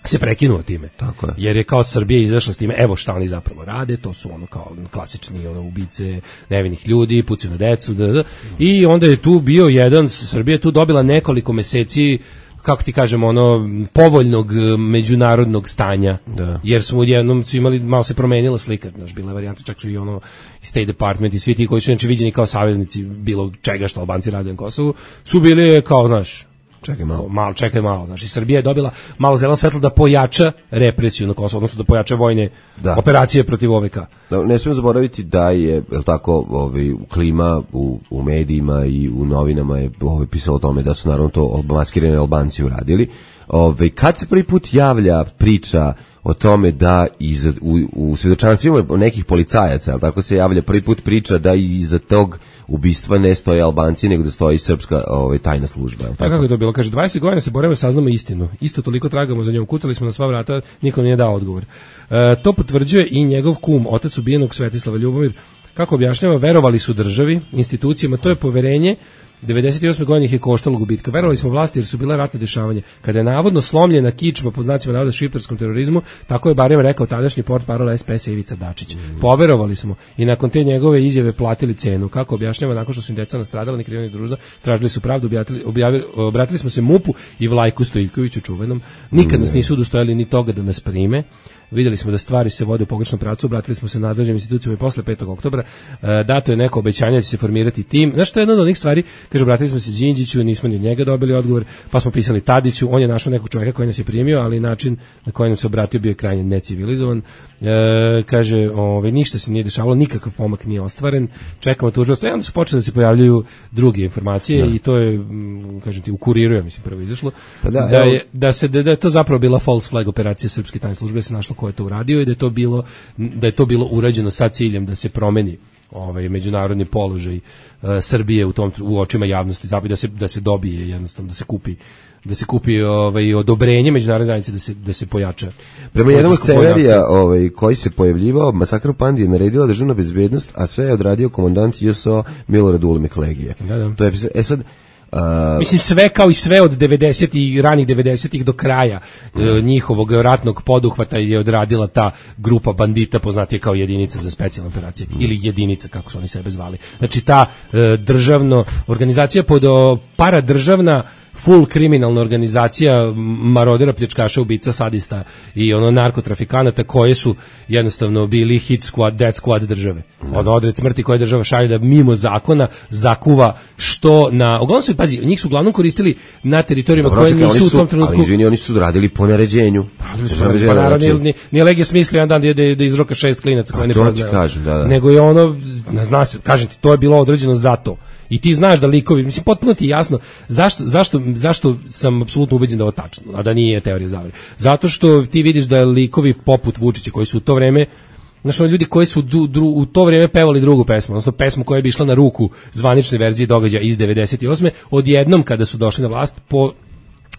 Speaker 6: Se prekinuo time.
Speaker 5: Tako je.
Speaker 6: Jer je kao Srbija izašla s time, evo šta oni zapravo rade, to su ono kao klasični ono ubice nevinih ljudi, pucaju na decu, da, da. I onda je tu bio jedan, Srbija je tu dobila nekoliko meseci, kako ti kažemo, ono povoljnog međunarodnog stanja.
Speaker 5: Da.
Speaker 6: Jer smo jednom su imali, malo se promenila slika, znaš, bila je varijanta, čak su i ono i State Department i svi ti koji su znači viđeni kao saveznici bilo čega što Albanci rade na Kosovu, su bili kao, znaš,
Speaker 5: Čekaj malo.
Speaker 6: Malo, čekaj malo. Znači, Srbija je dobila malo zeleno svetlo da pojača represiju na Kosovu, odnosno da pojača vojne da. operacije protiv O V K.
Speaker 5: Da, ne smijem zaboraviti da je, je tako, ovaj, klima u, u medijima i u novinama je ovaj, pisalo o tome da su naravno to maskirani Albanci uradili. Ovaj, kad se prvi put javlja priča o tome da iz, u, u svedočanstvima nekih policajaca, ali tako se javlja prvi put priča da iza tog ubistva ne stoje Albanci, nego da stoji srpska ovaj, tajna služba.
Speaker 6: Tako? Kako je to bilo? Kaže, dvadeset godina se borimo, saznamo istinu. Isto toliko tragamo za njom. Kucali smo na sva vrata, niko nije dao odgovor. E, to potvrđuje i njegov kum, otac ubijenog Svetislava Ljubomir. Kako objašnjava, verovali su državi, institucijama, to je poverenje. devedeset osme godine ih je koštalo gubitka. Verovali smo vlasti jer su bila ratne dešavanja. Kada je navodno slomljena kičma pod znacima navoda šiptarskom terorizmu, tako je barem rekao tadašnji portparol S P S Ivica Dačić. Poverovali smo i nakon te njegove izjave platili cenu. Kako objašnjava, nakon što su im deca nastradala, ni kriva ni dužna, tražili su pravdu, objavili, objavili, obratili smo se MUP-u i Vlajku Stojiljkoviću čuvenom. Nikad nas nisu udostojali ni toga da nas prime. Videli smo da stvari se vode u pogrešnom pravcu, obratili smo se nadležnim institucijama i posle petog oktobra. E, dato je neko obećanje da će se formirati tim. Znaš što je jedna od onih stvari? Kaže, obratili smo se Đinđiću, nismo ni od njega dobili odgovor, pa smo pisali Tadiću, on je našao nekog čovjeka koji nas je primio, ali način na koji nam se obratio bio je krajnje necivilizovan. E, kaže, ove, ništa se nije dešavalo, nikakav pomak nije ostvaren, čekamo tužilaštvo. I onda su počeli da se pojavljuju druge informacije da. I to je, kažem ti, u Kuriru, ja mislim, prvo izašlo, pa da, da, je, da, se, da je to zapravo bila false flag operacija srpske tajne službe, da se našlo ko je to uradio i da je to bilo da je to bilo urađeno sa ciljem da se promeni ovaj međunarodni položaj uh, Srbije u tom u očima javnosti, zapravo da se da se dobije jednostavno da se kupi da se kupi ovaj odobrenje međunarodne zajednice da se da se pojača.
Speaker 5: Prema jednom scenarija ovaj koji se pojavljivao, masakr u Pandi je naredila državna bezbednost, a sve je odradio komandant J S O Milorad Ulemek Legije.
Speaker 6: Da, da.
Speaker 5: To je e sad Uh,
Speaker 6: Mislim sve kao i sve od devedesetih i ranih devedesetih do kraja uh, njihovog ratnog poduhvata je odradila ta grupa bandita poznatija kao jedinica za specijalne operacije mm. ili jedinica kako su oni sebe zvali. Znači ta uh, državno organizacija pod uh, paradržavna full kriminalna organizacija marodera, pljačkaša, ubica, sadista i ono narkotrafikanata koje su jednostavno bili hit squad, dead squad države. Ono odred smrti koje država šalje da mimo zakona zakuva što na... Uglavnom su, pazi, njih su uglavnom koristili na teritorijima
Speaker 5: Dobro,
Speaker 6: koje
Speaker 5: čekaj,
Speaker 6: nisu
Speaker 5: su,
Speaker 6: u tom trenutku...
Speaker 5: Ali izvini, oni su radili po naređenju.
Speaker 6: Radili su, radili, pa naravno, nije, nije, nije Legija smislio jedan dan da, da, da izroka šest klinaca koje ne poznaje.
Speaker 5: Kažem, da, da.
Speaker 6: Nego je ono, zna se, kažem ti, to je bilo određeno za to. I ti znaš da likovi, mislim, potpuno ti je jasno zašto, zašto, zašto sam apsolutno ubeđen da je ovo tačno, a da nije teorija zavere. Zato što ti vidiš da likovi poput Vučića koji su u to vreme, znaš, ono ljudi koji su du, dru, u to vreme pevali drugu pesmu, odnosno pesmu koja bi išla na ruku zvanične verzije događaja iz devedeset osme odjednom kada su došli na vlast po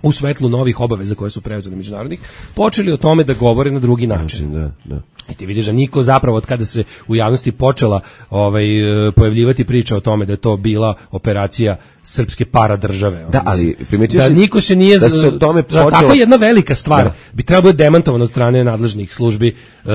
Speaker 6: u svetlu novih obaveza koje su preuzeli međunarodnih, počeli o tome da govore na drugi način.
Speaker 5: Da, da.
Speaker 6: I ti vidiš da niko zapravo od kada se u javnosti počela ovaj, pojavljivati priča o tome da je to bila operacija srpske paradržave.
Speaker 5: Da, ali primetio
Speaker 6: da
Speaker 5: si
Speaker 6: niko se nije
Speaker 5: da se o tome počelo...
Speaker 6: Tako jedna velika stvar
Speaker 5: da.
Speaker 6: bi trebalo biti demantovana od strane nadležnih službi, uh,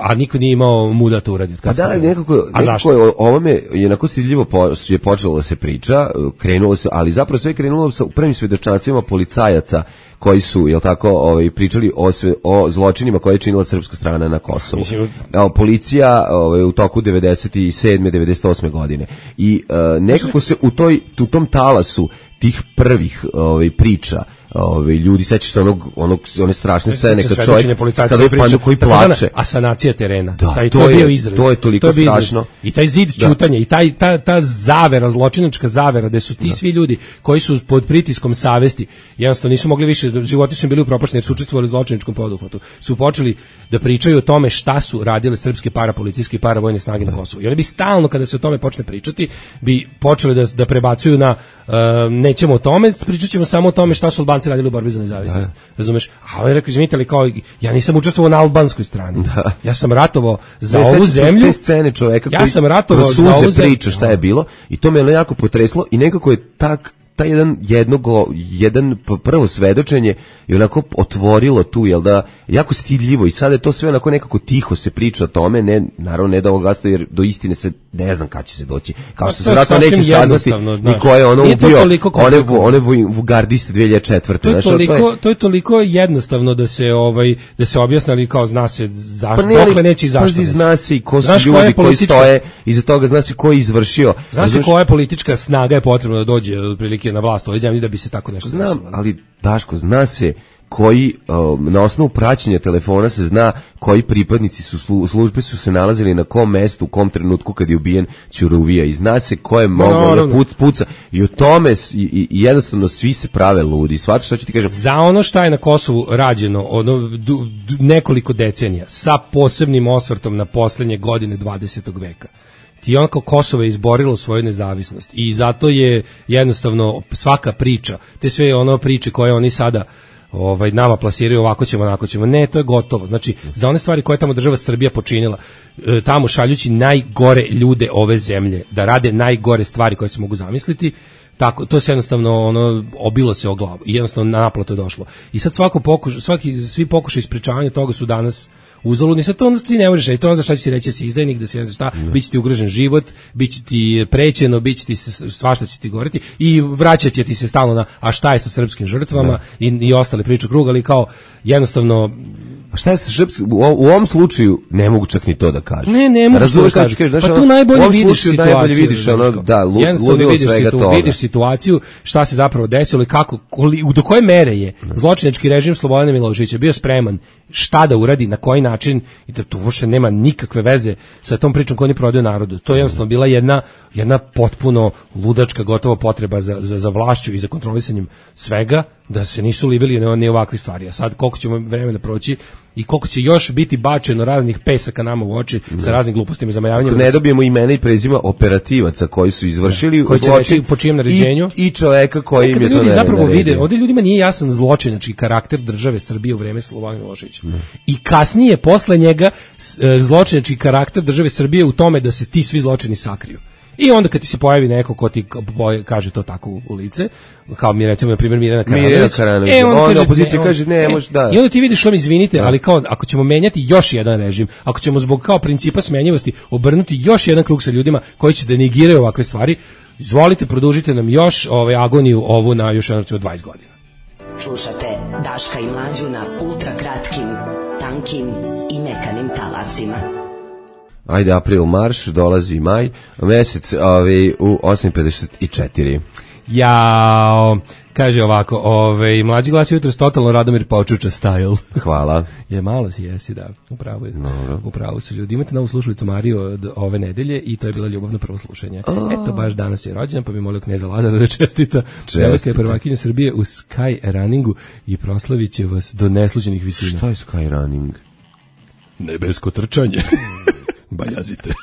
Speaker 6: a niko nije imao muda to uraditi.
Speaker 5: A da, nekako, a nekako je, o ovome jednako stidljivo po, je počelo da se priča, krenulo se, ali zapravo sve je krenulo sa prvim svedočanstvima policajaca koji su, jel tako, ovaj, pričali o, sve, o zločinima koje je činila srpska strana na Kosovu. Mislim, evo, policija ovaj, u toku devedeset sedme devedeset osme godine. I uh, nekako se u, toj, u tom talasu tih prvih ovaj, priča, ovaj, ljudi, sećaš se onog, onog, one strašne scene kad čovjek, kada je pan koji plače.
Speaker 6: Asanacija terena.
Speaker 5: Da,
Speaker 6: taj,
Speaker 5: to,
Speaker 6: to je
Speaker 5: bio
Speaker 6: izraz.
Speaker 5: To je toliko to je strašno.
Speaker 6: I taj zid ćutanja, i taj, ta, ta zavera, zločinačka zavera, gde su ti da. svi ljudi koji su pod pritiskom savesti, jednostavno nisu mogli više, životi su im bili upropašteni jer su učestvovali u zločinačkom poduhvatu, su počeli da pričaju o tome šta su radile srpske parapolicijske i paravojne snage da. na Kosovu. I oni bi stalno, kada se o tome počne pričati, bi počeli da, da prebacuju na uh, nećemo o tome, pričat ćemo samo o tome šta su Albanci radili u borbi za nezavisnost. Razumeš? A on je rekao, izvinite li, kao, ja nisam učestvovao na albanskoj strani. Da. Ja sam ratovao za
Speaker 5: ne,
Speaker 6: ovu zemlju.
Speaker 5: Te scene čoveka
Speaker 6: ja
Speaker 5: koji
Speaker 6: sam ratovao za ovu zemlju.
Speaker 5: Priča šta je bilo i to me je jako potreslo i nekako je tak taj jedan jednogo, jedan prvo svedočenje je onako otvorilo tu, jel da, jako stidljivo i sada je to sve onako nekako tiho se priča o tome, ne, naravno ne da ovo gasto jer do istine se ne znam kad će se doći, kao što se vratno neće saznati ni ko je ono ubio one, one vugardiste dve hiljade četvrte
Speaker 6: To je, znaš, toliko, to, je, to je toliko jednostavno da se ovaj da se objasni, ali kao zna se zašto, pa ne, dokle neće i zašto neće.
Speaker 5: Zna se i ko su znaš ljudi koji stoje iza toga, zna se ko je izvršio.
Speaker 6: Zna se koja je politička snaga je potrebno da dođe otprilike na vlast ove zemlje da bi se tako nešto
Speaker 5: znam,
Speaker 6: desilo.
Speaker 5: ali Daško, zna se koji, um, na osnovu praćenja telefona se zna koji pripadnici su slu, službe su se nalazili na kom mestu, u kom trenutku kad je ubijen Ćuruvija i zna se ko je mogao da put, puca i o tome i, i, i jednostavno svi se prave ludi. Shvataš što ću ti kažem?
Speaker 6: Za ono šta je na Kosovu rađeno ono, du, du, nekoliko decenija sa posebnim osvrtom na poslednje godine dvadesetog veka. I onako Kosovo je izborilo svoju nezavisnost i zato je jednostavno svaka priča, te sve ono priče koje oni sada ovaj nama plasiraju ovako ćemo, onako ćemo, ne, to je gotovo. Znači, za one stvari koje tamo država Srbija počinila, tamo šaljući najgore ljude ove zemlje, da rade najgore stvari koje se mogu zamisliti, tako, to se jednostavno ono, obilo se o glavu i jednostavno na naplatu je došlo. I sad svako pokuš, svaki, svi pokušaj ispričavanja toga su danas uzaludni, sad to ti ne možeš reći, to ono za šta će si reći da si izdajnik, da si ne znaš šta, bit će ti ugrožen život, bit će ti prećeno, bit će ti svašta će ti goreti i vraćat će ti se stalno na, a šta je sa srpskim žrtvama i, i ostale priče krug, ali kao jednostavno
Speaker 5: a šta je sa srpskim, u, u ovom slučaju ne mogu čak ni to da kažem.
Speaker 6: Ne, ne mogu to da kažem. Pa tu najbolje vidiš situaciju.
Speaker 5: Najbolje vidiš, ono, da, ludilo svega
Speaker 6: situ,
Speaker 5: toga.
Speaker 6: Vidiš situaciju, šta se zapravo desilo i kako, koli, do koje mere je zločinački režim Slobodana Miloševića bio spreman šta da uradi, na koji način, i da tu uopšte nema nikakve veze sa tom pričom koju oni prodaju narodu. To je jednostavno bila jedna, jedna potpuno ludačka gotovo potreba za, za, za vlašću i za kontrolisanjem svega, da se nisu libili ni, ni ovakve stvari. A sad koliko ćemo vremena proći i koliko će još biti bačeno raznih pesaka nama u oči ne. sa raznim glupostima i zamajavanjem.
Speaker 5: Ne dobijemo imena i prezima operativaca koji su izvršili
Speaker 6: koji će reći po čijem naređenju
Speaker 5: i, i čoveka koji im je to
Speaker 6: ljudi zapravo vide, ovdje ljudima nije jasan zločinački karakter države Srbije u vreme Slobodana Miloševića. I kasnije posle njega zločinački karakter države Srbije u tome da se ti svi zločini sakriju. I onda kad ti se pojavi neko ko ti kaže to tako u, u lice, kao mi recimo na primjer Mirjana Karanović,
Speaker 5: Mirjana Karanović.
Speaker 6: E, onda,
Speaker 5: onda
Speaker 6: kaže,
Speaker 5: opozicija
Speaker 6: ne,
Speaker 5: kaže ne,
Speaker 6: e,
Speaker 5: može da.
Speaker 6: I onda ti vidiš što mi izvinite, da. ali kao ako ćemo menjati još jedan režim, ako ćemo zbog kao principa smenjivosti obrnuti još jedan krug sa ljudima koji će da negiraju ovakve stvari, izvolite, produžite nam još ovaj agoniju ovu na još jedno dvadeset godina.
Speaker 10: Slušate Daška i Mlađu na ultra kratkim, tankim i mekanim talasima.
Speaker 5: Ajde, april marš, dolazi maj, mesec ovaj, u osam pedeset četiri.
Speaker 6: Jao, kaže ovako, ovaj, Mlađi glas jutro s totalno Radomir Počuča style.
Speaker 5: Hvala.
Speaker 6: Je malo si jesi, da, upravo je.
Speaker 5: No.
Speaker 6: Upravo su ljudi. Imate novu slušalicu Mariju od ove nedelje i to je bila ljubavno prvo slušanje. Oh. Eto, baš danas je rođendan, pa bi molio kneza Lazara da čestita. Čestita je prvakinja Srbije u Sky Runningu i proslavit će vas do nesluđenih visina.
Speaker 5: Šta je Sky Running?
Speaker 6: Nebesko trčanje. Bajazite.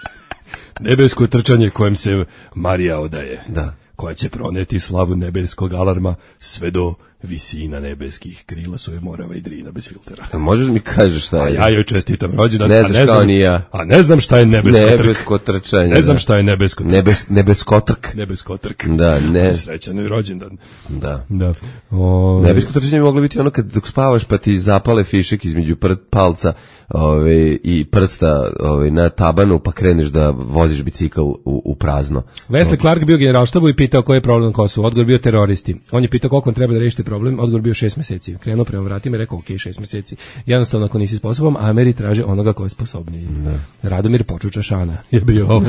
Speaker 6: Nebesko trčanje kojem se Marija odaje.
Speaker 5: Da.
Speaker 6: Koja će proneti slavu nebeskog alarma sve do visina nebeskih krila svoje Morava i Drina bez filtera.
Speaker 5: A možeš mi kažeš šta je?
Speaker 6: A ja joj čestitam rođendan.
Speaker 5: Ne znaš kao ni ja.
Speaker 6: A ne znam šta je nebesko,
Speaker 5: nebesko trčanje.
Speaker 6: Ne znam šta je nebesko trk.
Speaker 5: Nebes, nebesko trk.
Speaker 6: Nebesko trk.
Speaker 5: Da, ne.
Speaker 6: Srećan je rođendan.
Speaker 5: Da.
Speaker 6: Da. O...
Speaker 5: Nebesko trčanje bi moglo biti ono kad dok spavaš pa ti zapale fišek između pr palca ove, i prsta ove, na tabanu pa kreneš da voziš bicikl u, u prazno.
Speaker 6: Wesley Clark bio generalštabu i pitao koji je problem na Kosovu. Odgovor bio teroristi. On je pitao koliko vam treba da rešite problem. Odgovor bio šest meseci. Krenuo prema vratima i rekao ok, šest meseci. Jednostavno ako nisi sposoban, Ameri traže onoga ko je sposobniji. Ne. Radomir Počuča Šana je bio ovo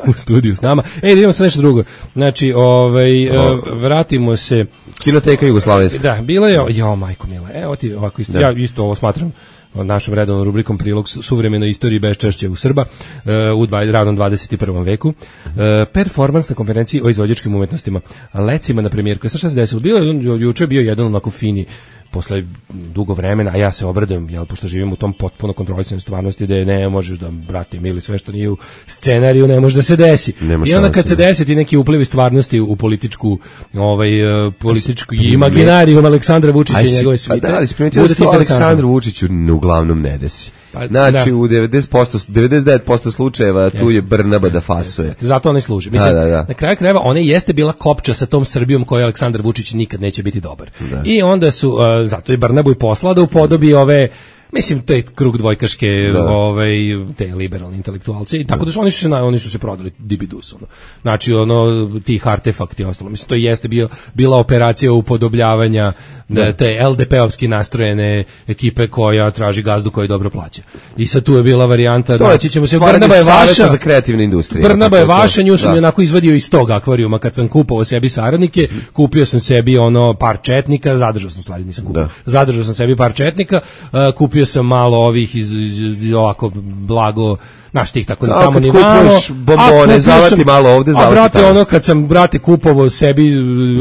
Speaker 6: u studiju s nama. Ej, da idemo sa nešto drugo. Znači, ovaj, uh, vratimo se...
Speaker 5: Kinoteka Jugoslovenska.
Speaker 6: Da, bilo je... Jo, majko mila. Evo ti ovako isto. Da. Ja isto ovo smatram našom redovnom rubrikom prilog suvremenoj istoriji beščašća u Srba uh, u dva, radnom dvadeset prvom veku. Uh, performans na konferenciji o izvođačkim umetnostima. Lecima na premijerku. Šta se desilo? Bilo je, juče bio jedan onako fini posle dugo vremena, a ja se obradujem, jel, pošto živim u tom potpuno kontrolisanoj stvarnosti da ne možeš da, brate, ili sve što nije u scenariju ne može da se desi. I onda kad se desi ti neki uplivi stvarnosti u političku, ovaj, političku imaginarijum Aleksandra Vučića i njegove svite.
Speaker 5: Pa da, ali si primetio da se Aleksandru Vučiću uglavnom ne desi. Pa, znači da. U devedeset posto, devedeset devet posto slučajeva tu jeste, je Brnaba da fasuje. Jeste,
Speaker 6: zato ona i služi. Mislim, da, da, da. Na kraju krajeva ona jeste bila kopča sa tom Srbijom koju Aleksandar Vučić nikad neće biti dobar. Da. I onda su, uh, zato je Brnabu i poslao da upodobi ove, mislim, te krug dvojkaške, ovaj, te liberalne intelektualce, i tako da su oni su se, oni su se prodali dibidus, ono. Znači, ono, tih artefakti i ostalo. Mislim, to jeste bio, bila operacija upodobljavanja da. te el de pe-ovski nastrojene ekipe koja traži gazdu koji dobro plaća. I sad tu je bila varijanta, znači ćemo se, Brnaba je vaša,
Speaker 5: za kreativne industrije.
Speaker 6: Brnaba je vaša, nju sam onako izvadio iz tog akvarijuma kad sam kupovao sebi saradnike, kupio sam sebi ono par četnika, zadržao sam stvari, nisam kupio, zadržao sam sebi par četnika, uh, kupio sam malo ovih iz, iz, iz ovako blago, znaš tih tako tamo ni malo.
Speaker 5: Bombone, zavati malo ovde, zavati.
Speaker 6: A brate, ono kad sam brate kupovao sebi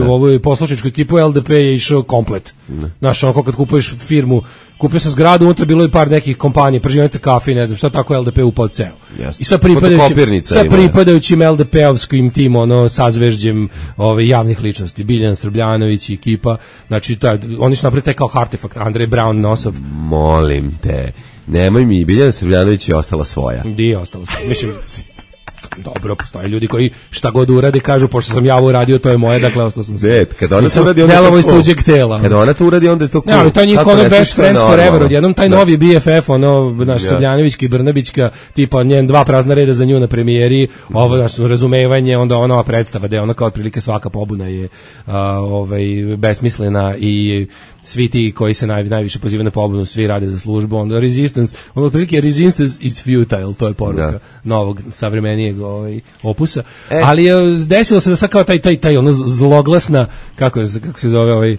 Speaker 6: ovu poslušničku ekipu, el de pe je išao komplet. Znaš, ono kad kupuješ firmu, kupio sam zgradu, unutra bilo je par nekih kompanija, pržionica kafe, ne znam šta, tako el de pe upao ceo. I sa pripadajućim, sa pripadajućim el de pe-ovskim tim, ono, sazvežđem ove, javnih ličnosti, Biljan Srbljanović i ekipa, znači, taj, oni su napravili taj kao artefakt, Andrej Brown Nosov.
Speaker 5: Molim te, nemoj mi, Biljana Srbljanović je ostala svoja.
Speaker 6: Di je ostala svoja, mislim... Dobro, postoje ljudi koji šta god urade kažu, pošto sam ja ovo uradio, to je moje, dakle ostao sam sve.
Speaker 5: Kada ona to uradi, onda
Speaker 6: je to tuđeg tela.
Speaker 5: Kada ona to uradi, onda je to cool.
Speaker 6: Ne, ali taj njih ono best friends forever, odjednom taj novi be ef ef, ono, naš Srbljanovićka i Brnabićka, tipa njen dva prazna reda za nju na premijeri, ovo, naš razumevanje, onda ona ova predstava, da je ona kao otprilike svaka pobuna je ovaj, besmislena i svi ti koji se naj, najviše pozivaju na pobunu, svi rade za službu, onda resistance, ono otprilike resistance is futile, to je poruka novog, savremenijeg ovaj, opusa, e. ali je desilo se da sad kao taj, taj, taj ono zloglasna, kako, kako se zove ovaj, e,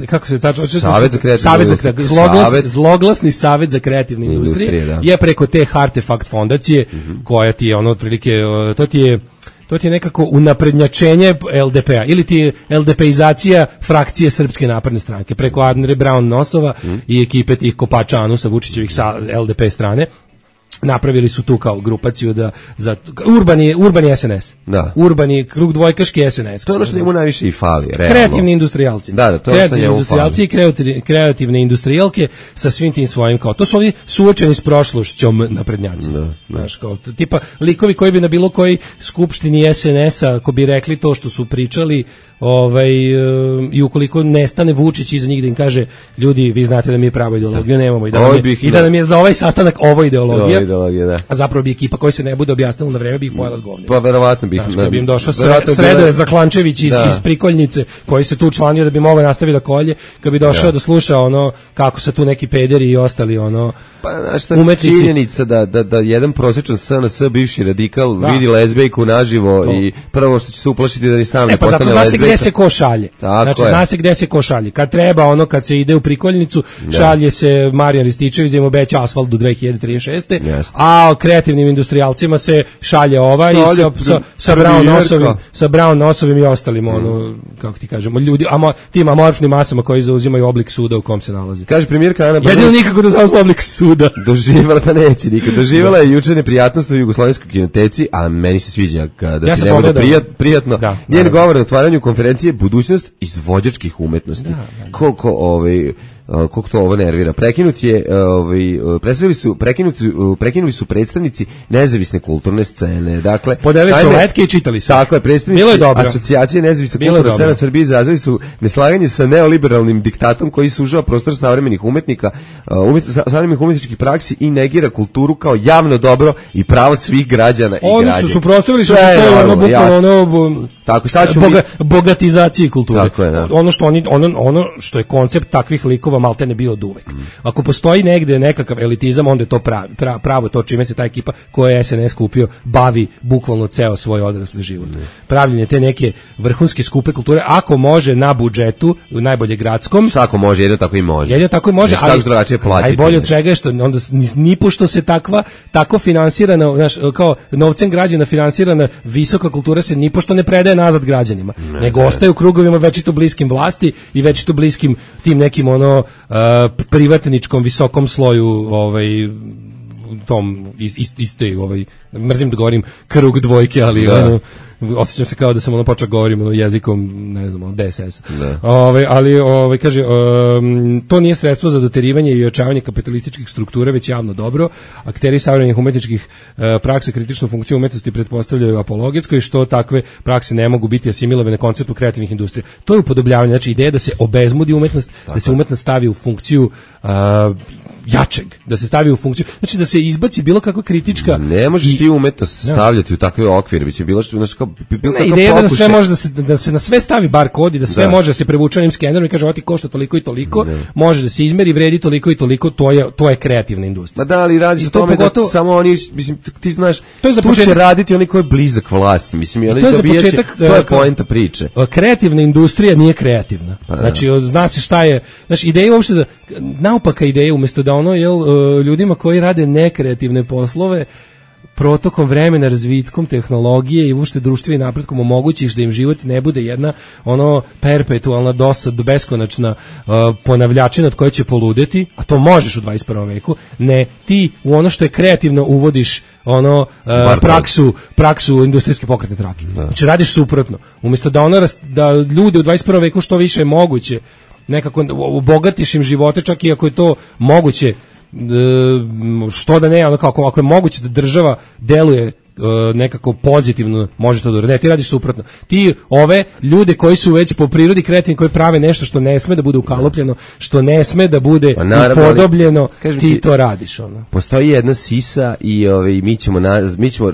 Speaker 6: kako se tačno
Speaker 5: Savet za kreativnu
Speaker 6: Savet za kreativnu Zloglas, Savet. Zloglasni Savet za kreativne industrije, industrije je preko te Artefakt fondacije, mm-hmm. koja ti je ono otprilike, to ti je to ti je nekako unaprednjačenje el de pe-a ili ti je el de pe-izacija frakcije Srpske napredne stranke preko Andreja Brown Nosova mm. i ekipe tih kopača Anusa Vučićevih sa el de pe strane. napravili su tu kao grupaciju da za urbani urbani S N S.
Speaker 5: Da.
Speaker 6: Urbani krug dvojkaški S N S.
Speaker 5: To je ono što njemu najviše i fali, realno.
Speaker 6: Kreativni industrijalci.
Speaker 5: Da, da, to je
Speaker 6: kreativni industrijalci i kreativne, kreativne industrijalke sa svim tim svojim kao to su ovi suočeni s prošlošćom naprednjaci.
Speaker 5: Da,
Speaker 6: znaš, kao tipa likovi koji bi na bilo koji skupštini S N S-a ko bi rekli to što su pričali, ovaj i ukoliko nestane Vučić iza njih da im kaže ljudi vi znate da mi je pravo ideologiju nemamo i da nam je, i da nam je za ovaj sastanak ovo ideologija.
Speaker 5: ideologija da.
Speaker 6: A zapravo bi ekipa koja se ne bude objasnila na vreme bi ih pojela s govnima.
Speaker 5: Pa verovatno bih.
Speaker 6: Znaš, bi im došao Sredoje Zaklančević iz, iz Prikoljnice koji se tu učlanio da bi mogao nastaviti da kolje, kad bi došao da, da sluša ono kako se tu neki pederi i ostali ono
Speaker 5: pa znaš činjenica da, da, da jedan prosječan S N S bivši radikal da. vidi lezbejku naživo to. I prvo što će se uplašiti da ni sam ne,
Speaker 6: ne postane lezbejka. Pa zato zna se gde se ko šalje.
Speaker 5: Tako
Speaker 6: znači
Speaker 5: je.
Speaker 6: Zna se gde se ko šalje. Kad treba ono kad se ide u Prikoljnicu da. Šalje se Marijan Rističević da im obeća asfalt do dve hiljade trideset šeste. Yes. A kreativnim industrijalcima se šalje ovaj šalje, sa, sa, sa Brown nosovim sa Brown nosovim i ostalim ono kako ti kažemo ljudi amo, tim amorfnim masama koji zauzimaju oblik suda u kom se nalazi.
Speaker 5: Kaže premijerka Ana
Speaker 6: Brnabić. Jedino nikako da zauzme oblik suda.
Speaker 5: Doživala pa neće nikad. Doživala je juče neprijatnost u Jugoslovenskoj kinoteci, a meni se sviđa kada
Speaker 6: ja
Speaker 5: ti ne bude prijat, prijatno. Da, njen govor na otvaranju konferencije budućnost izvođačkih umetnosti. Da, da, da. Koliko ovaj koliko to ovo nervira. Prekinut je, ovaj predstavili su prekinuti prekinuli su predstavnici nezavisne kulturne scene. Dakle,
Speaker 6: podelili su letke i čitali su.
Speaker 5: Tako je, predstavnici Asocijacije nezavisne kulturne scene Srbije izrazili su neslaganje sa neoliberalnim diktatom koji sužava prostor savremenih umetnika, umet, savremenih umetničkih praksi i negira kulturu kao javno dobro i pravo svih građana i
Speaker 6: Oni
Speaker 5: građana.
Speaker 6: Oni su suprotstavili su se to ono bukvalno ono
Speaker 5: tako sad
Speaker 6: boga, bogatizaciji kulture.
Speaker 5: Tako je, da.
Speaker 6: Ono što oni ono ono što je koncept takvih likova maltene bio od uvek. Mm. Ako postoji negde nekakav elitizam, onda je to pravi, pra, pravo to čime se ta ekipa koja je S N S kupio bavi bukvalno ceo svoj odrasli život. Mm. Pravljenje te neke vrhunske skupe kulture, ako može na budžetu, najbolje gradskom.
Speaker 5: Ako može, jedno tako i može.
Speaker 6: Jedno tako i može, ali najbolje od svega je što onda ni pošto se takva tako finansirana, znaš, kao novcem građana finansirana visoka kultura se ni pošto ne predaje nazad građanima, ne, nego ne. Ostaje u krugovima večito bliskim vlasti i večito bliskim tim nekim ono uh, privatničkom visokom sloju ovaj tom ist, istoj ovaj mrzim da govorim krug dvojke, ali da. Ono osjećam se kao da sam ono počeo govorim ono jezikom, ne znam, D S S. Ovaj ali ovaj kaže um, to nije sredstvo za doterivanje i ojačavanje kapitalističkih struktura, već javno dobro. Akteri savremenih umetničkih uh, praksa kritičnu funkciju umetnosti pretpostavljaju apologetsko i što takve prakse ne mogu biti asimilovane konceptu kreativnih industrija. To je upodobljavanje, znači ideja da se obezmudi umetnost, tako. Da se umetnost stavi u funkciju uh, jačeg, da se stavi u funkciju, znači da se izbaci bilo kakva kritička.
Speaker 5: Ne možeš ti umetnost stavljati u takve okvire, biće bilo što znači kao bilo
Speaker 6: ne, ideja da sve može da se da se na sve stavi bar kod i da sve da. Može da se prevuče onim skenerom i kaže ovo ti košta toliko i toliko, ne. Može da se izmeri, vredi toliko i toliko, to je to je kreativna industrija.
Speaker 5: Ma da, ali radi se o tome pogotovo, da samo oni, mislim, ti znaš,
Speaker 6: to je za
Speaker 5: tu
Speaker 6: početak,
Speaker 5: će raditi oni koji je blizak vlasti, mislim, i oni
Speaker 6: to je
Speaker 5: dobijaće,
Speaker 6: početak,
Speaker 5: to je poenta priče.
Speaker 6: Kreativna industrija nije kreativna. Pa, znači, zna se šta je, znači, ideja uopšte da, naopaka ideja, umjesto da ono, jel, ljudima koji rade nekreativne poslove, protokom vremena, razvitkom tehnologije i uopšte društvenim napretkom omogućiš da im život ne bude jedna ono perpetualna dosad, beskonačna uh, ponavljačina od koje će poludeti, a to možeš u dvadeset prvom veku, ne, ti u ono što je kreativno uvodiš ono uh, praksu, praksu industrijske pokretne trake. Da. Znači radiš suprotno. Umjesto da ono da ljude u dvadeset prvom veku što više je moguće nekako obogatiš im živote, čak i ako je to moguće, što da ne, ono kako ako je moguće da država deluje nekako pozitivno, može to da ne, ti radiš suprotno. Ti ove ljude koji su već po prirodi kreativni, koji prave nešto što ne sme da bude ukalupljeno, što ne sme da bude upodobljeno, ti, ti to radiš ono.
Speaker 5: Postoji jedna sisa i ovaj mi ćemo na mi ćemo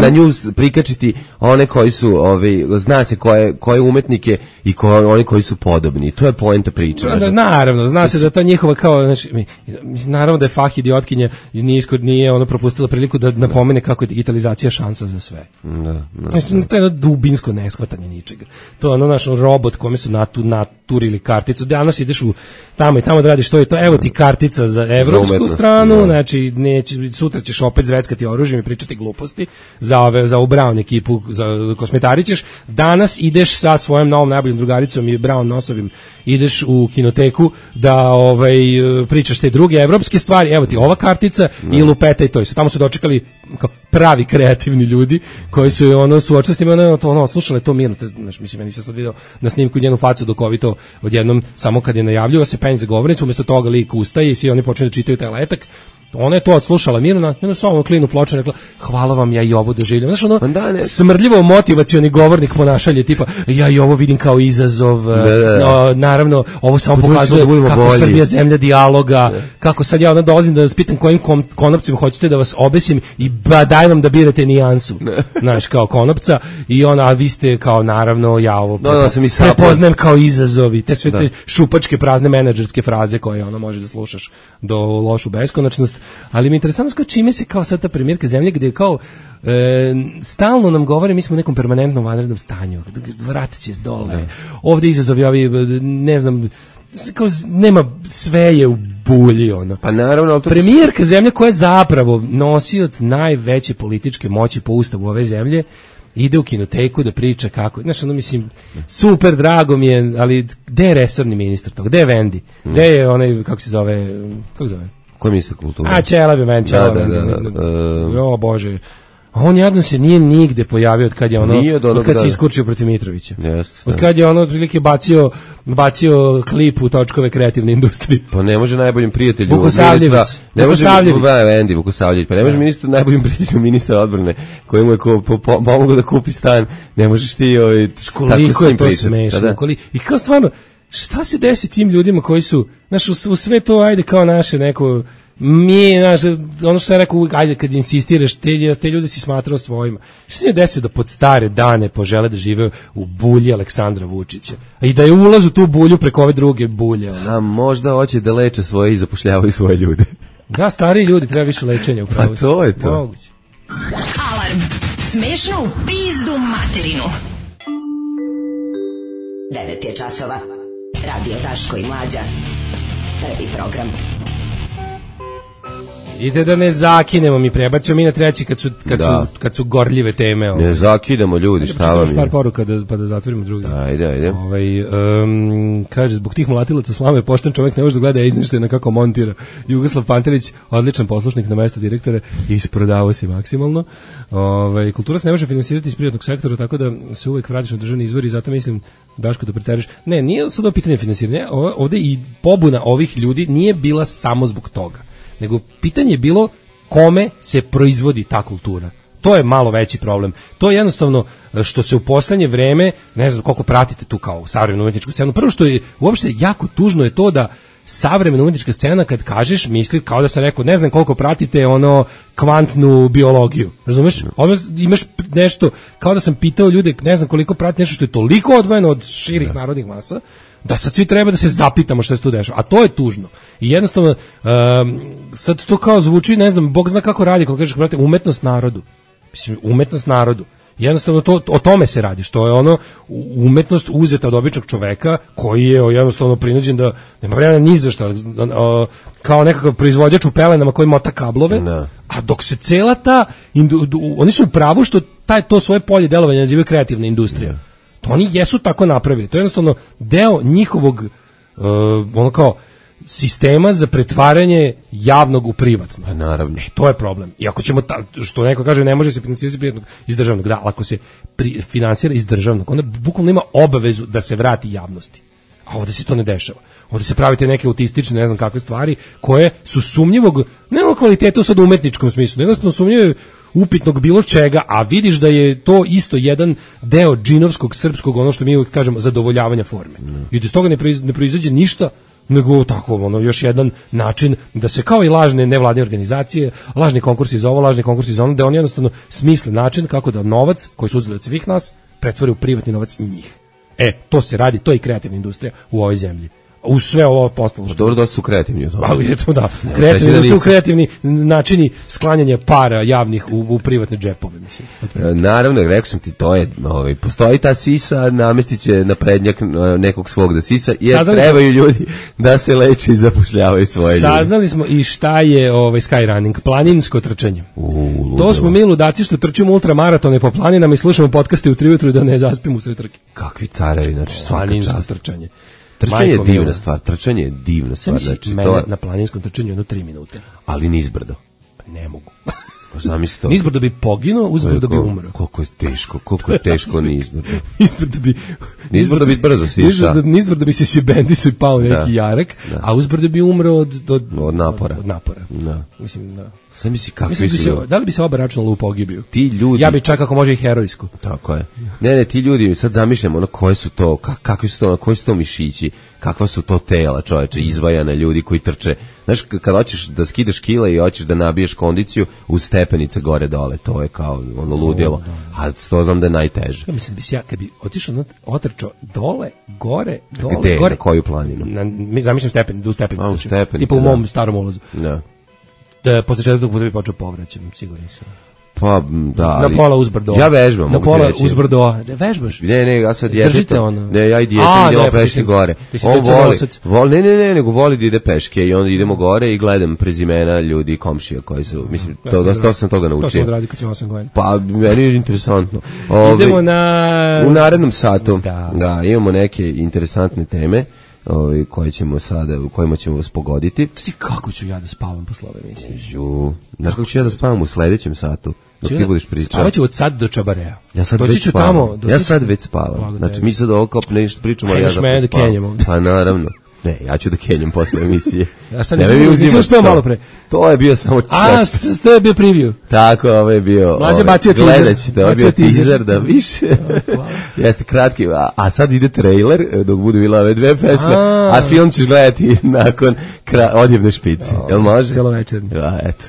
Speaker 5: na nju prikačiti one koji su ovaj zna se koje koje umetnike i koje oni koji su podobni. To je poenta priče.
Speaker 6: Da, naravno, zna se da ta njihova kao znači naravno da je fah idiotkinja i nije iskod nije ono propustila priliku da napomene kako je digitalizacija šansa za sve. Da, da, znači, to je jedno dubinsko neshvatanje ničega. To je ono naš robot kome su natu, kulturi ili karticu. Danas ideš u tamo i tamo da radiš to i to. Evo ti kartica za evropsku
Speaker 5: Umetnost,
Speaker 6: stranu,
Speaker 5: da.
Speaker 6: znači neće, sutra ćeš opet zveckati oružjem i pričati gluposti za ove za u Brown ekipu, za Kosmetari ćeš. Danas ideš sa svojom novom najboljom drugaricom i Brown nosovim, ideš u kinoteku da ovaj pričaš te druge evropske stvari. Evo ti ova kartica no. i lupeta i to. I sad tamo su dočekali kao pravi kreativni ljudi koji su ono suočili s tim, ono, to, ono slušale to mirno, znači mislim, meni se sad video na snimku njenu facu dok ovi to odjednom, samo kad je najavljuo se penj za govornicu, umjesto toga lik ustaje i svi oni počinju da čitaju taj letak. Ona je to odslušala mirno, na samo klinu ploču rekla, hvala vam, ja i ovo doživljam. Znaš, ono, smrdljivo motivacioni govornik ponašalje, tipa, ja i ovo vidim kao izazov, da, da, da. No, naravno, ovo samo Područimo pokazuje da kako bolji. Srbija zemlja dijaloga, da. Kako sad ja onda dolazim da vas pitam kojim kom, konopcima hoćete da vas obesim i ba, daj vam da birate nijansu, znaš, kao konopca, i ona, a vi ste kao, naravno, ja ovo
Speaker 5: da, da, prepo,
Speaker 6: prepoznajem kao izazovi, te sve da. Te šupačke prazne menadžerske fraze koje ono može da slušaš do lošu beskonačnost. Ali mi je interesantno kao čime se kao sad ta premijerka zemlje gde kao e, stalno nam govore mi smo u nekom permanentnom vanrednom stanju, vratit će dole, ne. Ovde izazovi ovi, ne znam, kao nema, sve je u bulji ono.
Speaker 5: Pa naravno, ali to
Speaker 6: premijerka zemlje koja je zapravo nosioc najveće političke moći po ustavu ove zemlje ide u kinoteku da priča kako, znaš, ono mislim, super, drago mi je, ali gde je resorni ministar toga, gde je Vendi, gde je onaj, kako se zove, kako se zove?
Speaker 5: Koji ministar kulture?
Speaker 6: A, Čela bi men, Čela. Da, da, da, da. Jo, Bože. A on jadan se nije nigde pojavio od kad je ono, od, od kad se iskurčio protiv Mitrovića.
Speaker 5: Yes,
Speaker 6: od kad je ono otprilike bacio, bacio klip u točkove kreativne industrije.
Speaker 5: Pa ne može najboljim prijatelju
Speaker 6: Vukosavljević.
Speaker 5: Ne može
Speaker 6: Vukosavljević.
Speaker 5: Vendi Vukosavljević. Pa ne može ministar najboljim prijatelju ministra odbrane koji mu je ko, po, po, pomogao da kupi stan. Ne možeš ti ovaj,
Speaker 6: koliko je to smešno. I kao stvarno, šta se desi tim ljudima koji su, znaš, u, u sve to, ajde kao naše neko, mi, znaš, ono što sam rekao, ajde kad insistiraš, te, te ljudi si smatrao svojima. Šta se ne desi da pod stare dane požele da žive u bulji Aleksandra Vučića? I da je ulaz u tu bulju preko ove druge bulje. Ono.
Speaker 5: A možda hoće da leče svoje i zapošljavaju svoje ljude.
Speaker 6: Da, stariji ljudi, treba više lečenja upravo.
Speaker 5: Pa to je to.
Speaker 6: Moguće.
Speaker 3: Alarm. Smešno u pizdu materinu.
Speaker 10: devet je časova. Radio Daško i Mlađa. Prvi program.
Speaker 6: Ide da ne zakinemo, mi prebacimo mi na treći kad su, kad
Speaker 5: da.
Speaker 6: su, kad su gorljive teme. Ovaj.
Speaker 5: Ne zakidamo ljudi, šta vam je?
Speaker 6: Par poruka da, pa da zatvorimo drugi.
Speaker 5: Ajde, ajde.
Speaker 6: Ovaj, um, kaže, zbog tih mlatilaca slave pošten čovjek ne može da gleda izništajno kako montira. Jugoslav Pantelić, odličan poslušnik na mesto direktora, isprodavao se maksimalno. Ovaj, kultura se ne može finansirati iz privatnog sektora, tako da se uvek vratiš na državni izvor i zato mislim, Daško, da preteriš. Ne, nije sad ovo pitanje finansiranja, ovde i pobuna ovih ljudi nije bila samo zbog toga. Nego pitanje je bilo kome se proizvodi ta kultura. To je malo veći problem. To je jednostavno što se u poslednje vreme, ne znam koliko pratite tu kao savremenu umetničku scenu, prvo što je uopšte jako tužno je to da savremena umetnička scena kad kažeš misli kao da sam rekao ne znam koliko pratite ono kvantnu biologiju. Razumeš? Odmah imaš nešto kao da sam pitao ljude ne znam koliko prati nešto što je toliko odvojeno od širih narodnih masa da sad svi treba da se zapitamo šta se tu dešava. A to je tužno. I jednostavno um, sad to kao zvuči, ne znam, Bog zna kako radi, kako kažeš, brate, umetnost narodu. Mislim, umetnost narodu. Jednostavno to, o tome se radi, što je ono umetnost uzeta od običnog čoveka koji je jednostavno prinuđen da nema vremena ni za šta, kao nekakav proizvođač u pelenama koji mota kablove, no. A dok se cela ta, oni su u pravu što taj, to svoje polje delovanja nazivaju kreativna industrija. No. To oni jesu tako napravili. To je jednostavno deo njihovog uh, ono kao sistema za pretvaranje javnog u privatno.
Speaker 5: Pa naravno.
Speaker 6: E, to je problem. I ako ćemo, ta, što neko kaže, ne može se finansirati privatnog iz državnog, da, ako se pri, finansira iz državnog, onda bukvalno ima obavezu da se vrati javnosti. A ovde se to ne dešava. Ovde se pravite neke autistične, ne znam kakve stvari, koje su sumnjivog, ne o kvalitetu sad u umetničkom smislu, nego sumnjive upitnog bilo čega, a vidiš da je to isto jedan deo džinovskog, srpskog, ono što mi uvijek kažemo, zadovoljavanja forme. Mm. I iz toga ne, proiz, ne proizađe ništa, nego tako, ono, još jedan način da se kao i lažne nevladine organizacije, lažni konkursi za ovo, lažni konkursi za ono, da oni jednostavno smisle način kako da novac, koji su uzeli od svih nas, pretvore u privatni novac njih. E, to se radi, to je i kreativna industrija u ovoj zemlji. U sve ovo postalo.
Speaker 5: Dobro, dosta su kreativni.
Speaker 6: Ali eto da, kreativni, da kreativni načini sklanjanja para javnih u, u privatne džepove, mislim.
Speaker 5: Naravno, rekao sam ti, to je, ovaj, postoji ta sisa, namestit će na prednjak nekog svog da sisa, jer Saznali trebaju smo, ljudi da se leče i zapošljavaju svoje ljude.
Speaker 6: Saznali smo i šta je ovaj skyrunning, planinsko trčanje.
Speaker 5: U,
Speaker 6: to smo mi ludaci što trčimo ultramaratone po planinama i slušamo podcaste u tri ujutru da ne zaspimo usred trke.
Speaker 5: Kakvi carevi, znači svaka
Speaker 6: planinsko
Speaker 5: čast.
Speaker 6: Trčanje.
Speaker 5: Trčanje je divna stvar, trčanje je divna stvar.
Speaker 6: Znači, mene to... na planinskom trčanju jedno tri minute.
Speaker 5: Ali nizbrdo.
Speaker 6: Ne mogu.
Speaker 5: Zamisli to.
Speaker 6: Nizbrdo bi poginuo, uzbrdo bi umro.
Speaker 5: Koliko je teško, koliko je teško nizbrdo.
Speaker 6: Nizbrdo bi...
Speaker 5: Nizbrdo bi brzo si
Speaker 6: išao. Nizbrdo bi se si bendisu i pao neki da, jarek, da. A uzbrdo bi umro od... Od,
Speaker 5: od napora.
Speaker 6: Od napora.
Speaker 5: Da.
Speaker 6: Mislim, da.
Speaker 5: Sad misli kakvi
Speaker 6: Mislim,
Speaker 5: su...
Speaker 6: Se, da li bi se oba računalo u pogibiju?
Speaker 5: Ti ljudi...
Speaker 6: Ja bi čak ako može i herojsku.
Speaker 5: Tako je. Ne, ne, ti ljudi, sad zamišljamo, ono, koje su to, kak, kakvi su to, ono, koji su to mišići, kakva su to tela, čoveče, izvajane ljudi koji trče. Znaš, kad hoćeš da skidaš kile i hoćeš da nabiješ kondiciju, uz stepenice gore dole, to je kao ono ludilo. A to znam da je najteže.
Speaker 6: Ja mislim da bi se ja, kad bi otišao, otrčao dole, gore, dole,
Speaker 5: Gde,
Speaker 6: gore.
Speaker 5: Na koju planinu?
Speaker 6: Na, mi zamišljam stepen, da u stepenicu.
Speaker 5: A, u stepenicu,
Speaker 6: tipa u mom da. starom ulazu.
Speaker 5: Da.
Speaker 6: Da, posle četvrtog puta bi počeo povraćam, siguran sam.
Speaker 5: Pa, da, ali...
Speaker 6: Na pola uzbrdo.
Speaker 5: Ja vežbam.
Speaker 6: Na pola uzbrdo. Ne vežbaš?
Speaker 5: Ne, ne, ja sad djetetom.
Speaker 6: Držite ono.
Speaker 5: Ne, ja i djetetom idemo peške gore. On voli, voli, ne, ne, ne, nego voli da ide peške i onda idemo gore i gledam prezimena ljudi, komšija koji su, mislim, to, to, to sam toga naučio.
Speaker 6: To sam odradio kad sam osam godina.
Speaker 5: Pa, meni je interesantno.
Speaker 6: Ove, idemo na...
Speaker 5: U narednom satu,
Speaker 6: da.
Speaker 5: da, imamo neke interesantne teme. Ovi, koje ćemo sada, u kojima ćemo vas pogoditi.
Speaker 6: Ti kako ću ja da spavam posle ove emisije?
Speaker 5: Ju, znaš kako ću ja da spavam u sledećem satu? Dok ti budeš pričao.
Speaker 6: Spavaću od sad do Čabarea.
Speaker 5: Ja sad
Speaker 6: Doći
Speaker 5: već spavam. Tamo, ja sad već spavam. Znači mi sad ovo kao nešto pričamo, ali ja
Speaker 6: zapravo spavam.
Speaker 5: Pa naravno. Ne, ja ću da kenjem posle emisije.
Speaker 6: Ja šta nisi uspeo malo pre?
Speaker 5: To je bio samo čet.
Speaker 6: A, to je bio preview.
Speaker 5: Tako, ovo je bio...
Speaker 6: Mlađe bacio teaser.
Speaker 5: Gledat ćete, ovo je bio teaser da više. Jeste kratki, a, a sad ide trailer, dok budu bila ove dve pesme, a, a film ćeš gledati nakon kra, odjevne špice. Jel može?
Speaker 6: Celovečerni.
Speaker 5: Ja, eto.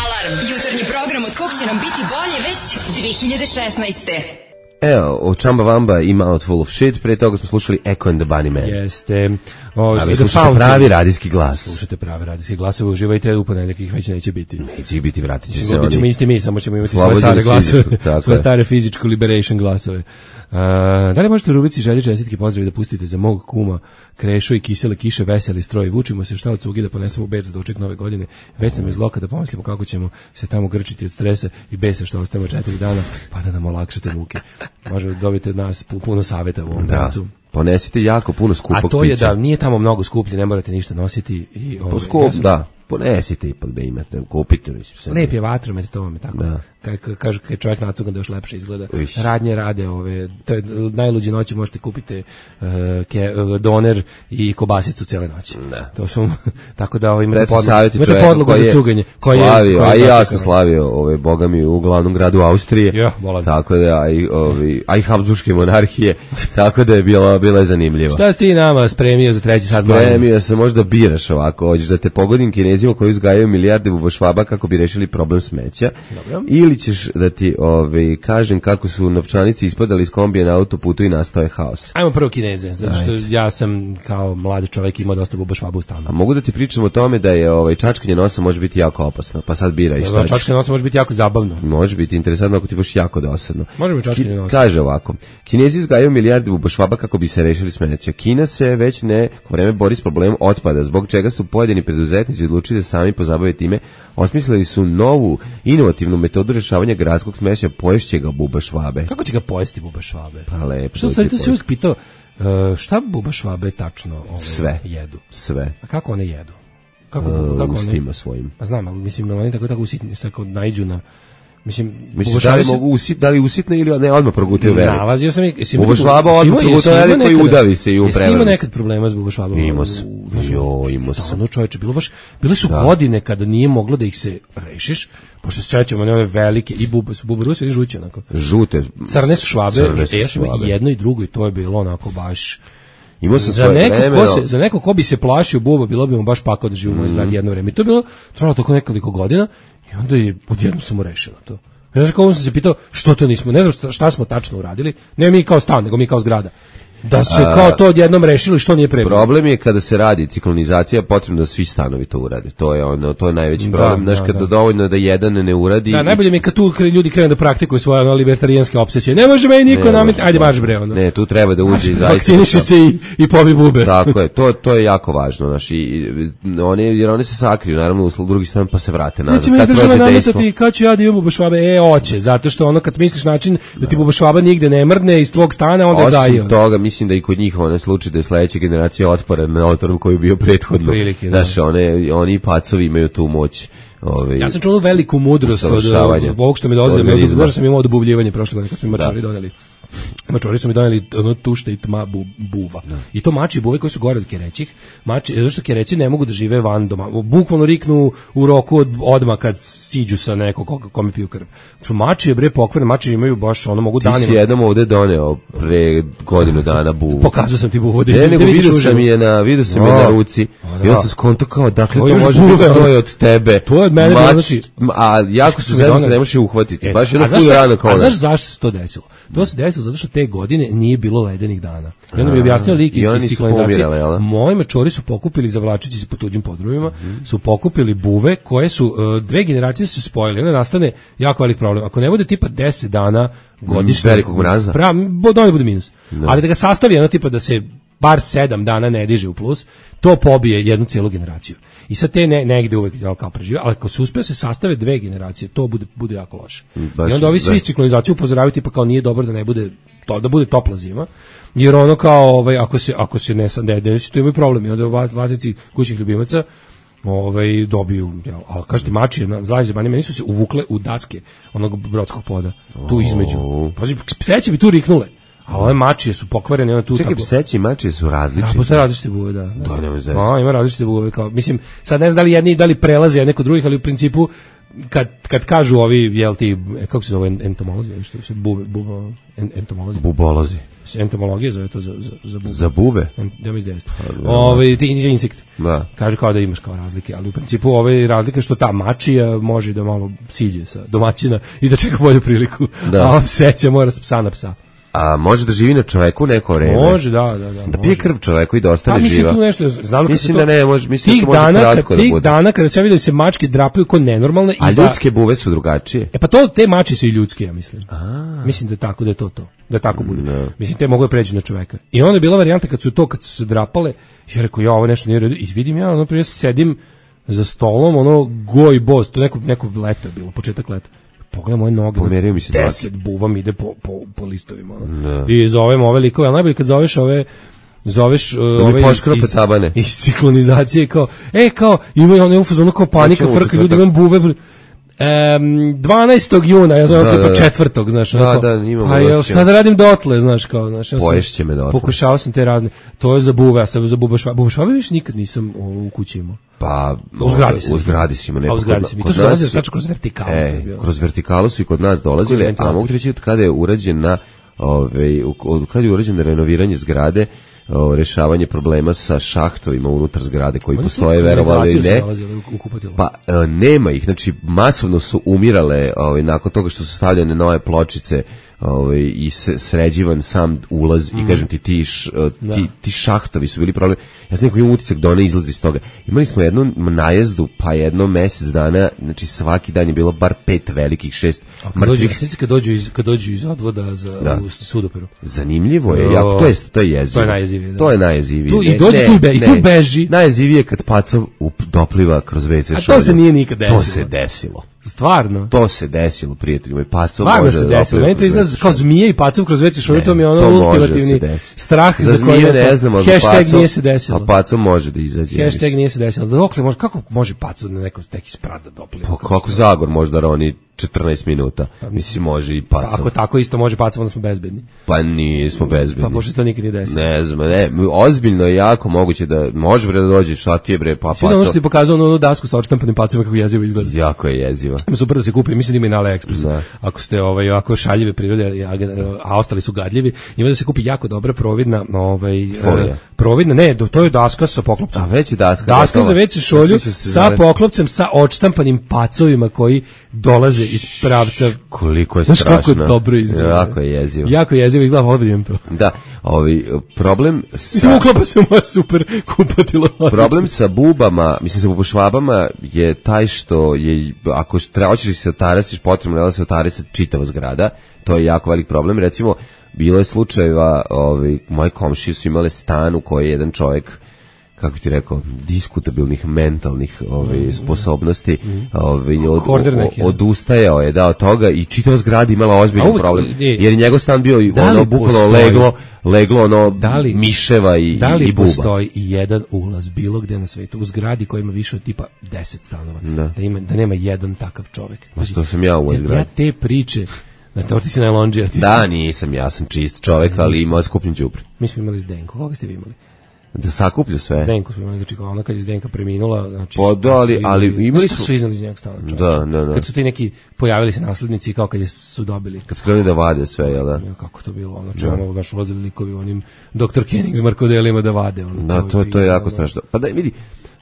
Speaker 3: Alarm, jutarnji program od kog će nam biti bolje već dve hiljade šesnaeste.
Speaker 5: Evo, o Chamba Wamba i Mouthful of Shit, pre toga smo slušali Echo and the Bunnymen.
Speaker 6: Jeste. O,
Speaker 5: a vi slušate pravi radijski glas.
Speaker 6: Slušate pravi radijski glas, uživajte, u ponedeljak ih već neće biti.
Speaker 5: Neće ih biti, vratit će se oni.
Speaker 6: Bićemo isti mi, samo ćemo imati svoje stare glasove, svoje stare fizičko liberation glasove. Uh, da li možete u rubrici želje čestitke pozdravi da pustite za mog kuma Krešo i kisele kiše veseli stroj, vučimo se šta od cugi da ponesemo u Beč za doček nove godine, već sam iz loka da pomislimo kako ćemo se tamo grčiti od stresa i besa što ostajemo četiri dana, pa da nam olakšate muke. Možete dobiti od nas puno savjeta u ovom pravcu.
Speaker 5: Ponesite jako puno skupog pića.
Speaker 6: A to je pića. Da nije tamo mnogo skuplje, ne morate ništa nositi. I,
Speaker 5: po skup, ja da. Ponesite ipak da imate, kupite. Mislim,
Speaker 6: lep je vatromet, to vam je tako. Da. Kaže, kad čovjek nacugan da još lepše izgleda. Iš. Radnje rade ove, to je najluđe noći možete kupiti uh, ke, uh, doner i kobasicu cijele noći.
Speaker 5: Da.
Speaker 6: To su, tako da ovo imate
Speaker 5: podlogu
Speaker 6: za cuganje.
Speaker 5: Koji slavio, je, koji a i ja sam slavio ove, boga mi u glavnom gradu Austrije.
Speaker 6: Ja,
Speaker 5: tako da, a i, ovi, a i Habsburške monarhije, tako da je bilo, bilo je zanimljivo.
Speaker 6: Šta si ti nama spremio za treći sat?
Speaker 5: Spremio sam, možda biraš ovako, hoćeš da te pogodim Kinezima koji uzgajaju milijarde bubašvaba kako bi rešili problem smeća.
Speaker 6: Dobro.
Speaker 5: Ili ćeš da ti ovaj, kažem kako su novčanici ispadali iz kombije na autoputu i nastao je haos.
Speaker 6: Ajmo prvo Kineze, zato što Ajde. ja sam kao mladi čovjek imao dosta bubašvaba u stanu.
Speaker 5: A mogu da ti pričam o tome da je ovaj, čačkanje nosa može biti jako opasno, pa sad biraj šta ćeš.
Speaker 6: Čačkanje nosa može biti jako zabavno.
Speaker 5: Može biti interesantno ako ti baš jako dosadno.
Speaker 6: Može biti čačkanje nosa.
Speaker 5: Kaže ovako, Kinezi uzgajaju milijarde bubašvaba kako bi se rešili smeća. Kina se već neko vreme bori s problemom otpada, zbog čega su pojedini preduzetnici odlučili da sami pozabave time. Osmislili su novu inovativnu metodu rešavanja gradskog smeća, poješće ga bubašvabe.
Speaker 6: Kako će ga pojesti bubašvabe?
Speaker 5: Pa lepo.
Speaker 6: Što ste se uvijek pitao, uh, šta bubašvabe tačno ove
Speaker 5: sve
Speaker 6: jedu?
Speaker 5: Sve.
Speaker 6: A kako one jedu? Kako,
Speaker 5: uh,
Speaker 6: kako
Speaker 5: ustima one? Svojim.
Speaker 6: Pa znam, ali mislim, oni tako tako usitni, tako naiđu na... Mislim,
Speaker 5: Misliš da li se... mogu usit, da li usitne ili ne odmah progutaju veri?
Speaker 6: Nalazio sam ih...
Speaker 5: Bubašvaba odmah progutaju veri koji udavi se i u prevrati.
Speaker 6: Ima nekad problema s bubašvabom?
Speaker 5: Imao sam. Jo, imao sam.
Speaker 6: Stano čovječe, bilo baš, bile su da. godine kada nije moglo da ih se rešiš, pošto se sećamo na ove velike, i bub, su bubaruse i žuće, onako.
Speaker 5: Žute.
Speaker 6: Crne su švabe, crne su švabe. I jedno i drugo i to je bilo onako baš...
Speaker 5: Imao sam
Speaker 6: za neko vreme, ko se, za neko ko bi se plašio buba, bilo bi mu baš pakao da živimo mm. izgleda jedno vreme. I to je bilo, trajalo tako nekoliko godina i onda je odjednom samo rešeno to. Ja znam kako sam se pitao što to nismo, ne znam šta smo tačno uradili, ne mi kao stan, nego mi kao zgrada. Da se kao to odjednom rešilo što nije prebrano.
Speaker 5: Problem je kada se radi ciklonizacija, potrebno da svi stanovi to urade. To je ono, to je najveći problem. Znaš, kada da. dovoljno da jedan ne uradi.
Speaker 6: Da, najbolje mi je kad tu ljudi krenu da praktikuju svoje ono, libertarijanske obsesije. Ne može meni niko nametiti, ajde marš bre. Ono.
Speaker 5: Ne, tu treba da uđe i zaista.
Speaker 6: Vakciniši se i, i pobi bube.
Speaker 5: Tako je, to, to je jako važno. Znaš, i, i, oni, jer oni se sakriju, naravno, u drugi stan pa se vrate nazad.
Speaker 6: Neće mi država nametati kad ću ja da imam bubašvabe, e, oće, zato što ono kad smisliš način da ti bubašvaba nigde ne mrdne iz tvog stana, onda gaji.
Speaker 5: Osim toga, mislim da i kod njih onaj slučaj da je sledeća generacija otpora na otoru koji je bio prethodno.
Speaker 6: Prilike,
Speaker 5: znaš, one, oni pacovi imaju tu moć. Ove,
Speaker 6: ja sam čuo veliku mudrost od ovog što mi dolazi, znaš sam imao odubljivanje prošle godine kad su mi mačari doneli. Mačori su mi doneli ono tušte i tma bu, buva. No. I to mači i buve koji su gore od kerećih. Mači, zato što kereći ne mogu da žive van doma. Bukvalno riknu u roku od odmah kad siđu sa nekog kome piju krv. Mači je bre pokvarne, mači imaju baš ono mogu danima.
Speaker 5: Ti si jednom ovde doneo pre godinu dana buvu.
Speaker 6: Pokazao sam ti buvu.
Speaker 5: Ne, nego vidio sam je na, vidio sam je na ruci. I ja sam skonto kao, dakle to, to može biti, to je od tebe.
Speaker 6: To je od mene.
Speaker 5: Mač,
Speaker 6: znači,
Speaker 5: a jako su zezno da ne možeš je uhvatiti.
Speaker 6: E,
Speaker 5: baš jedno full rano kao.
Speaker 6: A znaš zašto se to desilo? To se desilo zato što te godine nije bilo ledenih dana. I onda mi je objasnio lik iz ciklonizacije. Moji mačori su pokupili, zavlačeći se po tuđim podrumima, mm. su pokupili buve koje su, uh, dve generacije su se spojile. Onda nastane jako velik problem. Ako ne bude tipa deset dana godišnje,
Speaker 5: velikog mraza,
Speaker 6: prav, da bude minus. No. Ali da ga sastavi jedno tipa da se bar sedam dana ne diže u plus, to pobije jednu cijelu generaciju. I sad te ne, negde uvek kao prežive, ali ako se uspe se sastave dve generacije, to bude, bude jako loše. Baš, I onda ovi svi ciklonizaciju upozoravaju tipa kao nije dobro da ne bude to, da bude topla zima, jer ono kao ovaj, ako se ako se ne ne desi, to imaju problem. I onda vlasnici kućnih ljubimaca ovaj dobiju, jel, ali kažete mači na zlazi bani meni su se uvukle u daske onog brodskog poda tu između. Pazi, pseće bi tu riknule. A ove mačije su pokvarene, ona tu.
Speaker 5: Čekaj,
Speaker 6: tako...
Speaker 5: pseći i mačije su različite.
Speaker 6: Da, postoje različite buve, da.
Speaker 5: To nema veze.
Speaker 6: A, ima različite buve, kao, mislim, sad ne znam da li jedni da li prelaze jedne kod drugih, ali u principu kad kad kažu ovi, jel ti, kako se zove entomolozi, što se buve, buve, entomolozi.
Speaker 5: Bubolozi.
Speaker 6: Entomologija zove to za za za buve.
Speaker 5: Za buve.
Speaker 6: Da mi izdesto. Ove ti insekti. Da. Kaže kao da imaš kao razlike, ali u principu ove razlike što ta mačija može da malo siđe sa domaćina i da čeka bolju priliku. Da. A pseća mora s psa na psa.
Speaker 5: A može da živi na čoveku neko vreme?
Speaker 6: Može, da, da, da.
Speaker 5: Da pije krv čoveku i da ostane
Speaker 6: živa.
Speaker 5: Mislim
Speaker 6: tu nešto, znam
Speaker 5: mislim
Speaker 6: to,
Speaker 5: da ne može, mislim
Speaker 6: da
Speaker 5: može
Speaker 6: dana,
Speaker 5: kratko da bude.
Speaker 6: Tih dana kada se vidio se mačke drapaju ko nenormalne i
Speaker 5: a
Speaker 6: da...
Speaker 5: ljudske buve su drugačije.
Speaker 6: E pa to te mači su i ljudske, ja mislim.
Speaker 5: A.
Speaker 6: Mislim da tako da je to to. Da tako bude. No. Mislim te mogu da pređu na čoveka. I onda je bila varijanta kad su to kad su se drapale, ja rekao ja ovo nešto nije redu i vidim ja, ono prije sedim za stolom, ono goj boss, to neko neko leto je bilo, početak leta. Pogledaj moje noge,
Speaker 5: pomerio mi se
Speaker 6: deset buva mi ide po, po, po listovima. No. I zovem ove likove, ali najbolje kad zoveš ove zoveš uh, ove iz, iz, iz ciklonizacije kao, e kao, imaju one u fazonu kao panika, frka, ljudi imam buve, um, dvanaestog juna, ja znam da, tipa da, četvrtog, znaš,
Speaker 5: da, onako, da, imam
Speaker 6: pa ja šta da radim dotle, znaš, kao, znaš, ja
Speaker 5: poješće me dotle.
Speaker 6: Pokušao sam te razne, to je za buve, ja sam za bubašva, bubašva više nikad nisam u kući imao.
Speaker 5: Pa
Speaker 6: u zgradi si.
Speaker 5: U zgradi si ima
Speaker 6: neko. U zgradi si. To su dolazili tačno kroz vertikalu.
Speaker 5: E, kroz vertikalu su i kod nas dolazile, a mogu reći od kada je urađen na, ove, od kada je urađeno renoviranje zgrade, o, rešavanje problema sa šahtovima unutar zgrade koji oni postoje, verovali ili ne. Pa e, nema ih, znači masovno su umirale ovaj, nakon toga što su stavljene nove pločice ovaj, i sređivan sam ulaz mm. i kažem ti ti, š, ti, ti šahtovi su bili problem. Ja sam neko imam utisak da ona izlazi iz toga. Imali smo jednu najezdu, pa jedno mesec dana, znači svaki dan je bilo bar pet velikih, šest mrtvih.
Speaker 6: Sjeća kad dođu iz, kad dođu iz odvoda za da. U sudoperu.
Speaker 5: Zanimljivo je, jako, to je, to je jezivo.
Speaker 6: To je najjezivije. Da.
Speaker 5: To je najjezivije.
Speaker 6: Tu, I dođe ne, tu, i, be, i tu beži.
Speaker 5: Najjezivije kad pacov up, dopliva kroz ve ce šolju.
Speaker 6: A to se nije nikad desilo.
Speaker 5: To se desilo.
Speaker 6: Stvarno.
Speaker 5: To se desilo, prijatelji moji. Pacov
Speaker 6: Stvarno
Speaker 5: može
Speaker 6: se desilo. Meni to izgleda kao zmije i pacov kroz ve ce šolju, to mi je ono ultimativni strah
Speaker 5: za, za zmije ne znamo,
Speaker 6: hashtag nije se desilo.
Speaker 5: A pacov može da izađe.
Speaker 6: Hashtag nije se desilo. Dokle može, kako može pacov na neko neki sprat da dopliva?
Speaker 5: Pa kako Zagor može da roni četrnaest minuta. Mislim, može i pacov.
Speaker 6: Ako tako isto može pacov, onda smo bezbedni.
Speaker 5: Pa nismo bezbedni.
Speaker 6: Pa pošto to nikad nije desilo.
Speaker 5: Ne znam, ne. Ozbiljno je jako moguće da može bre da dođe, šta ti je bre, pa pacov.
Speaker 6: Svi ono što ti pokazao onu dasku sa odštampanim pacovima kako jezivo izgleda.
Speaker 5: Jako je jeziva.
Speaker 6: Super da se kupi, mislim da ima i na AliExpressu. Ako ste ovaj, ovako šaljive prirode, a ostali su gadljivi, ima da se kupi jako dobra providna, ovaj, providna, ne, to je daska sa poklopcem.
Speaker 5: A već je daska.
Speaker 6: Daska za ve ce šolju sa poklopcem, sa odštampanim pacovima koji dolaze iz pravca.
Speaker 5: Koliko je
Speaker 6: znaš
Speaker 5: strašno.
Speaker 6: kako je dobro izgleda.
Speaker 5: Jako je jezivo.
Speaker 6: Jako je jezivo izgleda, odbijem to.
Speaker 5: Da, ovaj problem sa...
Speaker 6: Mislim, uklapa se u moje super kupatilo.
Speaker 5: Problem sa bubama, mislim sa bubošvabama je taj što je, ako hoćeš se otarasiš, potrebno je da se otarasi čitava zgrada, to je jako velik problem. Recimo, bilo je slučajeva, ovaj, moje komšije su imale stan u kojoj je jedan čovjek, kako ti rekao, diskutabilnih mentalnih ovaj, mm, sposobnosti, mm. ovaj, od, od, odustajao je da od toga i čitava zgrada imala ozbiljan uvijek, problem, jer je njegov stan bio ono bukvalno leglo, leglo ono da li, miševa i,
Speaker 6: da li
Speaker 5: i buba.
Speaker 6: Postoji i jedan ulaz bilo gde na svetu u zgradi koja ima više od tipa deset stanova, da, da, ima, da nema jedan takav čovjek.
Speaker 5: Znači, to sam ja u ovoj zgradi.
Speaker 6: Ja te priče, na to ti si najlonđija.
Speaker 5: Da, nisam, ja sam čist čovjek, ali imao skupnju đubre.
Speaker 6: Mi smo imali Zdenko, koga ste vi imali?
Speaker 5: Da sakuplju sve.
Speaker 6: Zdenko smo imali, znači ona kad je Zdenka preminula, znači
Speaker 5: pa da, ali, ali imali
Speaker 6: su iznali iz njegov stana.
Speaker 5: Da, da, da.
Speaker 6: Kad su ti neki pojavili se naslednici kao kad je su dobili.
Speaker 5: Kad su krenuli da vade sve, jel da?
Speaker 6: Kako to bilo, ono čemu naš ulazili likovi onim doktor Kenning s Markodelima da vade. Ono,
Speaker 5: da, to, to je jako strašno. Pa da, vidi,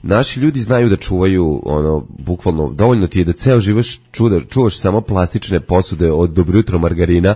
Speaker 5: naši ljudi znaju da čuvaju, ono, bukvalno, dovoljno ti je da ceo živaš čuda, čuvaš samo plastične posude od Dobro jutro margarina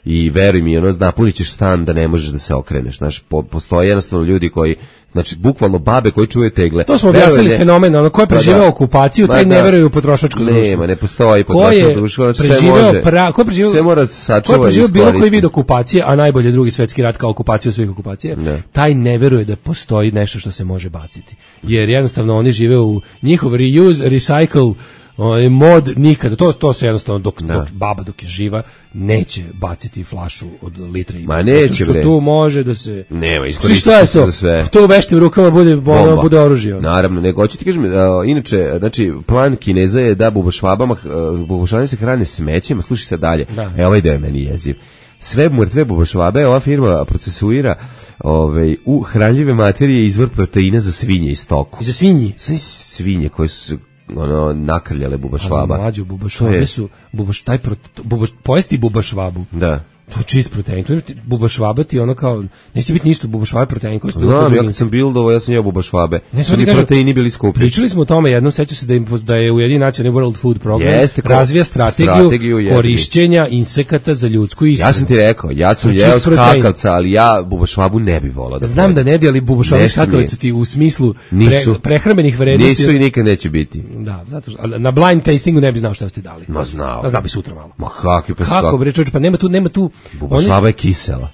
Speaker 5: i veruj mi, ono, napunit ćeš stan da ne možeš da se okreneš, znaš, po, postoje jednostavno ljudi koji, znači, bukvalno babe koji čuvaju tegle.
Speaker 6: To smo objasnili ne, fenomen, ono, ko je preživeo okupaciju, taj ne veruje u potrošačko društvo.
Speaker 5: Nema, ne postoji potrošačko društvo, znači sve može,
Speaker 6: pra, ko je preživeo,
Speaker 5: sve mora sačuva i
Speaker 6: ko je preživeo bilo koji vid okupacije, a najbolje drugi svetski rat kao okupaciju svih okupacija, ne. Taj ne veruje da postoji nešto što se može baciti. Jer jednostavno oni žive u njihov reuse, recycle, ovaj mod nikada, to to se jednostavno dok, dok baba dok je živa neće baciti flašu od litre i
Speaker 5: ma neće bre,
Speaker 6: tu može da se
Speaker 5: nema iskoristiti
Speaker 6: to za sve, to u veštim rukama bude ono, bude oružje.
Speaker 5: Naravno, nego hoću ti kažem, uh, inače, znači plan Kineza je da bubošvabama, uh, bubošvabama se hrane smećem, slušaj se dalje. Da. E ovaj deo je meni jeziv. Sve mrtve bubošvabe ova firma procesuira ovaj u hranljive materije izvor proteina za svinje i stoku.
Speaker 6: I za svinji,
Speaker 5: sve svinje koje su ono nakrljale bubašvaba.
Speaker 6: Mlađu bubašvabe su bubaš taj pro, bubaš, pojesti bubašvabu.
Speaker 5: Da.
Speaker 6: To je čist protein. To je bubašvaba ti ono kao neće biti ništa bubašvabe protein koji
Speaker 5: ste. Da, ja kad sam bildovo, ja sam jeo bubašvabe. Su ti proteini bili skupi.
Speaker 6: Pričali smo o tome jednom, seća se da im, da je Ujedinjeni nacionalni World Food Program Jeste, razvija strategiju, strategiju korišćenja insekata za ljudsku ishranu.
Speaker 5: Ja sam ti rekao, ja sam jeo skakavca, ali ja bubašvabu ne bih volao da.
Speaker 6: Znam da ne bi, ali bubašvabe skakavca ti u smislu pre, prehrambenih vrednosti.
Speaker 5: Nisu i nikad neće biti.
Speaker 6: Da, zato što na blind tastingu ne bi znao šta ste dali.
Speaker 5: Ma znao.
Speaker 6: Ma znao bi sutra malo.
Speaker 5: Ma kakvi pa
Speaker 6: kako bre čoveče, pa nema tu nema tu
Speaker 5: bubašvaba je kisela.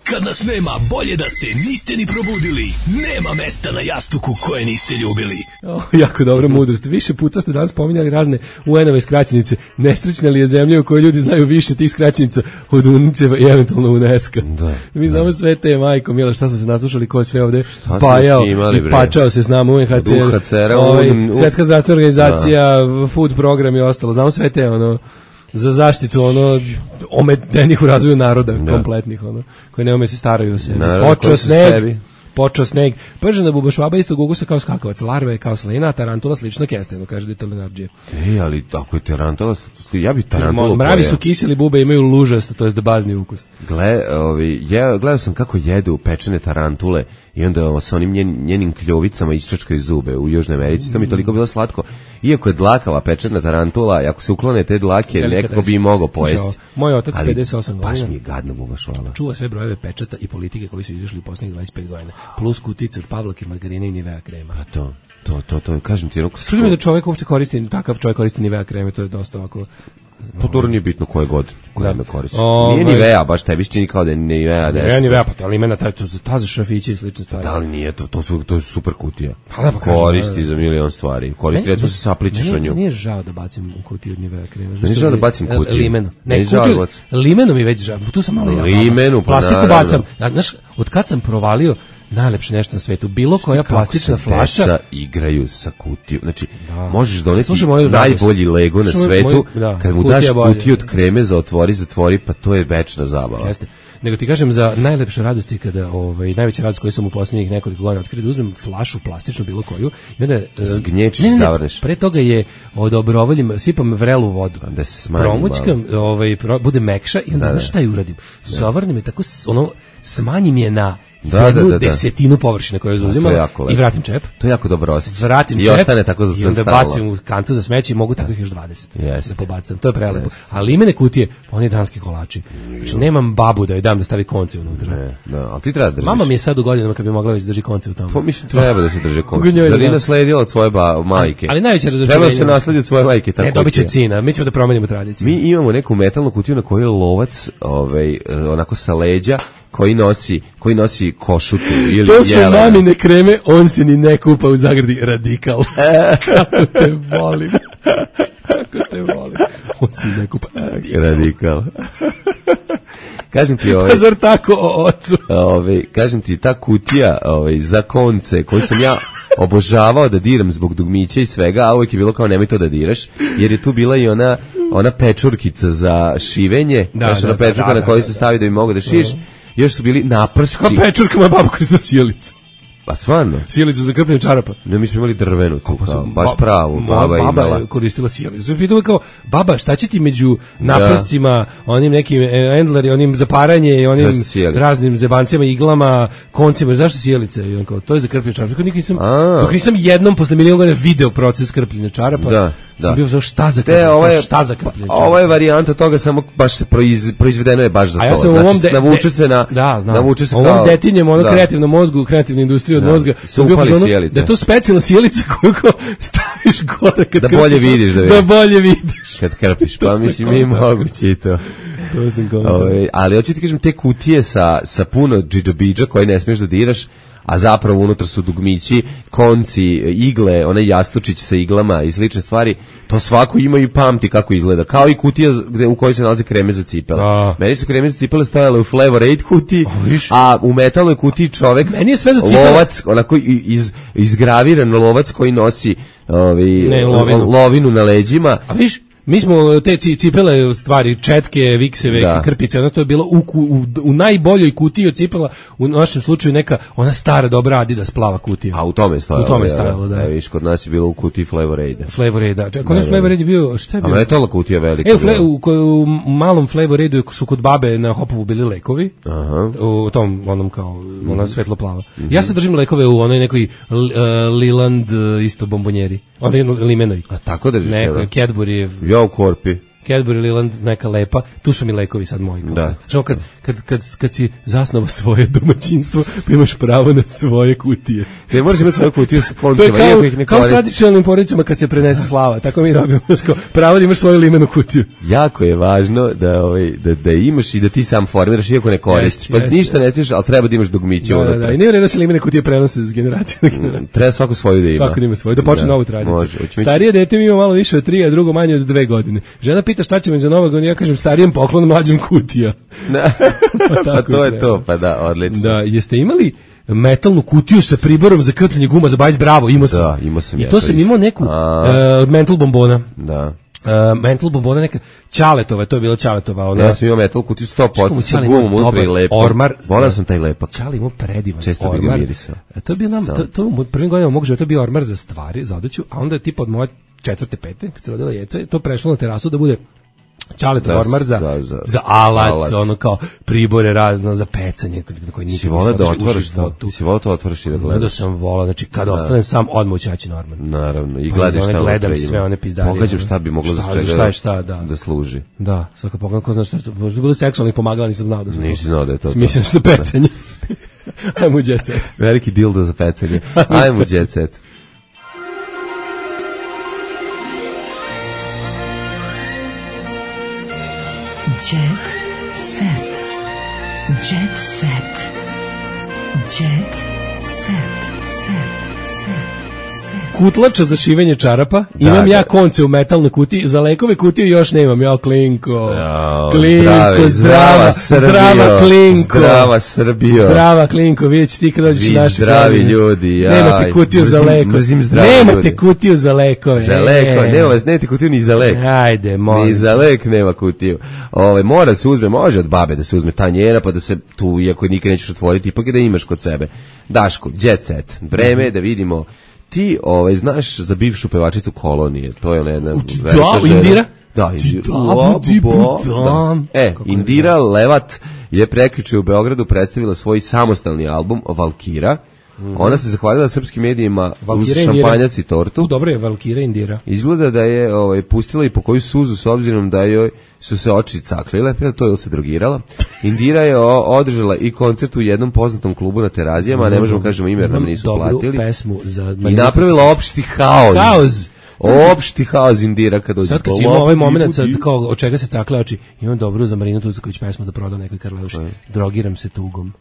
Speaker 12: Kad nas nema, bolje da se niste ni probudili. Nema mesta na jastuku koje niste ljubili.
Speaker 6: Oh, jako dobra mudrost. Više puta ste danas spominjali razne U N-ove skraćenice. Nesrećna li je zemlja u kojoj ljudi znaju više tih skraćenica od UNICEF-a i eventualno UNESCO.
Speaker 5: Da,
Speaker 6: Mi znamo da. Sve te, majko mila, šta smo se naslušali, ko je sve ovde šta pajao imali, i pačao se s nama U N H C R, ovaj, Svjetska zdravstvena organizacija, da. Food program i ostalo. Znamo sve te, ono, za zaštitu ono ometenih u razvoju naroda da. Kompletnih ono koji ne ume se staraju o sebi. Počeo sneg, počeo sneg. Pržena bubašvaba isto gugusa kao skakavac, larve kao slina, tarantula slično kestenu, kaže Dito Lenarđije.
Speaker 5: Ej, ali ako je tarantula, ja bi tarantulu.
Speaker 6: Mravi su kiseli, bube imaju lužast, to jest da bazni ukus.
Speaker 5: Gle, ovi, ja gledao sam kako jedu pečene tarantule i onda sa onim njen, njenim kljovicama isčačkaju zube u Južnoj Americi, to mi toliko bilo slatko. Iako je dlakava pečena tarantula, ako se uklone te dlake, nekako bi i mogao pojesti.
Speaker 6: Moj otac pedeset osam godina.
Speaker 5: Baš mi je gadno bubašvala.
Speaker 6: Čuva sve brojeve pečata i politike koji su izašli u posljednjih dvadeset pet godina. Plus kutice od Pavlake, margarine i Nivea krema.
Speaker 5: A to, to, to, to, kažem ti.
Speaker 6: Čudim mi da čovjek uopšte koristi, takav čovjek koristi Nivea kreme, to je dosta ovako.
Speaker 5: Pa to nije bitno koje god, koje me koristi. Nije Nivea, baš tebi se čini kao da je Nivea.
Speaker 6: Ne, Nivea, pa ali ima taj, ta za šrafiće i slične stvari.
Speaker 5: Da li nije, to, to, su, to je super kutija. Pa da, pa koristi kažem, za milion stvari. Koristi, recimo se sapličeš o nju.
Speaker 6: Nije žao da bacim u kutiju od Nivea krema.
Speaker 5: Nije žao da bacim kutiju.
Speaker 6: Limenu. Ne, kutiju, limenu mi već žao. Tu sam malo ja.
Speaker 5: Limenu, pa
Speaker 6: plastiku bacam. Znaš, od kad sam provalio najlepše nešto na svetu, bilo koja plastična flaša
Speaker 5: deca igraju sa kutijom, znači da. Možeš doneti najbolji Lego na svetu, moj, da, kad mu daš kutiju od kreme za otvori, zatvori, pa to je večna zabava.
Speaker 6: Jeste. Nego ti kažem za najlepše radosti kada ovaj najveća radost koju sam u posljednjih nekoliko godina otkrio da uzmem flašu plastičnu bilo koju i onda
Speaker 5: zgnječiš i zavrneš.
Speaker 6: Pre toga je odobrovoljim sipam vrelu vodu.
Speaker 5: Da se smanji.
Speaker 6: Promućkam, ovaj pro, bude mekša i onda da, znaš šta je uradim. Zavrnem je tako ono smanjim je na
Speaker 5: Da,
Speaker 6: jednu
Speaker 5: da, da, da.
Speaker 6: desetinu površine koju je zauzimala i vratim čep.
Speaker 5: To je jako dobro osjećaj.
Speaker 6: Vratim
Speaker 5: I
Speaker 6: čep
Speaker 5: ostane tako za
Speaker 6: i onda
Speaker 5: stalno.
Speaker 6: bacim u kantu za smeće i mogu takvih još dvadeset
Speaker 5: Jeste.
Speaker 6: da pobacam. To je prelepo. A limene kutije, oni danski kolači. Znači, nemam babu da joj dam da stavi konce unutra.
Speaker 5: Ne, da, ali ti treba da držiš.
Speaker 6: Mama mi je sad u godinama kad bi mogla već drži konce u tamo.
Speaker 5: Pa mislim treba da se drže konce.
Speaker 6: Njoj,
Speaker 5: Zar
Speaker 6: da.
Speaker 5: je nasledila od svoje ba, majke?
Speaker 6: Ali najveće razočarenje.
Speaker 5: Treba da se nasledi od svoje majke tako.
Speaker 6: Ne, dobit će cina. Mi ćemo da promenimo tradiciju.
Speaker 5: Mi imamo neku metalnu kutiju na kojoj je lovac, ovaj, onako sa leđa, koji nosi, koji nosi košutu ili
Speaker 6: to su
Speaker 5: jelena.
Speaker 6: mamine kreme, on se ni ne kupa u zagradi radikal. Kako te volim. Kako te volim. On se ne kupa radikal.
Speaker 5: Radikal. Kažem ti ovaj.
Speaker 6: Pa zar tako o ocu?
Speaker 5: Ovaj, kažem ti ta kutija, ovaj za konce, koju sam ja obožavao da diram zbog dugmića i svega, a uvijek je bilo kao nemoj to da diraš, jer je tu bila i ona ona pečurkica za šivenje,
Speaker 6: Da,
Speaker 5: znaš,
Speaker 6: da,
Speaker 5: ona
Speaker 6: da,
Speaker 5: pečurka
Speaker 6: da,
Speaker 5: na
Speaker 6: da,
Speaker 5: koju
Speaker 6: da,
Speaker 5: se
Speaker 6: da.
Speaker 5: stavi da bi mogao da šiješ. Još su bili naprski.
Speaker 6: Kao pečurka moja baba koristila sjelicu.
Speaker 5: Pa stvarno?
Speaker 6: Sjelicu za krpljenje čarapa.
Speaker 5: Ne, mi smo imali drvenu tu, kao, baš
Speaker 6: Ba-
Speaker 5: pravu.
Speaker 6: moja
Speaker 5: Baba je
Speaker 6: baba
Speaker 5: imala.
Speaker 6: je koristila sjelicu. Pitala kao, baba, šta će ti među naprscima, onim nekim e, endleri, onim za paranje i onim
Speaker 5: Zašto sjelica?
Speaker 6: raznim zebancima, iglama, koncima, zašto sjelice? I on kao, to je za krpljenje čarapa. Dok nisam,
Speaker 5: A.
Speaker 6: dok nisam jednom posle milijon godina video proces krpljenja čarapa,
Speaker 5: Da,
Speaker 6: sam
Speaker 5: da.
Speaker 6: bio znao šta za
Speaker 5: Te,
Speaker 6: krpljenje,
Speaker 5: ovo je,
Speaker 6: šta za krpljenje čarapa.
Speaker 5: ovo je varijanta toga, samo baš se proiz, proizvedeno je baš za
Speaker 6: A ja
Speaker 5: to.
Speaker 6: sam u
Speaker 5: Znači,
Speaker 6: ovom de,
Speaker 5: navuče
Speaker 6: de-
Speaker 5: se na,
Speaker 6: da, znam.
Speaker 5: navuče se
Speaker 6: ovom
Speaker 5: kao,
Speaker 6: detinjem, ono
Speaker 5: da.
Speaker 6: kreativnom mozgu, kreativnoj industriji od
Speaker 5: Da.
Speaker 6: mozga,
Speaker 5: Se
Speaker 6: sam bio
Speaker 5: upali
Speaker 6: fazonu
Speaker 5: sjelice.
Speaker 6: da je to specijalna sjelica koju kao staviš gore kad
Speaker 5: Da
Speaker 6: krpiš,
Speaker 5: bolje vidiš, da
Speaker 6: da
Speaker 5: vidiš.
Speaker 6: bolje vidiš.
Speaker 5: Kad krpiš,
Speaker 6: To
Speaker 5: pa
Speaker 6: sam
Speaker 5: mislim mi
Speaker 6: kontakt.
Speaker 5: moguće i to.
Speaker 6: To sam kontakt.
Speaker 5: Ove, ali hoću ti kažem, te kutije sa, sa puno džidžabidža koje ne smiješ da diraš, a zapravo unutra su dugmići, konci, igle, onaj jastučić sa iglama i slične stvari, to svako ima i pamti kako izgleda. Kao i kutija gde, u kojoj se nalaze kreme za cipele.
Speaker 6: Da.
Speaker 5: Meni su kreme za cipele stajale u Flavor Aid kutiji,
Speaker 6: A, viš?
Speaker 5: a u metalnoj kutiji čovek,
Speaker 6: Meni je sve za cipele.
Speaker 5: lovac, onako i- iz, izgraviran lovac koji nosi ovi,
Speaker 6: Ne, lovinu.
Speaker 5: lovinu na leđima.
Speaker 6: A viš, mi smo te ci- cipele, u stvari, četke, vikseve,
Speaker 5: Da.
Speaker 6: krpice, ono to je bilo u, ku- u, u najboljoj kutiji od cipela, u našem slučaju neka, ona stara dobra Adidas plava kutija.
Speaker 5: A u tome je stajalo.
Speaker 6: U tome je
Speaker 5: ja,
Speaker 6: stajalo, da.
Speaker 5: E, viš, kod nas je bilo u kutiji Flavor Aida.
Speaker 6: Flavor Aid, da. Čekaj,
Speaker 5: Da,
Speaker 6: onaj
Speaker 5: da,
Speaker 6: Flavor
Speaker 5: da.
Speaker 6: Aid je bio, šta je
Speaker 5: A
Speaker 6: bio?
Speaker 5: metalna kutija velika.
Speaker 6: E, u, fle,
Speaker 5: bila.
Speaker 6: u, ko- u malom Flavor Aidu su kod babe na Hopovu bili lekovi.
Speaker 5: Aha.
Speaker 6: U tom, onom kao, ona svetlo plava. Ja sad držim lekove u onoj nekoj uh, Liland uh, isto bombonjeri. Onda je limenoj.
Speaker 5: A tako držiš
Speaker 6: Neko,
Speaker 5: jedan?
Speaker 6: Cadbury,
Speaker 5: Ja u korpi.
Speaker 6: Cadbury Liland, neka lepa. Tu su mi lekovi sad moji.
Speaker 5: Da.
Speaker 6: Što kad, kad, kad, kad si zasnovao svoje domaćinstvo, pa imaš pravo na svoje kutije.
Speaker 5: Ne možeš imati svoju kutiju sa
Speaker 6: To je
Speaker 5: koncima,
Speaker 6: kao,
Speaker 5: iako ih ne
Speaker 6: kao u
Speaker 5: koristiš.
Speaker 6: tradicionalnim porodicama kad se prenese slava. Tako mi dobijemo. Znaš, kao, pravo da imaš svoju limenu kutiju.
Speaker 5: Jako je važno da, ovaj, da, da imaš i da ti sam formiraš, iako ne koristiš.
Speaker 6: Jeste,
Speaker 5: Pa
Speaker 6: jeste,
Speaker 5: ništa ne tiš, ali treba da imaš dugmiće
Speaker 6: Da, da,
Speaker 5: unutra.
Speaker 6: da. I nije u redu da se limene kutije prenose s generacije na generaciju.
Speaker 5: Treba svako svoju da ima.
Speaker 6: Svako da ima svoju, da počne novu tradiciju.
Speaker 5: Može. Hoćemo ići-
Speaker 6: Starije dete mi ima malo više od tri, a drugo manje od dve godine. Žena pita šta će mi za Novog godina, ja kažem starijem poklon, mlađem kutija.
Speaker 5: Da. Pa
Speaker 6: tako
Speaker 5: to je
Speaker 6: treba.
Speaker 5: to, pa da, odlično.
Speaker 6: Da, jeste imali metalnu kutiju sa priborom za krpljenje guma za bajs, bravo, imao sam.
Speaker 5: Da, imao sam
Speaker 6: I
Speaker 5: ja
Speaker 6: to
Speaker 5: to
Speaker 6: sam
Speaker 5: isto.
Speaker 6: imao neku
Speaker 5: A.
Speaker 6: e, od mental bombona.
Speaker 5: Da.
Speaker 6: Uh, mental bombona neka Ćaletova, to je bila Ćaletova, ona.
Speaker 5: Ja sam imao metal kutiju sto
Speaker 6: Čekaj,
Speaker 5: posto sa
Speaker 6: Ćale imao
Speaker 5: gumom unutra i
Speaker 6: dobar
Speaker 5: lepo.
Speaker 6: ormar.
Speaker 5: Volao sam taj lepak.
Speaker 6: Ćale imao predivan
Speaker 5: Često bi ga
Speaker 6: ormar.
Speaker 5: mirisao.
Speaker 6: E, To je bio nam,
Speaker 5: Sam.
Speaker 6: to, to u prvim godinama mog života bio ormar za stvari, za odeću, a onda je tipa od moje četvrte, pete, kad se rodila Jeca, to prešlo na terasu da bude Ćaletov
Speaker 5: Da,
Speaker 6: ormar za,
Speaker 5: da, za-
Speaker 6: za alat,
Speaker 5: alat.
Speaker 6: ono kao pribore razno za pecanje, na koji
Speaker 5: Si
Speaker 6: nikad
Speaker 5: volao
Speaker 6: nisam
Speaker 5: da
Speaker 6: otišao u
Speaker 5: otvoriš to?
Speaker 6: životu.
Speaker 5: Si volao to otvoriš i da
Speaker 6: Gledao
Speaker 5: gledaš?
Speaker 6: sam volao, znači kada ostanem sam odmah ućaći na ormar.
Speaker 5: Naravno, i
Speaker 6: Pa
Speaker 5: gledaš
Speaker 6: iz one
Speaker 5: šta
Speaker 6: gledali
Speaker 5: unutra
Speaker 6: sve
Speaker 5: ima.
Speaker 6: one pizdarije,
Speaker 5: Pogađam
Speaker 6: ono.
Speaker 5: šta bi moglo za
Speaker 6: Šta-
Speaker 5: čega
Speaker 6: šta je šta, da.
Speaker 5: da služi.
Speaker 6: Da, sad kad pogledam ko zna šta je to, možda bilo seksualnih pomagala, nisam znao da su.
Speaker 5: Nisi znao da je to to.
Speaker 6: Mislim što pecanje. Ajmo u jet set.
Speaker 5: Veliki dildo za pecanje. Ajmo u jet set.
Speaker 3: Jet set. Jet set. Jet set. Set. Set.
Speaker 6: Kutlača za šivenje čarapa. Imam
Speaker 5: Da,
Speaker 6: ja
Speaker 5: da.
Speaker 6: konce u metalnoj kutiji, za lekove kutije još nemam. Ja klinko.
Speaker 5: Jao,
Speaker 6: Klinko,
Speaker 5: zdravi,
Speaker 6: zdrava,
Speaker 5: Srbijo,
Speaker 6: zdrava klinko.
Speaker 5: Zdrava Srbijo.
Speaker 6: Zdrava klinko, vidjet ćeš ti kad dođeš
Speaker 5: Vi
Speaker 6: u naše
Speaker 5: zdravi
Speaker 6: krajine.
Speaker 5: ljudi, jaj.
Speaker 6: Nemate kutiju za
Speaker 5: Mrzim-
Speaker 6: lekove.
Speaker 5: mrzim zdrave
Speaker 6: Nemate
Speaker 5: ljude.
Speaker 6: kutiju za lekove.
Speaker 5: Za leko,
Speaker 6: E.
Speaker 5: nema vas, nemate kutiju ni za lek.
Speaker 6: Ajde, molim.
Speaker 5: Ni za lek nema kutiju. Ove, mora se uzme, može od babe da se uzme ta njena, pa da se tu, iako nikad nećeš otvoriti, ipak je da imaš kod sebe. Daško, jet set. Vreme je da vidimo. Ti, ovaj, znaš za bivšu pevačicu Kolonije, to je ona jedna velika žena.
Speaker 6: Indira?
Speaker 5: Da, Indira.
Speaker 6: Da, budi
Speaker 5: Bo-
Speaker 6: budam.
Speaker 5: da. E, Indira Levat je prekjuče u Beogradu predstavila svoj samostalni album Valkira. Mm-hmm. Ona se zahvalila srpskim medijima uz šampanjac i tortu.
Speaker 6: U, dobro je, Valkira Indira.
Speaker 5: Izgleda da je ovaj, pustila i po koju suzu s obzirom da joj su se oči caklile, to je se drogirala. Indira je o, održala i koncert u jednom poznatom klubu na Terazijama, mm-hmm. ne možemo kažemo ime jer nam nisu
Speaker 6: dobru
Speaker 5: platili.
Speaker 6: Pesmu za
Speaker 5: I napravila opšti haos.
Speaker 6: Haos.
Speaker 5: Opšti haos Indira kad dođe.
Speaker 6: Sad kad ima ovaj moment sad kao od čega se cakle oči, imam dobru za Marinu Tucaković pesmu da proda nekoj Karleuši. Drogiram se tugom.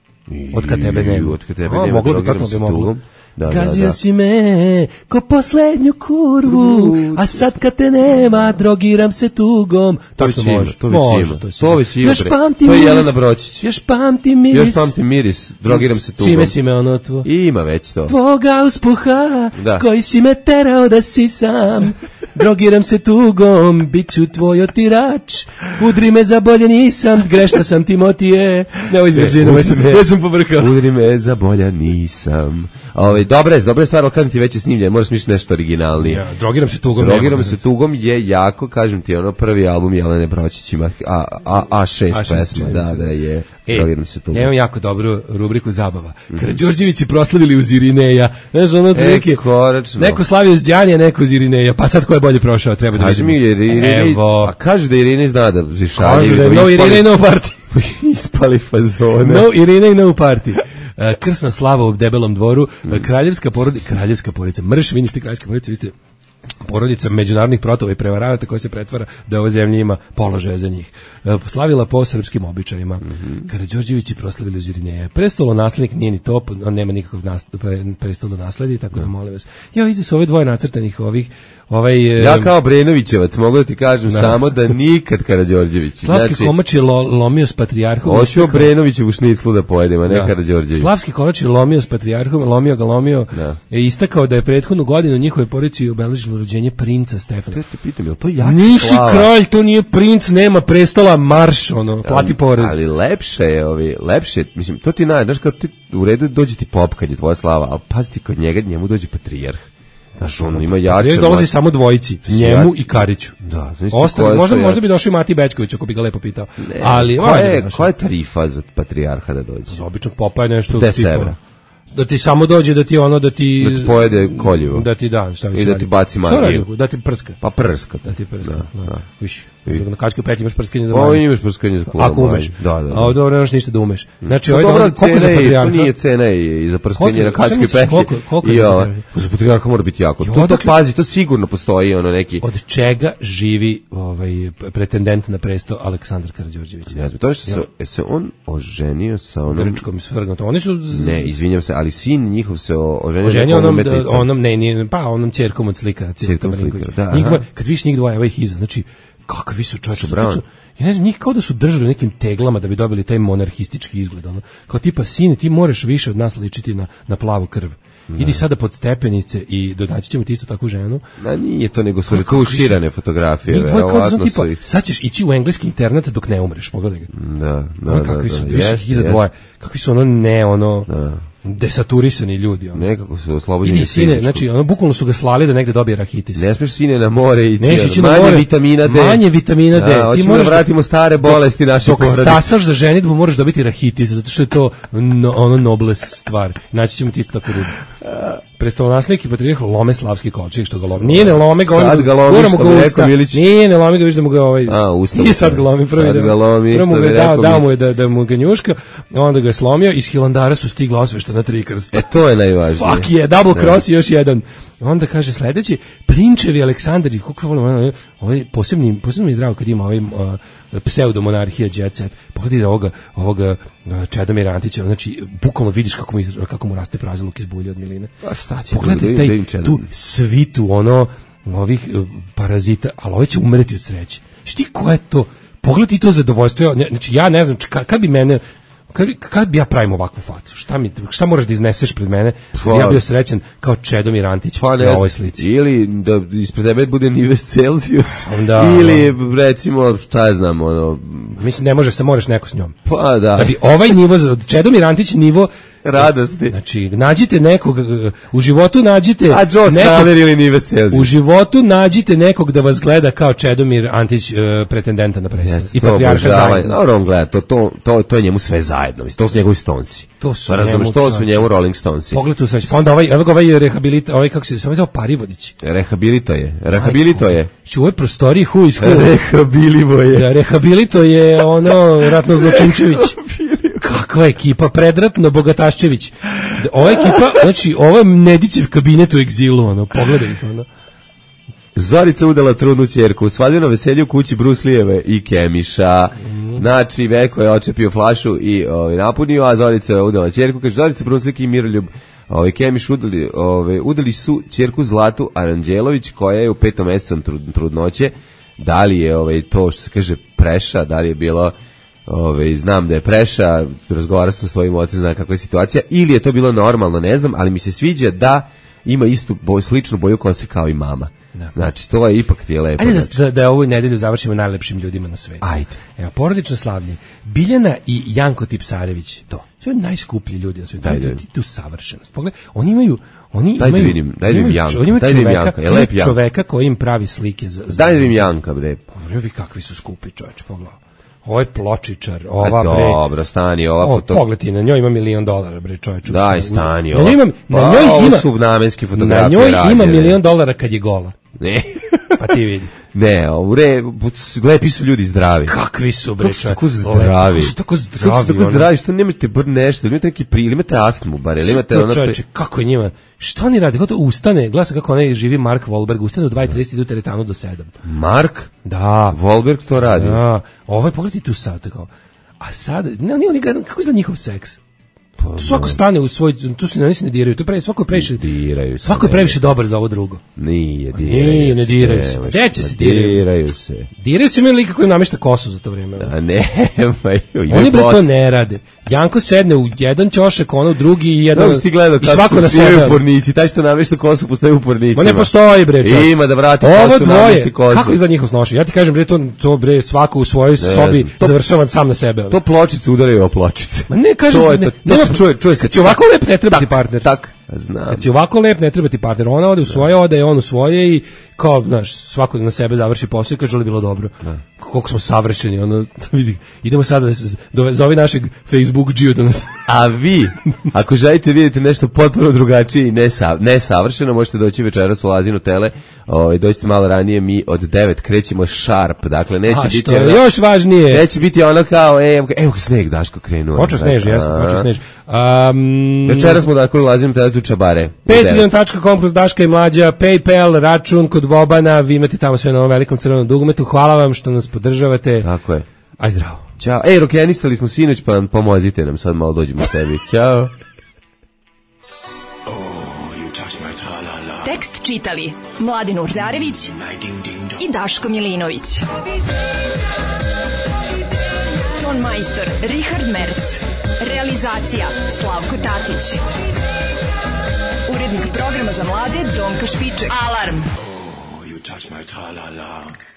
Speaker 6: Od kad tebe nema.
Speaker 5: Od kad tebe nema, drogiram se tugom.
Speaker 6: Da, Gazio da, da. si me ko poslednju kurvu, a sad kad te nema, drogiram se tugom.
Speaker 5: To već ima, to već ima.
Speaker 6: To
Speaker 5: već ima.
Speaker 6: Još pamtim
Speaker 5: to je
Speaker 6: miris.
Speaker 5: Jelena Bročić.
Speaker 6: Još pamtim miris.
Speaker 5: Još pamtim miris, drogiram se tugom.
Speaker 6: Čime si me onotvo?
Speaker 5: Ima već to.
Speaker 6: Tvoga uspuha,
Speaker 5: da.
Speaker 6: koji si me terao da si sam. Drogiram se tugom, bit ću tvoj otirač. Udri me za bolje nisam, grešna sam Timotije. Ne, ovo iz Virgina, već sam, već sam pobrkao.
Speaker 5: Udri me za bolja nisam. Ove, dobra je, dobra je stvar, ali kažem ti već je snimljen, moraš misliti nešto originalnije.
Speaker 6: Ja, drogiram se tugom.
Speaker 5: Drogiram se tugom je jako, kažem ti, ono prvi album Jelene Bročić ima A, A, A šest pesma, da, da je.
Speaker 6: E,
Speaker 5: drogiram se tugom.
Speaker 6: Ja imam jako dobru rubriku zabava. Karađorđevići proslavili uz Irineja. Znaš, ono otprilike.
Speaker 5: E, koračno.
Speaker 6: Neko slavio uz Đanija, neko uz Irineja. Pa sad ko je bolje prošao, treba da
Speaker 5: Kaži
Speaker 6: vidimo.
Speaker 5: mi, jer Irinej, a kaže da Irinej zna da šalje.
Speaker 6: Kaže da je no Irinej, no party.
Speaker 5: Ispali fazone.
Speaker 6: No Irinej, no party. Krsna slava u debelom dvoru, kraljevska porodica, kraljevska porodica, mrš, vi niste kraljevska porodica, vi ste porodica međunarodnih protova i prevaranata koja se pretvara da ova zemlja ima položaje za njih. Slavila po srpskim običajima. Mm-hmm. Karađorđevići proslavili uz Irineja. Prestolo naslednik nije ni to, on nema nikakvog nas, pre, prestolo nasledi, tako da molim vas. Ja vidi su ove dvoje nacrtanih ovih ovaj
Speaker 5: ja kao Brenovićevac mogu da ti kažem da. samo da nikad Karađorđević.
Speaker 6: Slavski znači, komač je lo, lomio s patrijarhom.
Speaker 5: Hoćemo Brenovićevu šniclu da pojedemo, a ne da. Karađorđević.
Speaker 6: Slavski komač je lomio s patrijarhom, lomio ga, lomio. Da. Je istakao da je prethodnu godinu njihove porodici obeležilo rođenje princa Stefana.
Speaker 5: Te te pitam, je li to jači
Speaker 6: Niši
Speaker 5: slava?
Speaker 6: kralj, to nije princ, nema prestola, marš, ono, plati porez.
Speaker 5: Ali lepše je, ovi, lepše, mislim, to ti naj, znaš, kad ti u redu dođe ti pop kad je tvoja slava, ali pazi ti kod njega, njemu dođe patrijarh. Znaš, on ima jače.
Speaker 6: Njemu dolazi samo dvojici, njemu i Kariću.
Speaker 5: Da, znači
Speaker 6: Ostali, možda, možda bi došao i Mati Bečković, ako bi ga lepo pitao.
Speaker 5: Ne,
Speaker 6: ali,
Speaker 5: koja je, koja je tarifa za patrijarha da dođe?
Speaker 6: Za običnog popa je nešto
Speaker 5: deset evra.
Speaker 6: Da ti samo dođe da ti ono da ti
Speaker 5: da ti pojede koljivo.
Speaker 6: Da ti da, šta
Speaker 5: i da ti baci magiju.
Speaker 6: Da ti prska.
Speaker 5: Pa prska.
Speaker 6: Da ti prska.
Speaker 5: Da, da.
Speaker 6: Viš. Na kačku pet imaš prskanje za magiju.
Speaker 5: O, imaš prskanje za kula.
Speaker 6: Ako umeš.
Speaker 5: Da, da.
Speaker 6: A dobro, nemaš ništa da umeš. Znači,
Speaker 5: ovaj
Speaker 6: dolazi koliko za patrijarha?
Speaker 5: Nije cena i za prskanje na kačku pet.
Speaker 6: Koliko, koliko
Speaker 5: za patrijarha? Za patrijarha mora biti jako. To to pazi, to sigurno postoji ono neki.
Speaker 6: Od čega živi ovaj pretendent na presto Aleksandar Karađorđević?
Speaker 5: Ne znam, to što se se on oženio sa onom
Speaker 6: grčkom svrgnutom. Oni su
Speaker 5: ne, izvinjavam se, ali sin njihov se oženio
Speaker 6: oženio onom onom ne, ne, pa onom ćerkom od slikara,
Speaker 5: ćerkom slikara. Da,
Speaker 6: njihova, kad viš njih dvoje, ovaj iza, znači kakvi su čovječe, ja ne znam, njih kao da su držali nekim teglama da bi dobili taj monarhistički izgled, ono. Kao tipa, sine, ti moraš više od nas ličiti na, na plavu krv. Ne. Idi sada pod stepenice i dodaći ćemo ti isto takvu ženu.
Speaker 5: Da, nije to, nego su retuširane fotografije.
Speaker 6: Njih dvoje kao su tipa, sad ćeš ići u engleski internet dok ne umreš, pogledaj ga.
Speaker 5: Da, da,
Speaker 6: ono,
Speaker 5: da.
Speaker 6: Kakvi
Speaker 5: da,
Speaker 6: su,
Speaker 5: da,
Speaker 6: viš, iza dvoje, kakvi su ono ne, ono...
Speaker 5: Da.
Speaker 6: Desaturisani ljudi, ono.
Speaker 5: Nekako su oslobođeni.
Speaker 6: Idi sine, znači ono bukvalno su ga slali da negde dobije rahitis.
Speaker 5: Ne smeš sine na more ići.
Speaker 6: Neš ići na
Speaker 5: manje
Speaker 6: more,
Speaker 5: vitamina D.
Speaker 6: Manje vitamina D.
Speaker 5: Da, ti možeš da vratimo stare bolesti naše porodice.
Speaker 6: Dok stasaš za ženidbu moraš dobiti rahitis, zato što je to no, ono nobles stvar. Naći ćemo ti isto tako ljudi. Prestolonaslednik i patrijarh lome slavski kolčik što ga lome. Nije ne lome ga,
Speaker 5: sad ga lomi što bi rekao Milić.
Speaker 6: Nije ne lome ga, viš da mu ga ovaj.
Speaker 5: A, ustao.
Speaker 6: I sad ga lomi prvi da. Prvo mu ga dao, dao mu je da da mu ga njuška, onda ga je slomio, iz Hilandara su stigla osveštena tri krsta.
Speaker 5: E to je najvažnije.
Speaker 6: Fuck je, double cross i još jedan. Onda kaže sledeći, prinčevi Aleksandar i kako volim, ovaj posebni posebno mi je drago kad ima ovaj uh, pseudomonarhija jet set. Pogledaj da ovoga ovoga uh, Čedomira Antića, znači bukvalno vidiš kako mu kako mu raste praziluk iz bulje od miline.
Speaker 5: Pa šta će?
Speaker 6: Pogledaj taj tu svitu ono ovih uh, parazita, ali ovaj će umreti od sreće. Šti ko je to? Pogledaj to zadovoljstvo. Znači ja ne znam kad bi mene Kad, kad bi ja pravim ovakvu facu? Šta mi šta moraš da izneseš pred mene? Pa, ja bio srećan kao Čedomir Antić
Speaker 5: pa,
Speaker 6: na ovoj slici.
Speaker 5: Ili da ispred tebe bude Nives Celsius.
Speaker 6: Da,
Speaker 5: ili recimo šta ja znam, ono
Speaker 6: mislim ne možeš, se moraš neko s njom.
Speaker 5: Pa da.
Speaker 6: Da bi ovaj nivo od Čedomir Antić nivo
Speaker 5: radosti.
Speaker 6: Znači, nađite nekog, u životu nađite...
Speaker 5: A Joe Stramer ili Nives Celsius.
Speaker 6: U životu nađite nekog da vas gleda kao Čedomir Antić, uh, pretendenta na predsjednik.
Speaker 5: Yes,
Speaker 6: I patrijarha zajedno.
Speaker 5: Dobro, on gleda, to, to, to, to je njemu sve zajedno. Mislim, to su njegovi Stonesi.
Speaker 6: To su
Speaker 5: pa razumeš, to su njemu Rolling Stonesi.
Speaker 6: Pogled tu sreći. Pa onda ovaj, evo ga ovaj rehabilita, ovaj kako se, samo zove Parivodić.
Speaker 5: Rehabilito je, rehabilito je.
Speaker 6: Znači u ovoj prostoriji who is who.
Speaker 5: Rehabilivo je.
Speaker 6: Da, rehabilito je ono Ratno Zločinčević. Kakva ekipa, predratno Bogataščević. Ova ekipa, znači ovo je Nedićev kabinet u egzilu, ono, pogledaj ih, ono.
Speaker 5: Zorica udala trudnu ćerku, svaljeno veselje u kući Bruslijeve i Kemiša. Mm. Znači, Veko je očepio flašu i ovaj, napunio, a Zorica je udala ćerku. Kaže, Zorica Bruslijek i Miroljub ovaj, Kemiš udali, ovaj, udali su ćerku Zlatu Aranđelović, koja je u petom mesecu trud, trudnoće. Da li je ovaj, to što se kaže preša, da li je bilo... Ove, znam da je preša, razgovara sa svojim ocem, zna kakva je situacija, ili je to bilo normalno, ne znam, ali mi se sviđa da ima istu boj, sličnu boju kose kao i mama. Da. Znači, to je ipak ti je lepo.
Speaker 6: Ajde
Speaker 5: znači.
Speaker 6: da, da ovu nedelju završimo najlepšim ljudima na svetu.
Speaker 5: Ajde.
Speaker 6: Evo, porodično slavlje. Biljana i Janko Tipsarević. To. To je najskuplji ljudi na svetu. Daj, tu savršenost. Pogledaj, oni imaju oni
Speaker 5: daj
Speaker 6: imaju,
Speaker 5: da vidim, daj da vidim Janka.
Speaker 6: Oni imaju
Speaker 5: daj
Speaker 6: čoveka,
Speaker 5: Janka. Je lep Janka.
Speaker 6: Čoveka koji im pravi slike za... za
Speaker 5: daj da vidim Janka, bre.
Speaker 6: Pogledaj kakvi su skupi, čoveče, pogledaj. Ovo je pločičar, ova bre.
Speaker 5: Dobro, stani, ova
Speaker 6: o,
Speaker 5: foto.
Speaker 6: Pogledaj, na njoj ima milion dolara, bre, čovječe.
Speaker 5: Daj, stani,
Speaker 6: ova. Na njoj ima,
Speaker 5: pa,
Speaker 6: na njoj ima,
Speaker 5: su namenski fotografije
Speaker 6: na njoj
Speaker 5: rađene.
Speaker 6: ima milion dolara kad je gola.
Speaker 5: Ne.
Speaker 6: Pa ti vidi.
Speaker 5: Ne, u re, lepi su ljudi zdravi.
Speaker 6: Kakvi su, bre,
Speaker 5: čovječe. Kako su tako zdravi?
Speaker 6: Kako su tako zdravi?
Speaker 5: Kako su tako zdravi, što nemate bar nešto, imate neki pril, imate astmu, bar, ili imate ono...
Speaker 6: Čovječe, kako je njima, što oni radi, kako to ustane, glasa kako onaj živi Mark Wahlberg, ustane do dva i trideset, idu teretanu do sedam.
Speaker 5: Mark?
Speaker 6: Da.
Speaker 5: Wahlberg to radi?
Speaker 6: Da. Ovo je, pogledaj tu sad, tako. A sad, ne, ne, ne, kako je za njihov seks? Tu svako stane u svoj, tu se ne, ne diraju, tu pre, svako je previše,
Speaker 5: diraju se,
Speaker 6: svako je previše dobar za ovo drugo.
Speaker 5: Nije, diraju
Speaker 6: Nije, ne diraju se. Gde će se diraju?
Speaker 5: Diraju se.
Speaker 6: Diraju se imaju lika koji namešta kosu za to vrijeme.
Speaker 5: A ne,
Speaker 6: oni bre to ne rade. Janko sedne u jedan ćošak, ono u drugi i jedan,
Speaker 5: no, gledao,
Speaker 6: i svako na sebe.
Speaker 5: U pornici, taj što namešta kosu postoji u pornicima.
Speaker 6: Ma ne postoji bre. Čak.
Speaker 5: Ima da vrati
Speaker 6: ovo
Speaker 5: kosu,
Speaker 6: dvoje,
Speaker 5: namešti kosu.
Speaker 6: kako izgleda njihov snošaj? Ja ti kažem bre, to, to bre svako u svojoj ne, sobi to, završava sam na sebe.
Speaker 5: To pločice udaraju o pločice.
Speaker 6: Ma ne kažem,
Speaker 5: to
Speaker 6: ne,
Speaker 5: to, to
Speaker 6: nema,
Speaker 5: se čuje, čuje se.
Speaker 6: Kad si ovako lep ne treba ti partner.
Speaker 5: Tak, znam.
Speaker 6: Kad si ovako lep ne treba ti partner. Ona ode u svoje, ode on u svoje i kao, znaš, svako na sebe završi posao i kaže li bilo dobro. Da. Koliko smo savršeni, ono, vidi, idemo sada da zove našeg Facebook džiju da nas...
Speaker 5: A vi, ako želite vidjeti nešto potpuno drugačije i nesa, nesavršeno, možete doći večeras u Lazinu Tele, ovaj, dođite malo ranije, mi od devet krećemo sharp, dakle, neće
Speaker 6: A,
Speaker 5: biti...
Speaker 6: A što je još važnije?
Speaker 5: Neće biti ono kao, e, evo sneg, Daško, krenuo.
Speaker 6: Počeo snež, jesno, počeo snež. Um,
Speaker 5: večeras smo dakle u Lazinu Tele tu čabare.
Speaker 6: patreon tačka com plus Daška i Mlađa, PayPal, račun kod Vobana, vi imate tamo sve na ovom velikom crvenom dugmetu, hvala vam što nas podržavate.
Speaker 5: Tako je.
Speaker 6: Aj zdravo.
Speaker 5: Ćao. Ej, rokenisali smo sinoć, pa nam pomozite nam, sad malo dođemo sebi. Ćao.
Speaker 3: Tekst čitali Mladin Urdarević i Daško Milinović. Ton majstor Richard Merc. Realizacija Slavko Tatić. Urednik programa za mlade Donka Špiček. Alarm!
Speaker 12: You touch my tra-la-la.